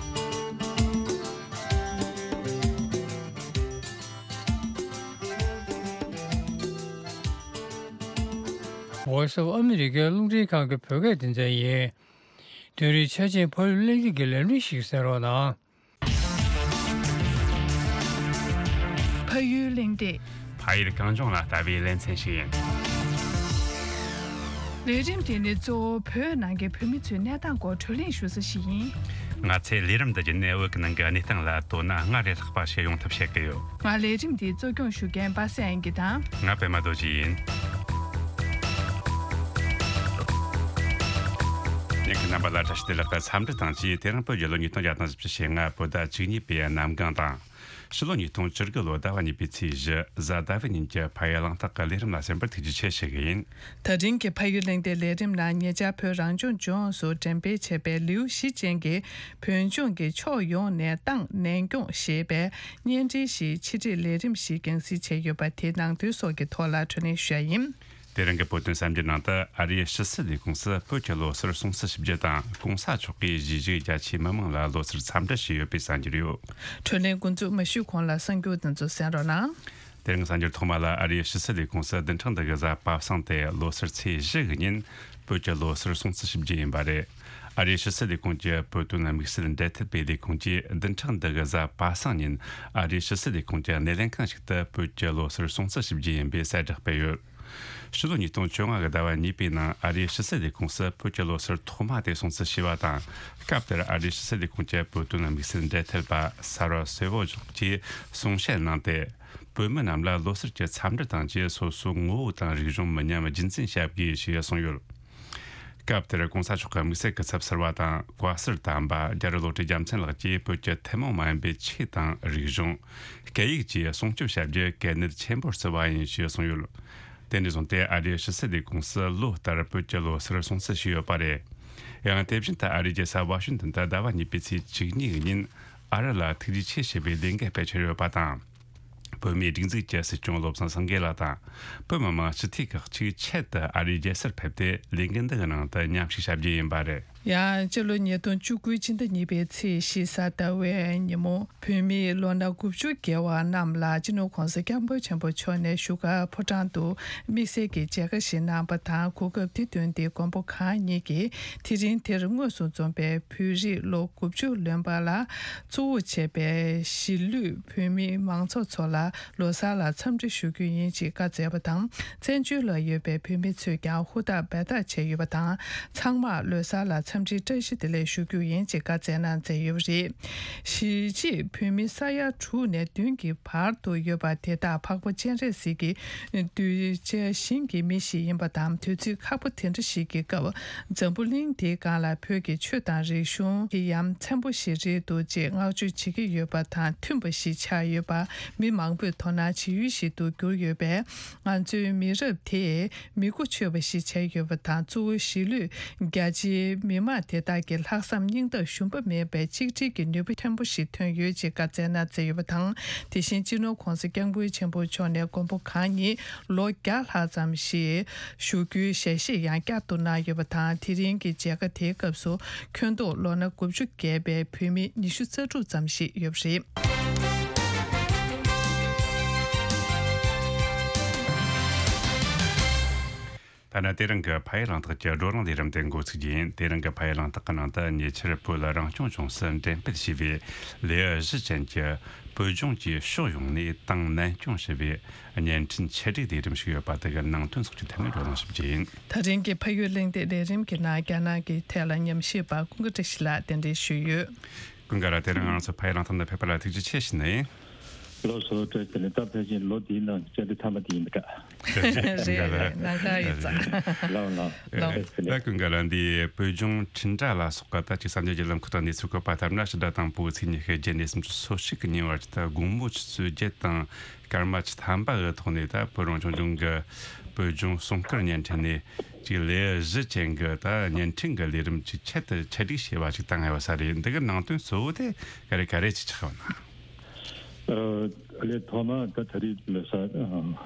Voice of America རླུང་འཕྲིན་ཁང་གི་བོད་སྐད་སྡེ་ཚན་ཡིན། དེ་རིང་ཆ་ཆེན་ཕ་ཡུལ་གླེང་སྟེགས་ཀྱི་ལས་རིམ་ཞིག་གསན་རོགས་གནང་། ཕ་ཡུལ་གླེང་སྟེགས། ཕ་ཡུལ་གངས་ལྗོངས་ལ་ལྟ་བའི་ལེ་ཚན་ཞིག་ཡིན། ལས་རིམ་དེ་ནི་གཙོ་བོ་བོད་ནང་གི་བོད་མི་ཚོའི་གནས་སྟངས་སྐོར་བགྲོ་གླེང་ཞུ་ས་ཞིག་ཡིན། ང་ཚོས་ལས་རིམ་འདི་བརྒྱུད་ནས་བོད་ཀྱི་ནང་གི་གནས་སྟངས་ལ་དོ་སྣང་སྔར་ལས་ལྷག་པ་ཞིག་ཡོང་ཐབས་བྱེད་ཀྱི་ཡོད། ང་ལས་རིམ་འདི་གཙོ་སྐྱོང་ཞུ་མཁན་པ་སངས་དབྱངས་སྐྱིད་དང་། ང་པད་མ་རྡོ་རྗེ་ཡིན། ཉན་མཁན་རྣམ་པ་ལ་བཀྲ་ཤིས་བདེ་ལེགས་དང་འཚམས་འདྲི་དང་བཅས། དེ་རིང་བོད་རྒྱལ་ལོ་ཉིས་སྟོང་བརྒྱ་དང་བཞི་བཅུ་ཞེ་ལྔ་བོད་ཟླ་བཅུ་གཉིས་པའི་གནམ་གང་དང་། ཕྱི་ལོ་ཉིས་སྟོང་བཅུ་དགུ་ལོ་ཟླ་བ་གཉིས་པའི་ཚེས་བཞི་གཟའ་ཟླ་བའི་ཉིན་གྱི་ཕ་ཡུལ་གླེང་སྟེགས་ཀྱི་ལས་རིམ་ལ་གསན་པར་ཐུགས་རྗེ་ཆེ་ཞུ་གི་ཡིན། ད་རིང་གི་ཕ་ཡུལ་གླེང་སྟེགས་ལས་རིམ་ནང་ཉེ་ཆར་བོད་རང་སྐྱོང་ལྗོངས་སུ་འགྲེམས་སྤེལ་བྱས་པའི་ལེའུ་བཞི་ཅན་གྱི་བོད་ལྗོངས་ཀྱི་ཕྱོགས་ཡོངས་ནས་ཏང་ནན་སྐྱོང་ཞེས་པའི་བརྙན་འཕྲིན་ཞིག་ཕྱི་དྲིལ་ལས་རིམ་ཞིག་རྒྱང་སྲིང་བྱས་ཡོད་པ་དེའི་ནང་དོན་སོགས་ཀྱི་ཐོག་ལ་བགྲོ་གླེང་ཞུ་ཡ་ཡིན། དེ་རིང་གི་བོད་དོན་གསར་འགྱུར་ནང་དུ་ཨ་རིའི་ཕྱི་སྲིད་ལས་ཁུངས་སུ་བོད་ཀྱི་ལོ་གསར་སྲུང་བརྩི་ཞིབ་རྒྱུ་དང་གོང་ས་མཆོག་གིས་གཞིས་བྱེས་རྒྱ་ཆེའི་མི་མང་ལ་ལོ་གསར་འཚམས་འདྲི་ཞུས་ཡོད་པའི་གསར་འགྱུར་ཡོད། བགྲོ་གླེང་འགོ་འཛུགས་མ་ཞུས་གོང་ལ་གསར་འགྱུར་དེ་ཚོ་གསན་རོགས་གནང་། དེ་རིང་གསར་འགྱུར་ཐོག་མ་ལ་ཨ་རིའི་ཕྱི་སྲིད་ལས་ཁུངས་སུ་བདུན་ཕྲག་འདི་གི་གཟའ་པ་སངས་ཏེ་ལོ་གསར་ཚེས་བཞི་གི་ཉིན་བོད་ཀྱི་ལོ་གསར་སྲུང་བརྩི་ཞིབ་རྒྱུ་ཡིན་པ་རེད། ཨ་རིའི་ཕྱི་སྲིད་ལས་ཁུངས་ཀྱི་བོད་དོན་དམིགས་བསལ་འབྲེལ་མཐུད་པའི་ལས་ཁུངས་ཀྱིས་བདུན་ཕྲག་འདི་གི་གཟའ་པ་སངས་ཉིན་ཨ་རིའི་ཕྱི་སྲིད་ལས་ཁུངས་ཀྱི་སྣེ་ལེན་ཁང་ཞིག་ཏུ་བོད་ཀྱི་ལོ་གསར་སྲུང་བརྩི་ཞིབ་རྒྱུ་ཡིན་པའི་གསལ་བསྒྲགས་སྤེལ་ཡོད། ཕྱི་ལོ་ཉིས་སྟོང་བཅོ་ལྔ་གི་ཟླ་བ་གཉིས་པའི་ནང་ཨ་རིའི་ཕྱི་སྲིད་ལས་ཁུངས་སུ་བོད་ཀྱི་ལོ་གསར་ཐོག་མ་དེ་སྲུང་བརྩི་ཞུས་པ་དང་། སྐབས་དེར་ཨ་རིའི་ཕྱི་སྲིད་ལས་ཁུངས་ཀྱི་བོད་དོན་དམིགས་བསལ་འབྲེལ་མཐུད་པ་སར་བ་སོལ་ཝོ་ཇོག་གིས་གསུང་བཤད་གནང་སྟེ། བོད་མི་རྣམས་ལ་ལོ་གསར་གྱི་འཚམས་འདྲི་དང་བཅས་སོ་སོའི་ངོ་བོ་དང་རིག་གཞུང་མི་ཉམས་རྒྱུན་འཛིན་བྱ་དགོས་ཞེས་གསུངས་ཡོད། སྐབས་དེར་གོང་ས་མཆོག་གི་དམིགས་བསལ་སྐུ་ཚབ་ཟུར་པ་དང་བཀའ་ཟུར་དམ་པ་རྒྱ་རི་བློ་གྲོས་རྒྱལ་མཚན་ལགས་ཀྱིས་བོད་ཀྱི་ཐུན་མོང་མ་ཡིན་པའི་ཆོས་དང་རིག་གཞུང་། སྐད་ཡིག་བཅས་སྲུང་སྐྱོབ་བྱ་རྒྱུ་གལ་གནད་ཆེན་པོར་བརྩི་བ་ཡིན་ཞེས་གསུངས་ཡོད། དེ་ནས་བཟུང་སྟེ་ཨ་རིའི་ཕྱི་སྲིད་ལས་ཁུངས་སུ་ལོ་ལྟར་བོད་ཀྱི་ལོ་གསར་སྲུང་བརྩི་ཞུས་ཡོད་པ་རེད། ཡང་དེ་བཞིན་དུ་ཨ་རིའི་རྒྱལ་ས་ཝ་ཤིང་ཏོན་དུ་ཟླ་བ་གཉིས་པའི་ཚེས་བཅུ་གཉིས་ཉིན་ཨ་རི་ལ་ཐུགས་རྗེ་ཆེ་ཞེས་པའི་ལས་འགུལ་སྤེལ་འཆར་ཡོད་པ་དང་། བོད་མིའི་སྒྲིག་འཛུགས་ཀྱི་སྲིད་སྐྱོང་བློ་བཟང་སེང་གེ་ལགས་དང་། བོད་མི་མང་སྤྱི་འཐུས་ཁག་ཅིག་ཆེད་དུ་ཨ་རིའི་རྒྱལ་སར་ཕེབས་ཏེ་ལས་འགུལ་འདི་གི་ནང་དུ་མཉམ་ཞུགས་བྱ་རྒྱུ་ཡིན་པ་རེད། ཡང་སྤྱི་ལོ་ཉིས་སྟོང་བཅུ་དགུ་སྤྱི་ཟླ་གཉིས་པའི་ཚེས་བཞི་གཟའ་ཟླ་བའི་ཉིན་མོ། བོད་མིའི་ལོ་ན་དགུ་བཅུ་བརྒལ་བ་རྣམས་ལ་སྤྱི་ནོར་༸གོང་ས་༸སྐྱབས་མགོན་ཆེན་པོ་མཆོག་ནས་བཞུགས་སྒར་ཕོ་བྲང་དུ་དམིགས་བསལ་གྱི་མཇལ་ཁ་ཞིག་གནང་བ་དང་། གོ་སྐབས་དེ་བཏོན་ཏེ་མགོན་པོ་གང་ཉིད་ཀྱིས་དེ་རིང་དེར་དངོས་སུ་འཛོམས་པའི་བོད་རིགས་ལོ་དགུ་བཅུ་ལོན་པ་ལ་གཙོ་བོ་བྱས་པའི་གཞིས་ལུས་བོད་མིའི་མང་ཚོགས་ཚོ་ལ་ལོ་གསར་ལ་འཚམས་འདྲི་ཞུ་རྒྱུ་ཡིན་ཅེས་བཀའ་སྩལ་བ་དང་། བཙན་བྱོལ་ལ་ཡོད་པའི་བོད་མི་ཚོས་ཀྱང་ཧུར་ཐག་འབད་ཐག་བྱས་ཡོད་པ་དང་། ཚང་མར་ལོ་གསར་ལ་འཚམས་འདྲིའི་བཀྲ་ཤིས་བདེ་ལེགས་ཞུ་རྒྱུ་ཡིན་ཅེས་བཀའ་སྩལ་གནང་མཛད་ཡོད་པ་རེད། གཞིས་བྱེས་བོད་མི་ས་ཡ་དྲུག་ནས་བདུན་གྱི་བར་དུ་ཡོད་པ་དེ་དག་འཕགས་པ་སྤྱན་རས་གཟིགས་ཀྱི་གདུལ་བྱ་ཞིང་གི་མི་ཞིག་ཡིན་པ་དང་། དུས་ཚོད་ཁག་པོ་དེ་འདྲ་ཞིག་གི་སྐབས་འཛམ་བུ་གླིང་འདིའི་སྒང་ལ་བོད་ཀྱི་ཆོས་དང་རིག་གཞུང་གི་ཡ་མཚན་པོ་ཞིག་རེད་འདུག་ཅེས་བསྔགས་བརྗོད་བྱེད་ཀྱི་ཡོད་པ་དང་མཐུན་པ་ཞིག་ཆགས་ཡོད་པ་མི་མང་པོས་དོ་སྣང་བྱེད་ཡུལ་ཞིག་ཏུ་གྱུར་ཡོད་པས། ང་ཚོའི་མི་རབས་དེས་མི་གོ་ཆོད་པ་ཞིག་བྱས་ཡོད་པ་དང་། གཙོ་བོ་གཞིས་ལུས་རྒྱ་ཆེའི་མི་མང་དེ་དག་གི་ལྷག་བསམ་སྙིང་སྟོབས་ཞུམ་པ་མེད་པའི་གཅིག་སྒྲིལ་གྱི་ནུས་པ་ཆེན་པོ་ཞིག་ཐོན་ཡོད་ཅེས་བཀའ་སྩལ་གནང་མཛད་ཡོད་པ་དང་། དེ་བཞིན་སྤྱི་ནོར་༸གོང་ས་༸སྐྱབས་མགོན་ཆེན་པོ་མཆོག་ནས་མགོན་པོ་གང་ཉིད་ལོ་བརྒྱ་ལྷག་ཙམ་ཞིག་བཞུགས་རྒྱུའི་ཞལ་བཞེས་ཡང་བསྐྱར་དུ་གནང་ཡོད་པ་དང་། དེ་རིང་གི་མཇལ་ཁ་དེའི་སྐབས་སུ་ཁྱོན་བསྡོམས་ལོ་ན་དགུ་བཅུ་བརྒལ་བའི་བོད་མི་ཉི་ཤུ་རྩ་དྲུག་ཙམ་ཞིག་ཡོད་པ་རེད། ཐ་ན་དེ་རིང་གི་ཕ་ཡུལ་གླེང་སྟེགས་ཀྱི་བགྲོ་གླེང་ལས་རིམ་དེ་འགོ་ཚུགས་རྒྱུ་ཡིན། དེ་རིང་གི་ཕ་ཡུལ་གླེང་སྟེགས་ཀྱི་ནང་དུ་ཉེ་ཆར་བོད་རང་སྐྱོང་ལྗོངས་སུ་འགྲེམས་སྤེལ་བྱས་པའི་ལེའུ་བཞི་ཅན་གྱི་བོད་ལྗོངས་ཀྱི་ཕྱོགས་ཡོངས་ནས་ཏང་ནན་སྐྱོང་ཞེས་པའི་བརྙན་འཕྲིན་ཆེད་སྒྲིག་ལས་རིམ་ཞིག་ཡོད་པ་དེ་གི་ནང་དོན་སོགས་ཀྱི་ཐད་ནས་བགྲོ་གླེང་ཞུ་རྒྱུ་ཡིན། ད་རིང་གི་ཕ་ཡུལ་གླེང་སྟེགས་ལས་རིམ་གྱི་ནང་རྒྱ་ནག་གི་ཐད་ལ་ཉམས་ཞིབ་པ་ཀུན་དགའ་བཀྲ་ཤིས་ལགས་གདན་འདྲེན་ཞུས་ཡོད། ཀུན་དགའ་ལགས། དེ་རིང་ང་ཚོ་ཕ་ཡུལ་གླེང་སྟེགས་ནང་ཕེབས་པ་ལ་ཐུགས་རྗེ་ཆེ་ཞུ་ནི་ཡིན། ལགས་སོ། བཀྲ་ཤིས་བདེ་ལེགས། ད་ཕལ་ཆེར་ལོ་འདིའི་ནང་བཅར་འདྲི་མཐའ་མ་དེ་ཡིན་པ་འདྲ། རེད་རེད། ནམ་མཁའ་ཡོད་ཙང་། ལགས་ལགས། ལགས་ལགས། ད་ཀུན་དགའ་ལགས། འདི་བོད་ལྗོངས་འཕྲིན་ཕྲན་ལ་སོགས་པ་ད་ཅིག་གསར་འགྱུར་བརྒྱུད་ལམ་ཁག་ཏུ་གནས་ཚུལ་བཀོད་པ་ལྟར་ན། ཕྱི་ཟླ་དང་པོའི་ཚེས་ཉི་ཤུ་རྗེས་ནས་སུམ་ཅུ་སོ་གཅིག་གི་ཉིན་བར་གྱི་ད་དགོང་མོ་ཆུ་ཚོད་བརྒྱད་དང་སྐར་མ་བཅུ་ཐམ་པ་གི་ཐོག་ནས་ད་བོད་རང་སྐྱོང་ལྗོངས་ཀྱི་བོད་ལྗོངས་སྲུང་སྐར་བརྙན་འཕྲིན་ནས་ཅིག་ལེའུ་བཞི་ཅན་གྱི་ད་བརྙན་འཕྲིན་གྱི་ལས་རིམ་ཅིག་ཆེད་དུ་ཆེད་སྒྲིག་བྱས་པ་ཅིག་བཏང་ཡོད་ས་རེད། འདི་གི་ནང་དོན་གཙོ་བོ་དེ་ག་རེ་ག་རེ་ཅིག་ཆགས་ཡོད་ན། ཨ། ལས་ཐོག་མ་ད་ད་རེས་ལོ་གསར་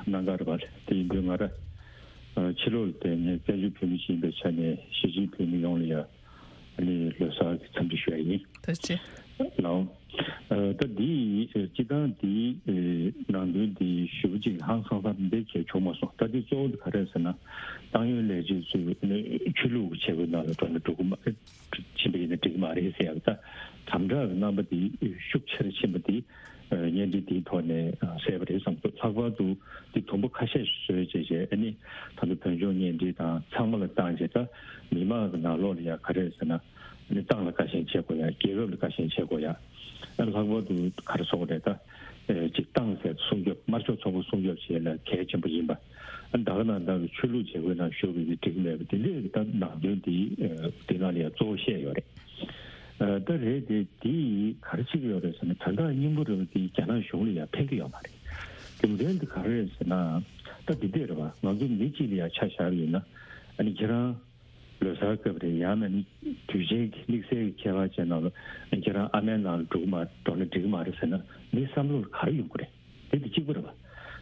གནང་ག་རེད་པ། དེ་ཡིན་དུས་ང་རང་ཕྱི་ལོགས་ལ་བསྡད་ནས་བཙན་བྱོལ་བོད་མི་ཞིག་ཡིན་པའི་ཆ་ནས་གཞིས་བྱེས་བོད་མི་ཡོངས་ལ་ཡ་ཨ་ནི་ལོ་གསར་གྱི་འཚམས་འདྲི་ཞུ་ཡ་ཡིན། ཐུགས་རྗེ་ཆེ། ལགས། ཨ་ད་འདི་སྤྱི་བཏང་འདི་ནང་དོན་འདི་ཞེ་པོ་ཅིག་ཧང་སང་ས་འདི་གལ་བྱུང་མ་སོང་། ད་འདི་གཙོ་བོ་འདི་ག་རེ་ཟེར་ན། ཏང་ཡོན་ལས་བྱེད་ཚོས་ཆོས་ལུགས་ཀྱི་བྱེད་སྒོའི་ནང་ལ་འགྲོ་ན་འགྲོ་གི་མ་ཕྱིན་པ་ཡིན་ན་འགྲིག་གི་མ་རེད་ཟེར་ཡག་ད་དམ་དྲག་གི་རྣམ་པ་འདི་ཤུགས་ཆེ་རུ་ཕྱིན་པ་འདི་བརྙན་འཕྲིན་འདིའི་ཐོག་ནས་གསལ་པ་རེད་བསམ་འདུག་ལྷག་པར་དུ་འདི་དུམ་བུ་ཁ་ཤས་ཤིག་བཟོས་བྱས་བྱས་ཨ་ནི་ད་ལྟ་བོད་ལྗོངས་བརྙན་འཕྲིན་དང་ཚང་མ་ལ་བཏང་བྱས་ད་མི་མང་གི་ནང་ལོགས་ལ་ཡ་ག་རེ་ཟེར་ན། ཨ་ནི་ཏང་ལ་བཀའ་བཞིན་བྱེད་དགོས་ཡ། རྒྱལ་ཁབ་ལ་བཀའ་བཞིན་བྱེད་དགོས་ཡ། ཨ་ལྷག་པར་དུ་ག་རེ་ཟེར་དགོས་རེད་ད། ཨེ་ཅིག་ཏང་ཟེར་སྲུང་སྐྱོབ་དམར་ཤོག་ཚོགས་པ་སྲུང་སྐྱོབ་བྱེད་ལ་གལ་ཆེན་པོ་ཡིན་པ། ཨ་ད་ག་ནང་ལྟར་གྱི་ཆོས་ལུགས་བྱེད་སྒོའི་ནང་ཞུགས་པའི་འགྲིག་མེད་པ་དེ་འདྲའི་ད་ནང་དོན་དེ་ཨེ་དེ་ནང་ལ་ཡང་གཙོ་བོ་བཤད་ཡོད་རེད། ཨ་ད་རེད་དེ་དེ་ག་རེ་བྱེད་ཀྱི་ཡོད་རེད་ཟེར་ན་དོན་དག་སྙིང་པོ་རེད་པ་དེ་རྒྱ་ནག་གཞུང་ལ་ཡང་ཕན་གྱི་ཡོད་མ་རེད། རྒྱུ་མཚན་དེ་ག་རེ་རེད་ཟེར་ན། ད་འདི་འདྲ་རེད་པ། ང་ཚོ་མི་གཅིག་ལ་ཡང་ཆ་བཞག་པ་ཡིན་ན་ཨ་ནི་ཁྱེད་རང་ལོ་གསར་སྐབས་རེད། ཡང་ན་ནི་དུས་ཆེན་གྱི་དམིགས་བསལ་གྱི་ཁྱད་པར་ཅན་ནང་ལ་ཁྱེད་རང་ཨ་མའི་ནང་ལ་འགྲོ་གི་མ་འགྲོ་ན་འགྲིག་གི་མ་རེད་ཟེར་ན་མི་བསམ་བློ་ལ་ག་རེ་ཡོང་གི་རེད། དེ་དེ་གཅིག་པ་རེད་པ། བྱས་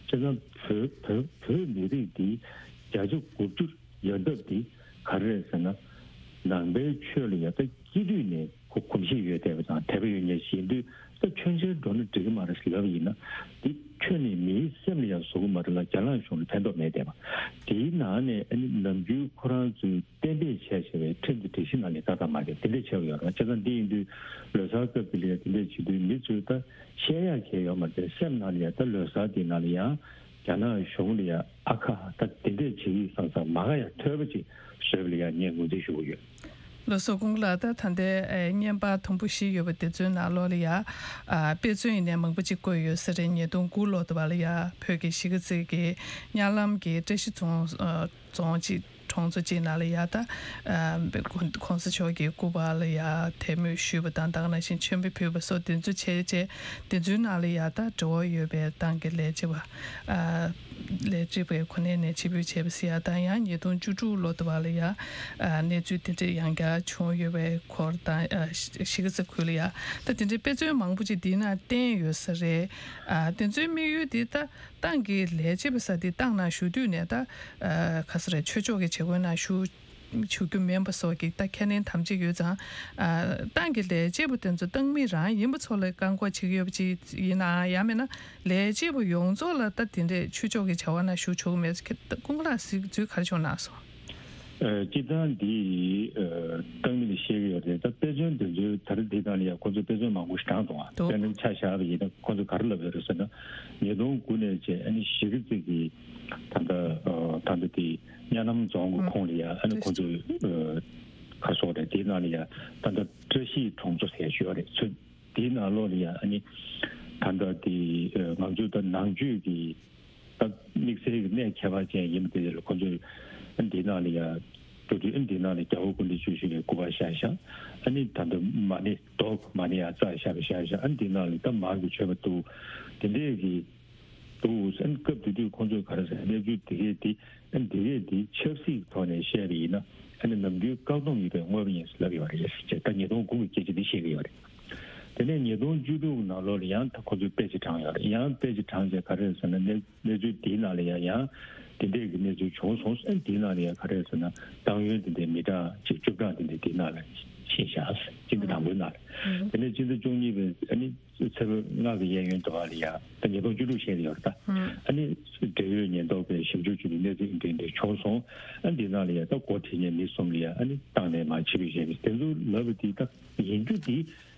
ཙང་བོད་བོད་བོད་མི་རིགས་འདི་བརྒྱ་ཆ་དགུ་བཅུ་ཡོད་སྟབས་འདི་ག་རེ་རེད་ཟེར་ན། ནང་པའི་ཆོས་ལ་ཡ་ད་སྐྱེས་དུས་ནས་གོ་གོམས་གཤིས་ཡོད་བསྡད་པ་དང་དད་པ་ཡོད་མཁན་ཞིག་ཡིན་དུས་ད་ཆོས་མཇལ་འགྲོ་ན་འགྲིག་གི་མ་རེད་ཟེར་ལབ་པ་ཡིན་ན། འདི་ཁྱོན་ནས་མིའི་སེམས་ལ་ཡང་བཟོ་གི་མ་རེད་ལ་རྒྱ་ནག་གཞུང་ལ་ཕན་ཐོགས་མེད་བསྡད་པ། དེའི་ནང་ནས་ཨ་ནི་ནམ་རྒྱུན་ཁོ་རང་ཚོས་གཏན་འབེབས་བྱས་བྱས་པའི་ཁྲིམས་དང་སྒྲིག་གཞི་ནང་ནས་ཏག་ཏག་མ་འགལ་དེ་འདྲས་བྱས་པ་ཡོད་རེད། བྱས་ཙང་འདི་ཡིན་དུས་ལོ་གསར་སྐབས་དེ་ལ་དེ་འདྲས་བྱེད་དུས་མི་ཚོས་ད་བཤད་ཡག་གལ་ཡོད་མ་རེད། སེམས་ནང་ལ་ཡང་ད་ལོ་གསར་དེ་ནང་ལ་ཡང་རྒྱ་ནག་གཞུང་ལ་ཡང་ཨ་ཁ་ད་དེ་འདྲས་བྱེད་ཀྱི་བསམ་བསམ་མ་ག་ཡང་ཐོས་པ་ཅིག་བཟོས་པ་ལ་ཡང་ངས་ངོས་འཛིན་ཞུ་གི་ཡོད། ལགས་སོ། སྐུ་ངོ་ལགས། ད་ད་ལྟའི་ཨེ་བརྙན་པར་དུམ་བུ་བཞི་ཡོད་པ་དེ་ཚོའི་ནང་ལོགས་ལ་ཡ། ཨ་དཔེ་མཚོན་ཡིན་ནའི་མང་པོ་ཅིག་བཀོད་ཡོད་ས་རེད། ཉིས་སྟོང་དགུ་ལོ་དུ་བ་ལ་ཡ་བོད་ཀྱི་གཞིས་ཀ་རྩེ་གི་གཉའ་ལམ་གྱི་བཀྲ་ཤིས་རྫོང་ཨ་རྫོང་གཅིག་གྲོང་ཚོ་གཅིག་ནང་ལ་ཡ་ད་ཨ་གོང་ས་མཆོག་གི་སྐུ་པར་ལ་ཡ་དད་མོས་ཞུས་པ་དང་ད་ག་ནང་བཞིན་མཆོད་འབུལ་ཕུལ་བ་སོགས་དེ་ཚོ་བྱས་རྗེས་དེ་ཚོའི་ནང་ལ་ཡ་ད་འབྲེལ་བ་ཡོད་པའི་ཏང་གི་ལས་བྱེད་པ། ཨ་ལས་བྱེད་པའི་གོ་གནས་ནས་ཕྱིར་འབུད་བྱས་པ་ཟེར་ཡ་དང་ཡང་ཉིས་སྟོང་བཅུ་དྲུག་ལོ་དུ་བ་ལ་ཡ་ཨ་གནས་ཚུལ་དེ་འདྲ་ཡང་བསྐྱར་བྱུང་ཡོད་པའི་སྐོར་དང་ཨ་གཞིས་ཀ་རྩེ་ཁུལ་ལ་ཡ་ད་དེ་འདྲའི་དཔེ་མཚོན་མང་པོ་ཅིག་འདི་ན་བསྟན་ཡོད་ས་རེད། ཨ་དེ་ཚོའི་དམིགས་ཡུལ་འདི་ད་ཏང་གི་ལས་བྱེད་པ་ས་དེ་ཏང་ནང་ཞུགས་དུས་ནས་ད་ཨ་ག་ས་རེད་ཆོས་ཕྱོགས་ཀྱི་བྱེད་སྒོའི་ནང་ཞུགས་ཞུ་རྒྱུ་མིན་པ་སོགས་ཀྱི་ད་ཁས་ལེན་དམ་བཅས་ཡོད་ཙང་། ཨ་ཏང་གི་ལས་བྱེད་པ་དེ་ཚོ་ཏང་མི་རང་ཡིན་པ་ཚོ་ལ་བཀག་འགོག་བྱེད་ཀྱི་ཡོད་པ་ཅིག་ཡིན་ནའང་ཡང་མིན་ན་ལས་བྱེད་པ་ཡོངས་རྫོགས་ལ་ད་དེ་འདྲས་ཆོས་ཕྱོགས་ཀྱི་བྱ་བ་ནང་ཞུགས་ཆོག་གི་མེད་ཚུལ་སྐུ་ངོ་ལགས་གཟིགས་ཚུལ་ག་རེ་བྱུང་གནང་སོང་། ཨ་སྤྱིར་བཏང་འདི་ཨ་ཏང་མི་ལ་བཤད་ཀྱི་ཡོད་རེད། ད་དཔེ་མཚོན་དེ་ཚོའི་ད་རེས་འདི་དང་ལ་ཡང་ཁོ་ཚོས་དཔེ་མཚོན་མང་པོ་ཞིག་དྲངས་འདུག་ཨ། འདུག་དཔེར་ན་ཆ་བཞག་པ་ཡིན་ན་ཁོ་ཚོས་ག་རེ་ལབ་ཡོད་རེད་ཟེར་ན། ཉིས་སྟོང་དགུ་ནས་བྱས་ཨ་ནི་གཞིས་ཀ་རྩེ་གི་ད་ལྟ་ཨ་ད་ལྟ་དེ་གཉའ་ལམ་རྫོང་གི་ཨ་ཁོངས་ལ་ཡ་ཨ་ནི་ཁོ་ཚོས་ཨ་ག་རེ་ཟེར་དགོས་རེད། དེའི་ནང་ལ་ཡ་ད་ལྟ་བཀྲ་ཤིས་གྲོང་ཚོ་ཟེར་ཡ་ཞིག་ཡོད་རེད། ཚོ་དེའི་ནང་ལོགས་ལ་ཡ་ཨ་ནི་ད་ལྟ་དེ་ཨ་ང་ཚོའི་ད་ནང་ཆོས་ཀྱི་ད་དམིགས་བསལ་གྱི་གནས་ཁྱད་པར་ཅན་ཡིན་པ་དེ་ལ་ཁོ་ཚོས་ཨ་ནི་དེའི་ནང་ལ་ཡ་འགྲོ་དུས་ཨ་ནི་དེའི་ནང་ལ་རྒྱལ་བ་སྐུ་ཕྲེང་བཅུ་བཞི་པའི་སྐུ་པར་བཞག་བཞག་ཨ་ནི་ད་ལྟ་མ་ཎི་རྡོ་མ་ཎི་ཡ་བཙགས་བཞག་པ་བཞག་བཞག་ཨ་ནི་དེའི་ནང་ལ་ད་མར་གྱི་མཆོད་པ་འདུག་དེ་འདྲས་ཀྱི་འདུག་ཨ་ནི་སྐབས་དེ་དུས་ཁོང་ཚོས་ག་རེ་ཟེར་གནས་ཚུལ་དེ་གས་དེ་ཨ་ནི་དེ་གས་དེ་ཆབ་སྲིད་ཀྱི་ཐོག་ནས་བཤད་པ་ཡིན་ན་ཨ་ནི་ནམ་རྒྱུན་བཀག་སྡོམ་ཡོད་པའི་དངོས་པོ་ཡིན་ཟེར་ལབ་ཡོད་རེད་ཅེས་ད་ཉིས་སྟོང་དགུ་གི་སྐད་ཆ་འདི་བཤད་ཀྱི་ཡོད་རེད། དེ་ནས་ཉིས་སྟོང་བཅུ་དྲུག་གི་ནང་ལོགས་ལ་ཡང་ད་ཁོ་ཚོས་དཔེ་ཅིག་དྲངས་ཡོད་རེད། ཡང་དཔེ་ཅིག་དྲངས་རྗེས་ག་རེ་རེད་ཟེར་ན་གནས་གནས་ཚུལ་འདིའི་ནང་ལ་ཡང་ཡང་དེ་འདྲས་ཀྱི་གནས་ཚུལ་བྱུང་སོང་ཟེར། འདིའི་ནང་ལ་ཡང་ག་རེ་རེད་ཟེར་ན་ཏང་ཡོན་དེ་འདྲའི་མི་གྲངས་ཅིག་བཅུ་གྲངས་དེ་འདྲས་དེའི་ནང་ལ་ཕྱིན་བཞག་ཟེར། སྤྱི་ཟླ་དང་པོའི་ནང་ལ། དེ་ནས་སྤྱི་ཟླ་བཅུ་གཉིས་པའི་ཨ་ནི་ཚེས་པ་ལྔ་གི་གཡས་གཡོན་དུ་བ་ལ་ཡང་ད་ཉིས་སྟོང་བཅུ་དྲུག་བཤད་ཀྱི་ཡོད་རེད་ད། ཨ་ནི་འབྲེལ་ཡོད་ཉེན་རྟོག་པས་ཞིབ་འཇུག་བྱས་པའི་གནས་ཚུལ་འདི་འདྲས་བྱུང་སོང་། ཨ་འདི་ནང་ལ་ཡང་ད་འགོ་ཁྲིད་མཁན་མི་གསུམ་ལ་ཡང་ཨ་ནི་བཏང་ནས་མར་ཕྱིར་འབུད་བྱས་པའི་དེ་ཚོ་ལབ་པ་དེ་ད་ཡིན་རྒྱུ་དེ།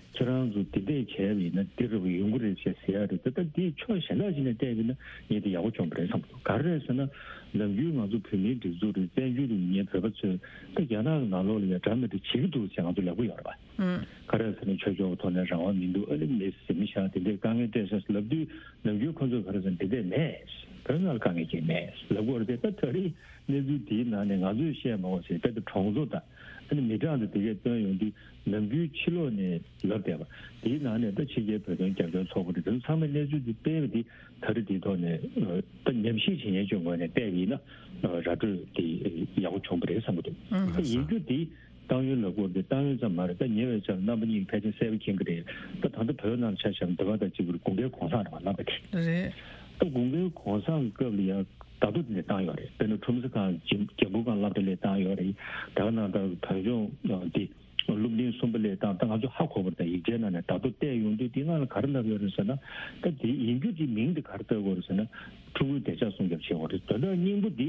ཁྱེད་རང་ཚོ་དེ་འདྲས་བྱས་པ་ཡིན་ན་འདི་རུ་ཡོང་གི་རེད་ཅེས་ཟེར་ཡ་རེད། ད་ལྟ་འདི་ཕྱོགས་གཞན་དག་ཅིག་ནས་བལྟས་པ་ཡིན་ན་ངས་འདི་ཡག་པོ་བྱུང་བ་རེད་བསམ་གྱི་འདུག་ག་རེ་རེད་ཟེར་ན་ནམ་རྒྱུན་ང་ཚོ་བོད་མིའི་སྒྲིག་འཛུགས་རེད། བཙན་བྱོལ་དུ་ཉན་བོད་པ་ཚོས་ད་རྒྱ་ནག་གི་ནང་ལོགས་ལ་ཡང་འདྲ་མི་འདྲ་བྱེད་ཀྱི་འདུག་ཅེས་ང་ཚོ་ལབ་ཀྱི་ཡོད་རེད་པ། ག་རེ་རེད་ཟེར་ན་ཆོས་ཕྱོགས་ཀྱི་ཐོག་ནས་རང་དབང་མི་འདུག་ཨ་ནི་མི་ཟིན་མི་ཤ་དེ་འདྲའི་དཀའ་ངལ་སྤྲད་ཤག་ལབ་དུས་ནམ་རྒྱུན་ཁོ་ཚོས་ག་རེ་ཟེར་ན་དེ་འདྲས་མེད། བོད་ནང་ལ་དཀའ་ངལ་ཅིག་མེད་ལབ་ཀྱི་ཡོད་རེད་པས། ད་ད་རེས་གནས་ཚུལ་དེའི་ནང་ནས་ང་ཚོས་བཤད་མ་དགོས་ཟེར་དཔེ་ད་གྲོང་ཚོ་དང་། ཨ་ནི་མི་གྲངས་དང་དེ་གས་བཏོན་ཡོང་དུས་ནམ་རྒྱུན་ཕྱི་ལོགས་ནས་ལབ་བསྡད་པ། དེའི་ནང་ནས་ད་ཕྱི་རྒྱལ་བོད་དོན་རྒྱབ་སྐྱོར་ཚོགས་པ་རེད། དེ་ཚོ་ཚང་མས་གནས་ཚུལ་དེ་སྤེལ་བ་དེ་ད་རེས་དེའི་ཐོག་ནས་ཨ་ད་ཉམས་ཞིབ་བྱེད་མཁན་ཚོའི་ངོས་ནས་བལྟས་པ་ཡིན་ན་ཨ་ར་སྤྲོད་དེ་ཡག་པོ་བྱུང་བ་རེད་བསམ་གྱི་འདུག་ཨ་ད་ཡིན་རྒྱུ་དེ་ཏང་ཡོན་ལབ་དགོས་དེ་ཏང་ཡོན་ཙམ་མ་རེད། ད་ཉེ་བའི་ཆར་རྣམ་པ་གཉིས་ཀྱིས་ཕལ་ཆེར་གསལ་པོ་མཁྱེན་གྱི་རེད། ད་ད་ལྟ་བོད་ནང་ཆ་བཞག་ན་འདི་ག་དང་གཅིག་པར་དགུན་ཁའི་གུང་སེང་རེད་པ། རྣམ་པ་དེ་རེད། ད་དགུན་ཁའི་གུང་སེང་སྐབས་ལ་ཡང་། ད་དུང་དེ་ནས་བཏང་ཡོད་རེད། དཔེར་ན་ཁྲོམ་ས་ཁག་འཇམ་འཇམ་པོ་སྒང་སློབ་གྲྭ་སླེབས་བཏང་ཡོད་རེད། ད་ག་ནང་ལྟར་བོད་ལྗོངས་འདི་སློབ་འབྲིང་གསུམ་པ་སླེབས་བཏང་། ད་ང་ཚོ་ཧ་གོ་བ་དང་ཡིག་ཆའི་ནང་ནས་ད་དུང་བལྟས་ཡོང་དུས་དེའི་ནང་ལ་ག་རེ་ལབ་ཡོད་རེད་ཟེར་ན། ད་དེ་ཡིན་རྒྱུ་དེ་མིང་དེ་ག་རེ་བཏགས་དགོས་རེད་ཟེར་ན། ཕྲུ་གུའི་བདེ་འཇགས་སྲུང་སྐྱོབ་བྱེད་དགོས་རེད། དོན་དག་སྙིང་པོ་འདི་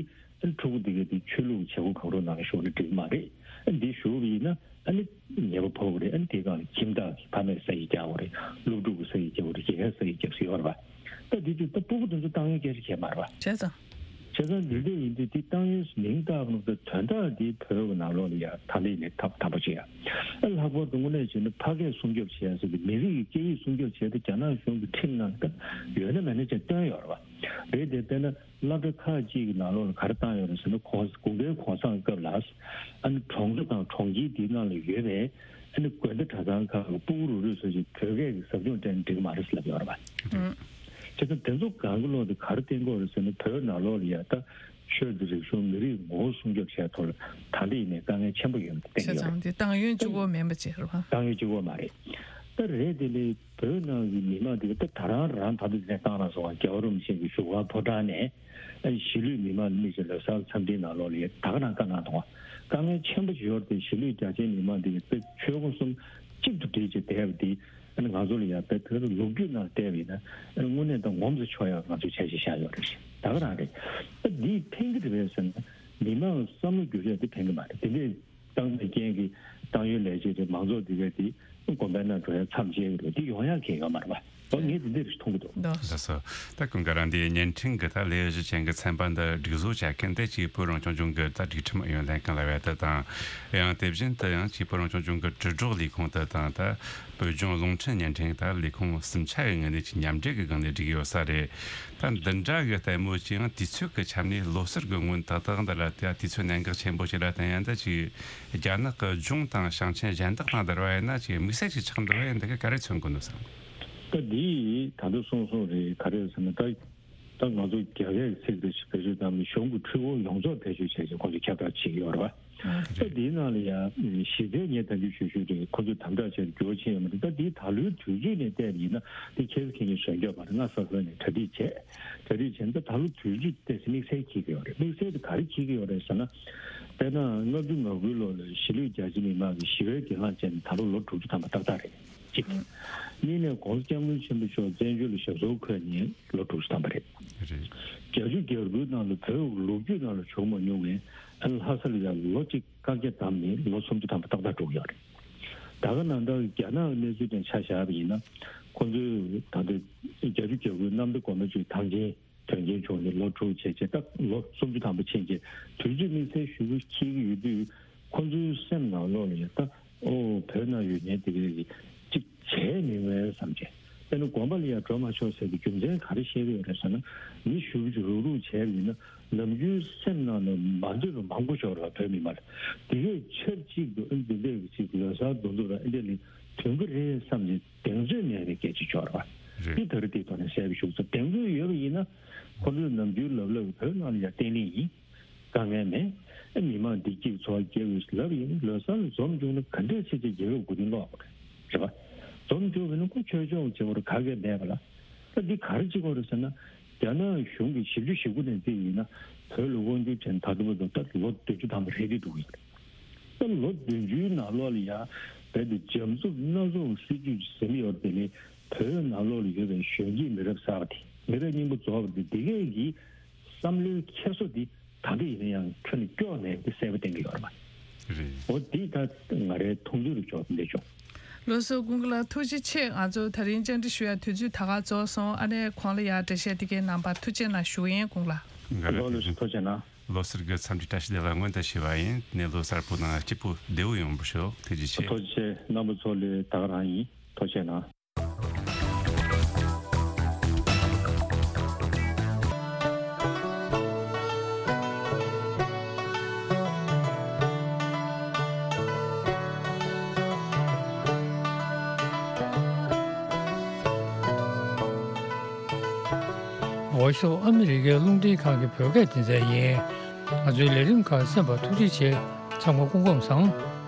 ཕྲུ་གུ་འདི་ག་དེ་ཆོས་ལུགས་བྱེད་སྒོ་གང་རུང་ནང་ལ་ཞུགས་ན་འགྲིག་མ་རེད། ཨ་འདི་ཞུགས་པ་ཡིན་ན་ཨ་ནི་ཉེས་པ་ཕོག་གི་རེད། ཨ་ནི་དེའི་སྒང་ལ་ཁྱིམ་བདག་གི་ཕ་མས་ས་ཡིག་རྒྱག་དགོས་རེད། སློབ་ཕྲུག་གི་ས་ཡིག་རྒྱག་དགོས་རེད། དགེ་རྒན་ས་ཡིག་རྒྱག་ས་ཡོད་རེད་པ། ད་འདི་དུས་ད་སྤུ་གུ་དེ་ཚོ་བཏང་ཡོང་སྐད་ཆ་བྱས་མ་རེད་པ། བྱས་ཙང་། བྱས་ཙང་འདི་འདྲ་ཡིན་དུས་དེ་བཏང་ཡོང་མིང་བཏགས་པ་ནང་དོན་དག་འདི་བོད་ཀྱི་ནང་ལོགས་ལ་ཡ་ད་ལྟ་ཡིན་ནས་ཐབས་དམ་པ་བྱེད་ཡ། ཨ་ལྷག་པར་དུ་དངོས་གནས་བྱས་ན་ཕ་སྐད་སྲུང་སྐྱོབ་བྱེད་ཡ་ཟེར་དུས་མི་རིགས་ཀྱི་སྐད་ཡིག་སྲུང་སྐྱོབ་བྱེད་དུས་རྒྱ་ནག་གཞུང་གི་ཁྲིམས་ནང་ད་ཡོད་ན་མེད་ན་ཅིག་བཏོན་ཡོད་རེད་པ། རེད་དེ་དཔེར་ན། སློབ་གྲྭ་ཁག་ཅིག་གི་ནང་ལོགས་ལ་ག་རེ་བཏང་ཡོད་རེད་ཟེར་ན། གོང་དགུན་ཁའི་གུང་སེང་སྐབས་ལ་ཨ་ནི་གྲོང་ཚོ་དང་གྲོང་ཁྱེར་དེའི་ནང་ལ་ཡོད་པའི་ཨ་ནི་དགོན་སྡེ་གྲྭ་ཚང་ཁག་གི་སྤུ་གུ་རུ་རུ་ཚོ་ཞིག་བོད་སྐད་ཀྱི་ཟབ་སྦྱོང་སྤྲད་ན་འགྲིག་གི་མ་རེད་ཟེར་ལབ་ཡོད་རེད་པ། ཨང་། བྱས་ཙང་དེ་ཚོ་གང་གི་ལོག་དེ་ག་རེ་བསྟན་གྱི་ཡོད་རེད་ཟེར་ན། བོད་ནང་ལོགས་ལ་ཡ་ད་ཆོས་དང་རིག་གཞུང་མི་རིགས་ངོ་བོ་སྲུང་སྐྱོབ་བྱས་ཐོག་ལ་ད་ལྟ་ཡིན་ནའི་དཀའ་ངལ་ཆེན་པོ་ཡོད་པ་བསྟན་གྱི་ཡོད་རེད། བྱས་ཙང་དེ་བཏང་ཡོང་གཅིག་པོ་མིན་པ་ཅིག་རེད་པ། བཏང་ཡོང་གཅིག་པོ་མ་རེད། ད་རེད་དེ་ལས། བོད་ནང་གི་མི་མང་དེ་ག་ད་ད་རང་རང་ད་དུང་དེ་ནས་བཏང་རང་སོང་བ། རྒྱལ་བ་རིན་པོ་ཆེ་གི་བཞུགས་སྒར་ཕོ་བྲང་ནས་ཨ་གཞིས་ལུས་མི་མང་ལ་དམིགས་བྱས་ལོ་གསར་འཚམས་འཕྲིན་ནང་ལོགས་ལ་ཡ་ད་ག་རང་བཀའ་གནང་དང་བ། དཀའ་ངལ་ཆེན་པོ་ཅིག་ཡོད་རེད་དེ། གཞིས་ལུས་རྒྱ་ཆེའི་མི་མང་དེ་ག་དཔེ་ཆོལ་ཁ་གསུམ་གཅིག་ཏུ་སྒྲིལ་བྱས་བསྡད་པ་དེ་ཨ་ནི་ང་ཚོ་ལ་ཡ་དཔེ་དེ་ག་ལོ་རྒྱུས་ནང་བལྟས་པ་ཡིན་ན་ཨ་ནི་དངོས་གནས་ད་ངོམས་སུ་ཆོག་ཡག་ང་ཚོས་བྱས་བྱས་བཞག་ཡོད་རེད། ད་ག་རང་རེད། ད་འདིས་ཕན་གྱི་རེད་པས་ཟེར་ན་མི་མང་བསམ་བློ་འགྱུར་ཡག་དེ་ཕན་གྱི་མ་རེད། དེ་འདྲས། བཏང་བའི་རྐྱེན་གྱིས་བཏང་ཡོང་ལས་བྱེད་དེ་མང་ཚོགས་འདི་ག་དེ་དགོན་པའི་ནང་འགྲོ་ཡ་མཚམས་བཅད་ཀྱི་རེད། འདི་ཡོང་ཡ་གང་ཡོད་མ་རེད་པ། འོ་ངས་འདི་འདིར་མཐོང་གི་འདུག། ལགས་སོ། ད་ཀུན་དགའ་རང་འདིའི་བརྙན་འཕྲིན་གྱི་ད་ལས་གཞི་ཅན་གྱི་ཚན་པ་འདི་སྒྲིག་བཟོ་བྱ་མཁན་དེ་གཅིག་བོད་རང་སྐྱོང་ལྗོངས་ཀྱི་ད་སྒྲིག་ཁྲིམས་ཨུ་ཡོན་ལྷན་ཁང་ལ་བས་ད་དང་། ཡང་དེ་བཞིན་དུ་ཡང་གཅིག་བོད་རང་སྐྱོང་ལྗོངས་ཀྱི་དྲིལ་སྒྲོག་ལས་ཁུངས་དེ་དང་ད་བོད་ལྗོངས་རླུང་འཕྲིན་བརྙན་འཕྲིན་ད་ལས་ཁུངས་གསུམ་ཆ་གི་ངོས་ནས་ཀྱི་མཉམ་འབྲེལ་གྱི་སྒང་ནས་བསྒྲིགས་ཡོད་ས་རེད། ད་འདི་འདྲ་གི་ལྟད་མོ་ཅིག་ཡང་དུས་ཚོད་ཀྱི་ཆ་ནས་ལོ་གསར་གྱི་སྔོན་ཏག་ཏག་འདི་ལ་ད་དུས་ཚོད་གནད་འགག་ཆེན་པོ་ཞིག་ལ་བརྟེན་ཡང་ད་ཅིག་རྒྱ་ནག་གི་ལྗོངས་དང་ཞིང་ཆེན་གཞན་དག་དང་བསྡུར་བ་ཡིན་ན་ཅིག་དམིགས་བསལ་ཅིག་ཆགས་འདུག་པ་ཡིན་འདི་ག་ག་རེ་མཚོན་གྱི་འདུག་བསམ། ད་འདི་ད་དུང་གསུངས་སོང་རེད། ག་རེ་ཟེར་ན་ད་ད་ང་ཚོ་རྒྱ་སྐད་ཚིག་རེ་ཞིག་བེད་སྤྱོད་བཏང་ནས་གཞུང་གི་འཕྲུལ་འཁོར་ཡོངས་རྫོགས་བེད་སྤྱོད་བྱས་ཏེ་ཁོང་ཚོས་ཁྱབ་བསྒྲགས་བྱེད་ཀྱི་ཡོད་རེད་པ། ད་འདིའི་ནང་ལ་ཡང་གཞི་རྩའི་ངས་ད་གིན་ཞུ་ཞུ་རེད། ཁོ་ཚོས་དམ་དྲག་བྱས་འགྱུར་བ་ཕྱིན་ཡོད་མ་རེད། ད་འདི་ད་ལོའི་དུས་ཚོད་ནས་བལྟས་པ་ཡིན་ན་འདི་ཁྱེད་ཚོ་ཁྱེད་ཉིད་བཟོས་འཇོག་པ་རེད། སྔ་ས་ས་ནས་གྲ་སྒྲིག་བྱས། གྲ་སྒྲིག་བྱས་ན་ད་ད་ལོ་དུས་ཚོད་ཏོག་ཙམ་དམིགས་བསལ་འཁྱེར་གྱི་ཡོད་རེད། དམིགས་བསལ་དེ་ག་རེ་འཁྱེར་གྱི་ཡོད་རེད་ཟེར་ན། དཔེར་ན་ལྔ་བཅུ་ང་དགུའི་ལོ་ལ་གཞིས་ལུས་རྒྱ་ཆེ་མི་མང་གི་ཞི་བའི་གྱེན་ལངས་བྱས་ནས་ད་ལོ་ལོ་དྲུག་ཅུ་ཐམ་པ་ཏག་ཏག་རེད། གཅིག་གཉིས་ནས་༸གོང་ས་༸སྐྱབས་མགོན་ཆེན་པོ་མཆོག་བཙན་བྱོལ་ལ་ཞབས་སོར་འཁོད་ནས་ལོ་དྲུག་ཅུ་ཐམ་པ་རེད། རེད། བརྒྱད་ཅུ་གྱ་དགུའི་ནང་ལ་བོད་ལོ་རྒྱུས་ནང་ལ་བྱུང་མ་མྱོང་བའི་ཨ་ལྷ་ས་ལ་ཡང་ལོ་གཅིག་བཀག་རྒྱ་བསྡམས་ནས་ལོ་སུམ་ཅུ་ཐམ་པ་ཏག་ཏག་འགྲོ་གི་ཡོད་རེད། ད་ག་ནང་ལྟར་རྒྱ་ནག་གི་གནས་ཚུལ་དང་ཆ་བཞག་པ་ཡིན་ན། ཁོང་ཚོས་ད་ལྟ་བརྒྱད་ཅུ་གྱ་དགུའི་གནམ་བདེ་སྒོ་མོ་ཆེའི་ཐང་ཆེན་དོན་རྐྱེན་བྱུང་ནས་ལོ་དྲུག་བྱས་རྗེས་ད་ལོ་སུམ་ཅུ་ཐམ་པ་ཕྱིན་རྗེས་དུས་ཚོད་དམིགས་བསལ་ཞུ་གུ་འཁྱེར་གྱི་ཡོད་དུས། ཁོང་ཚོའི་སེམས་ནང་ལོགས་ལ་ཡང་ད་ཨོ་བོད་ནང་ཡོད་མཁན་དེ་ག་གིས་གཅིག་བྱས་མི་མངོན་བསམ་བྱས། དཔེར་ན་དགོན་པ་ལ་ཡང་འགྲོ་མ་ཆོག་ཟེར་གྱི་རྒྱུ་མཚན་ག་རེ་བཤད་ཀྱི་ཡོད་རེད་ཟེར་ན། མི་ཞུ་གུ་རུག་རུག་བྱས་པ་ཡིན་ན་ནམ་རྒྱུན་སེམས་ནང་ལ་མ་འདོད་པ་མང་པོ་ཤོར་བ་བོད་མི་མང་ལ། དེ་གས་ཆབས་ཅིག་ཏུ་ཨ་འདི་འདྲས་ཀྱི་ཅིག་ལོ་གསར་འདུ་འཛོམས་ལ་ཨ་འདྲས་ལ་དོན་གྱི་རེད་བསམ་གྱི་གདེང་ཚོད་མེད་པའི་སྐད་ཆ་ཤོར་བ། རེད། འདི་ད་རེས་དེའི་ཐོག་ནས་གསལ་པོ་ཞུ་ཚར། གདེང་ཚོད་ཡོད་པ་ཡིན་ན་ཁོ་ཚོས་ནམ་རྒྱུན་ལབ་ལབ་བོད་ནང་ལ་ཡང་བརྟན་ལྷིང་ཡིན། དཀའ་ངལ་མེད། ཨ་མི་མང་བདེ་སྐྱིད་འཚོ་བ་སྐྱེལ་དགོས་ལབ་ཡིན་ན། ལོ་གསར་ལ་འཛོམས་བྱུང་ན་ག་འདྲས་བྱས་བྱས་རྒྱལ་ཁབ་མགོ་རྟིང་སློག་དགོས་རེད་པ། འཛོམས་བྱུང་བ་ཡིན་ན་ཁོ་ཆོས་ཕྱོགས་བྱེད་དགོས་རེད། ག་གེ་མེད་པ་ལ། ད་འདི་ག་རེ་བྱེད་དགོས་རེད་ཟེར་ན། རྒྱ་ནག་གཞུང་གིས་བཞི་བཅུ་ཞེ་དགུ་ནས་བརྩིས་ཡིན་ན་བོད་ལ་དབང་སྒྱུར་བྱས་ནས་ད་ལྟ་བར་དུ་ད་ལོ་བདུན་ཅུ་ཐམ་པ་རེད་དེ་འདུག་ཡོད་རེད། ད་ལོ་བདུན་ཅུའི་ནང་ལོགས་ལ་ཡང་རྦད་དེ་འཇམ་རྩུབ་སྣ་ཚོགས་སྲིད་ཇུས་ཟིན་ཡོད་རེད་དེ་ནི། བོད་ནང་ལོགས་ལ་ཡོད་པའི་གཞོན་སྐྱེས་མི་རབས་གསར་པ་དེ། མི་རབས་རྙིང་པ་རྫོགས་པ་དེ། འདི་གས་ཀྱི་བསམ་བློའི་འཁྱེར་སོ་འདི་ད་ལྟ་ཡིན་ན་ཡང་ཁྱོན་ནས་སྐྱོ་མེད་པའི་གསལ་པོ་བསྟན་གྱི་ཡོད་རེད་པ། རེད། འོ་འདི་ད་ང་རའི་མཐོང་ཚུལ་ལ་ཕྱོགས་འདི་བྱུང་། ལགས་སོ། ཀུན་དགའ་ལགས་ཐུགས་རྗེ་ཆེ། ང་ཚོ་དེ་རིང་བཅར་འདྲི་ཞུ་ཡ་དུས་ཚོད་ད་ག་རྫོགས་སོང་། ཨ་ནེ་ཁོང་ལ་ཡ་འགྲེལ་བཤད་དེ་གའི་གནང་བར་ཐུགས་རྗེ་གནང་ཞུ་ཡིན། ཀུན་དགའ་ལགས། ལགས་སོ། ཐུགས་རྗེ་གནང་། ལོ་གསར་གྱི་འཚམས་འདྲི་བཀྲ་ཤིས་བདེ་ལེགས་སྔོན་དུ་ཞུ་བ་ཡིན། ནས་ལོ་གསར་པོ་དང་སྐྱིད་པོ་བདེ་པོ་ཡོང་བར་ཤོག། ཐུགས་རྗེ་ཆེ། ཐུགས་རྗེ་ཆེ། རྣམ་པ་ཚོ་ལ་ད་ག་རང་ཡིན། ཐུགས་རྗེ་གནང་། འོ་ཤོག། ཨ་མི་རི་ཀའི་རླུང་འཕྲིན་ཁང་གི་བོད་སྐད་སྡེ་ཚན་ཡིན། ང་ཚོའི་ལས་རིམ་ཁག་གསན་པར་ཐུགས་རྗེ་ཆེ། ཚང་མ་སྐུ་ཁམས་བཟང་།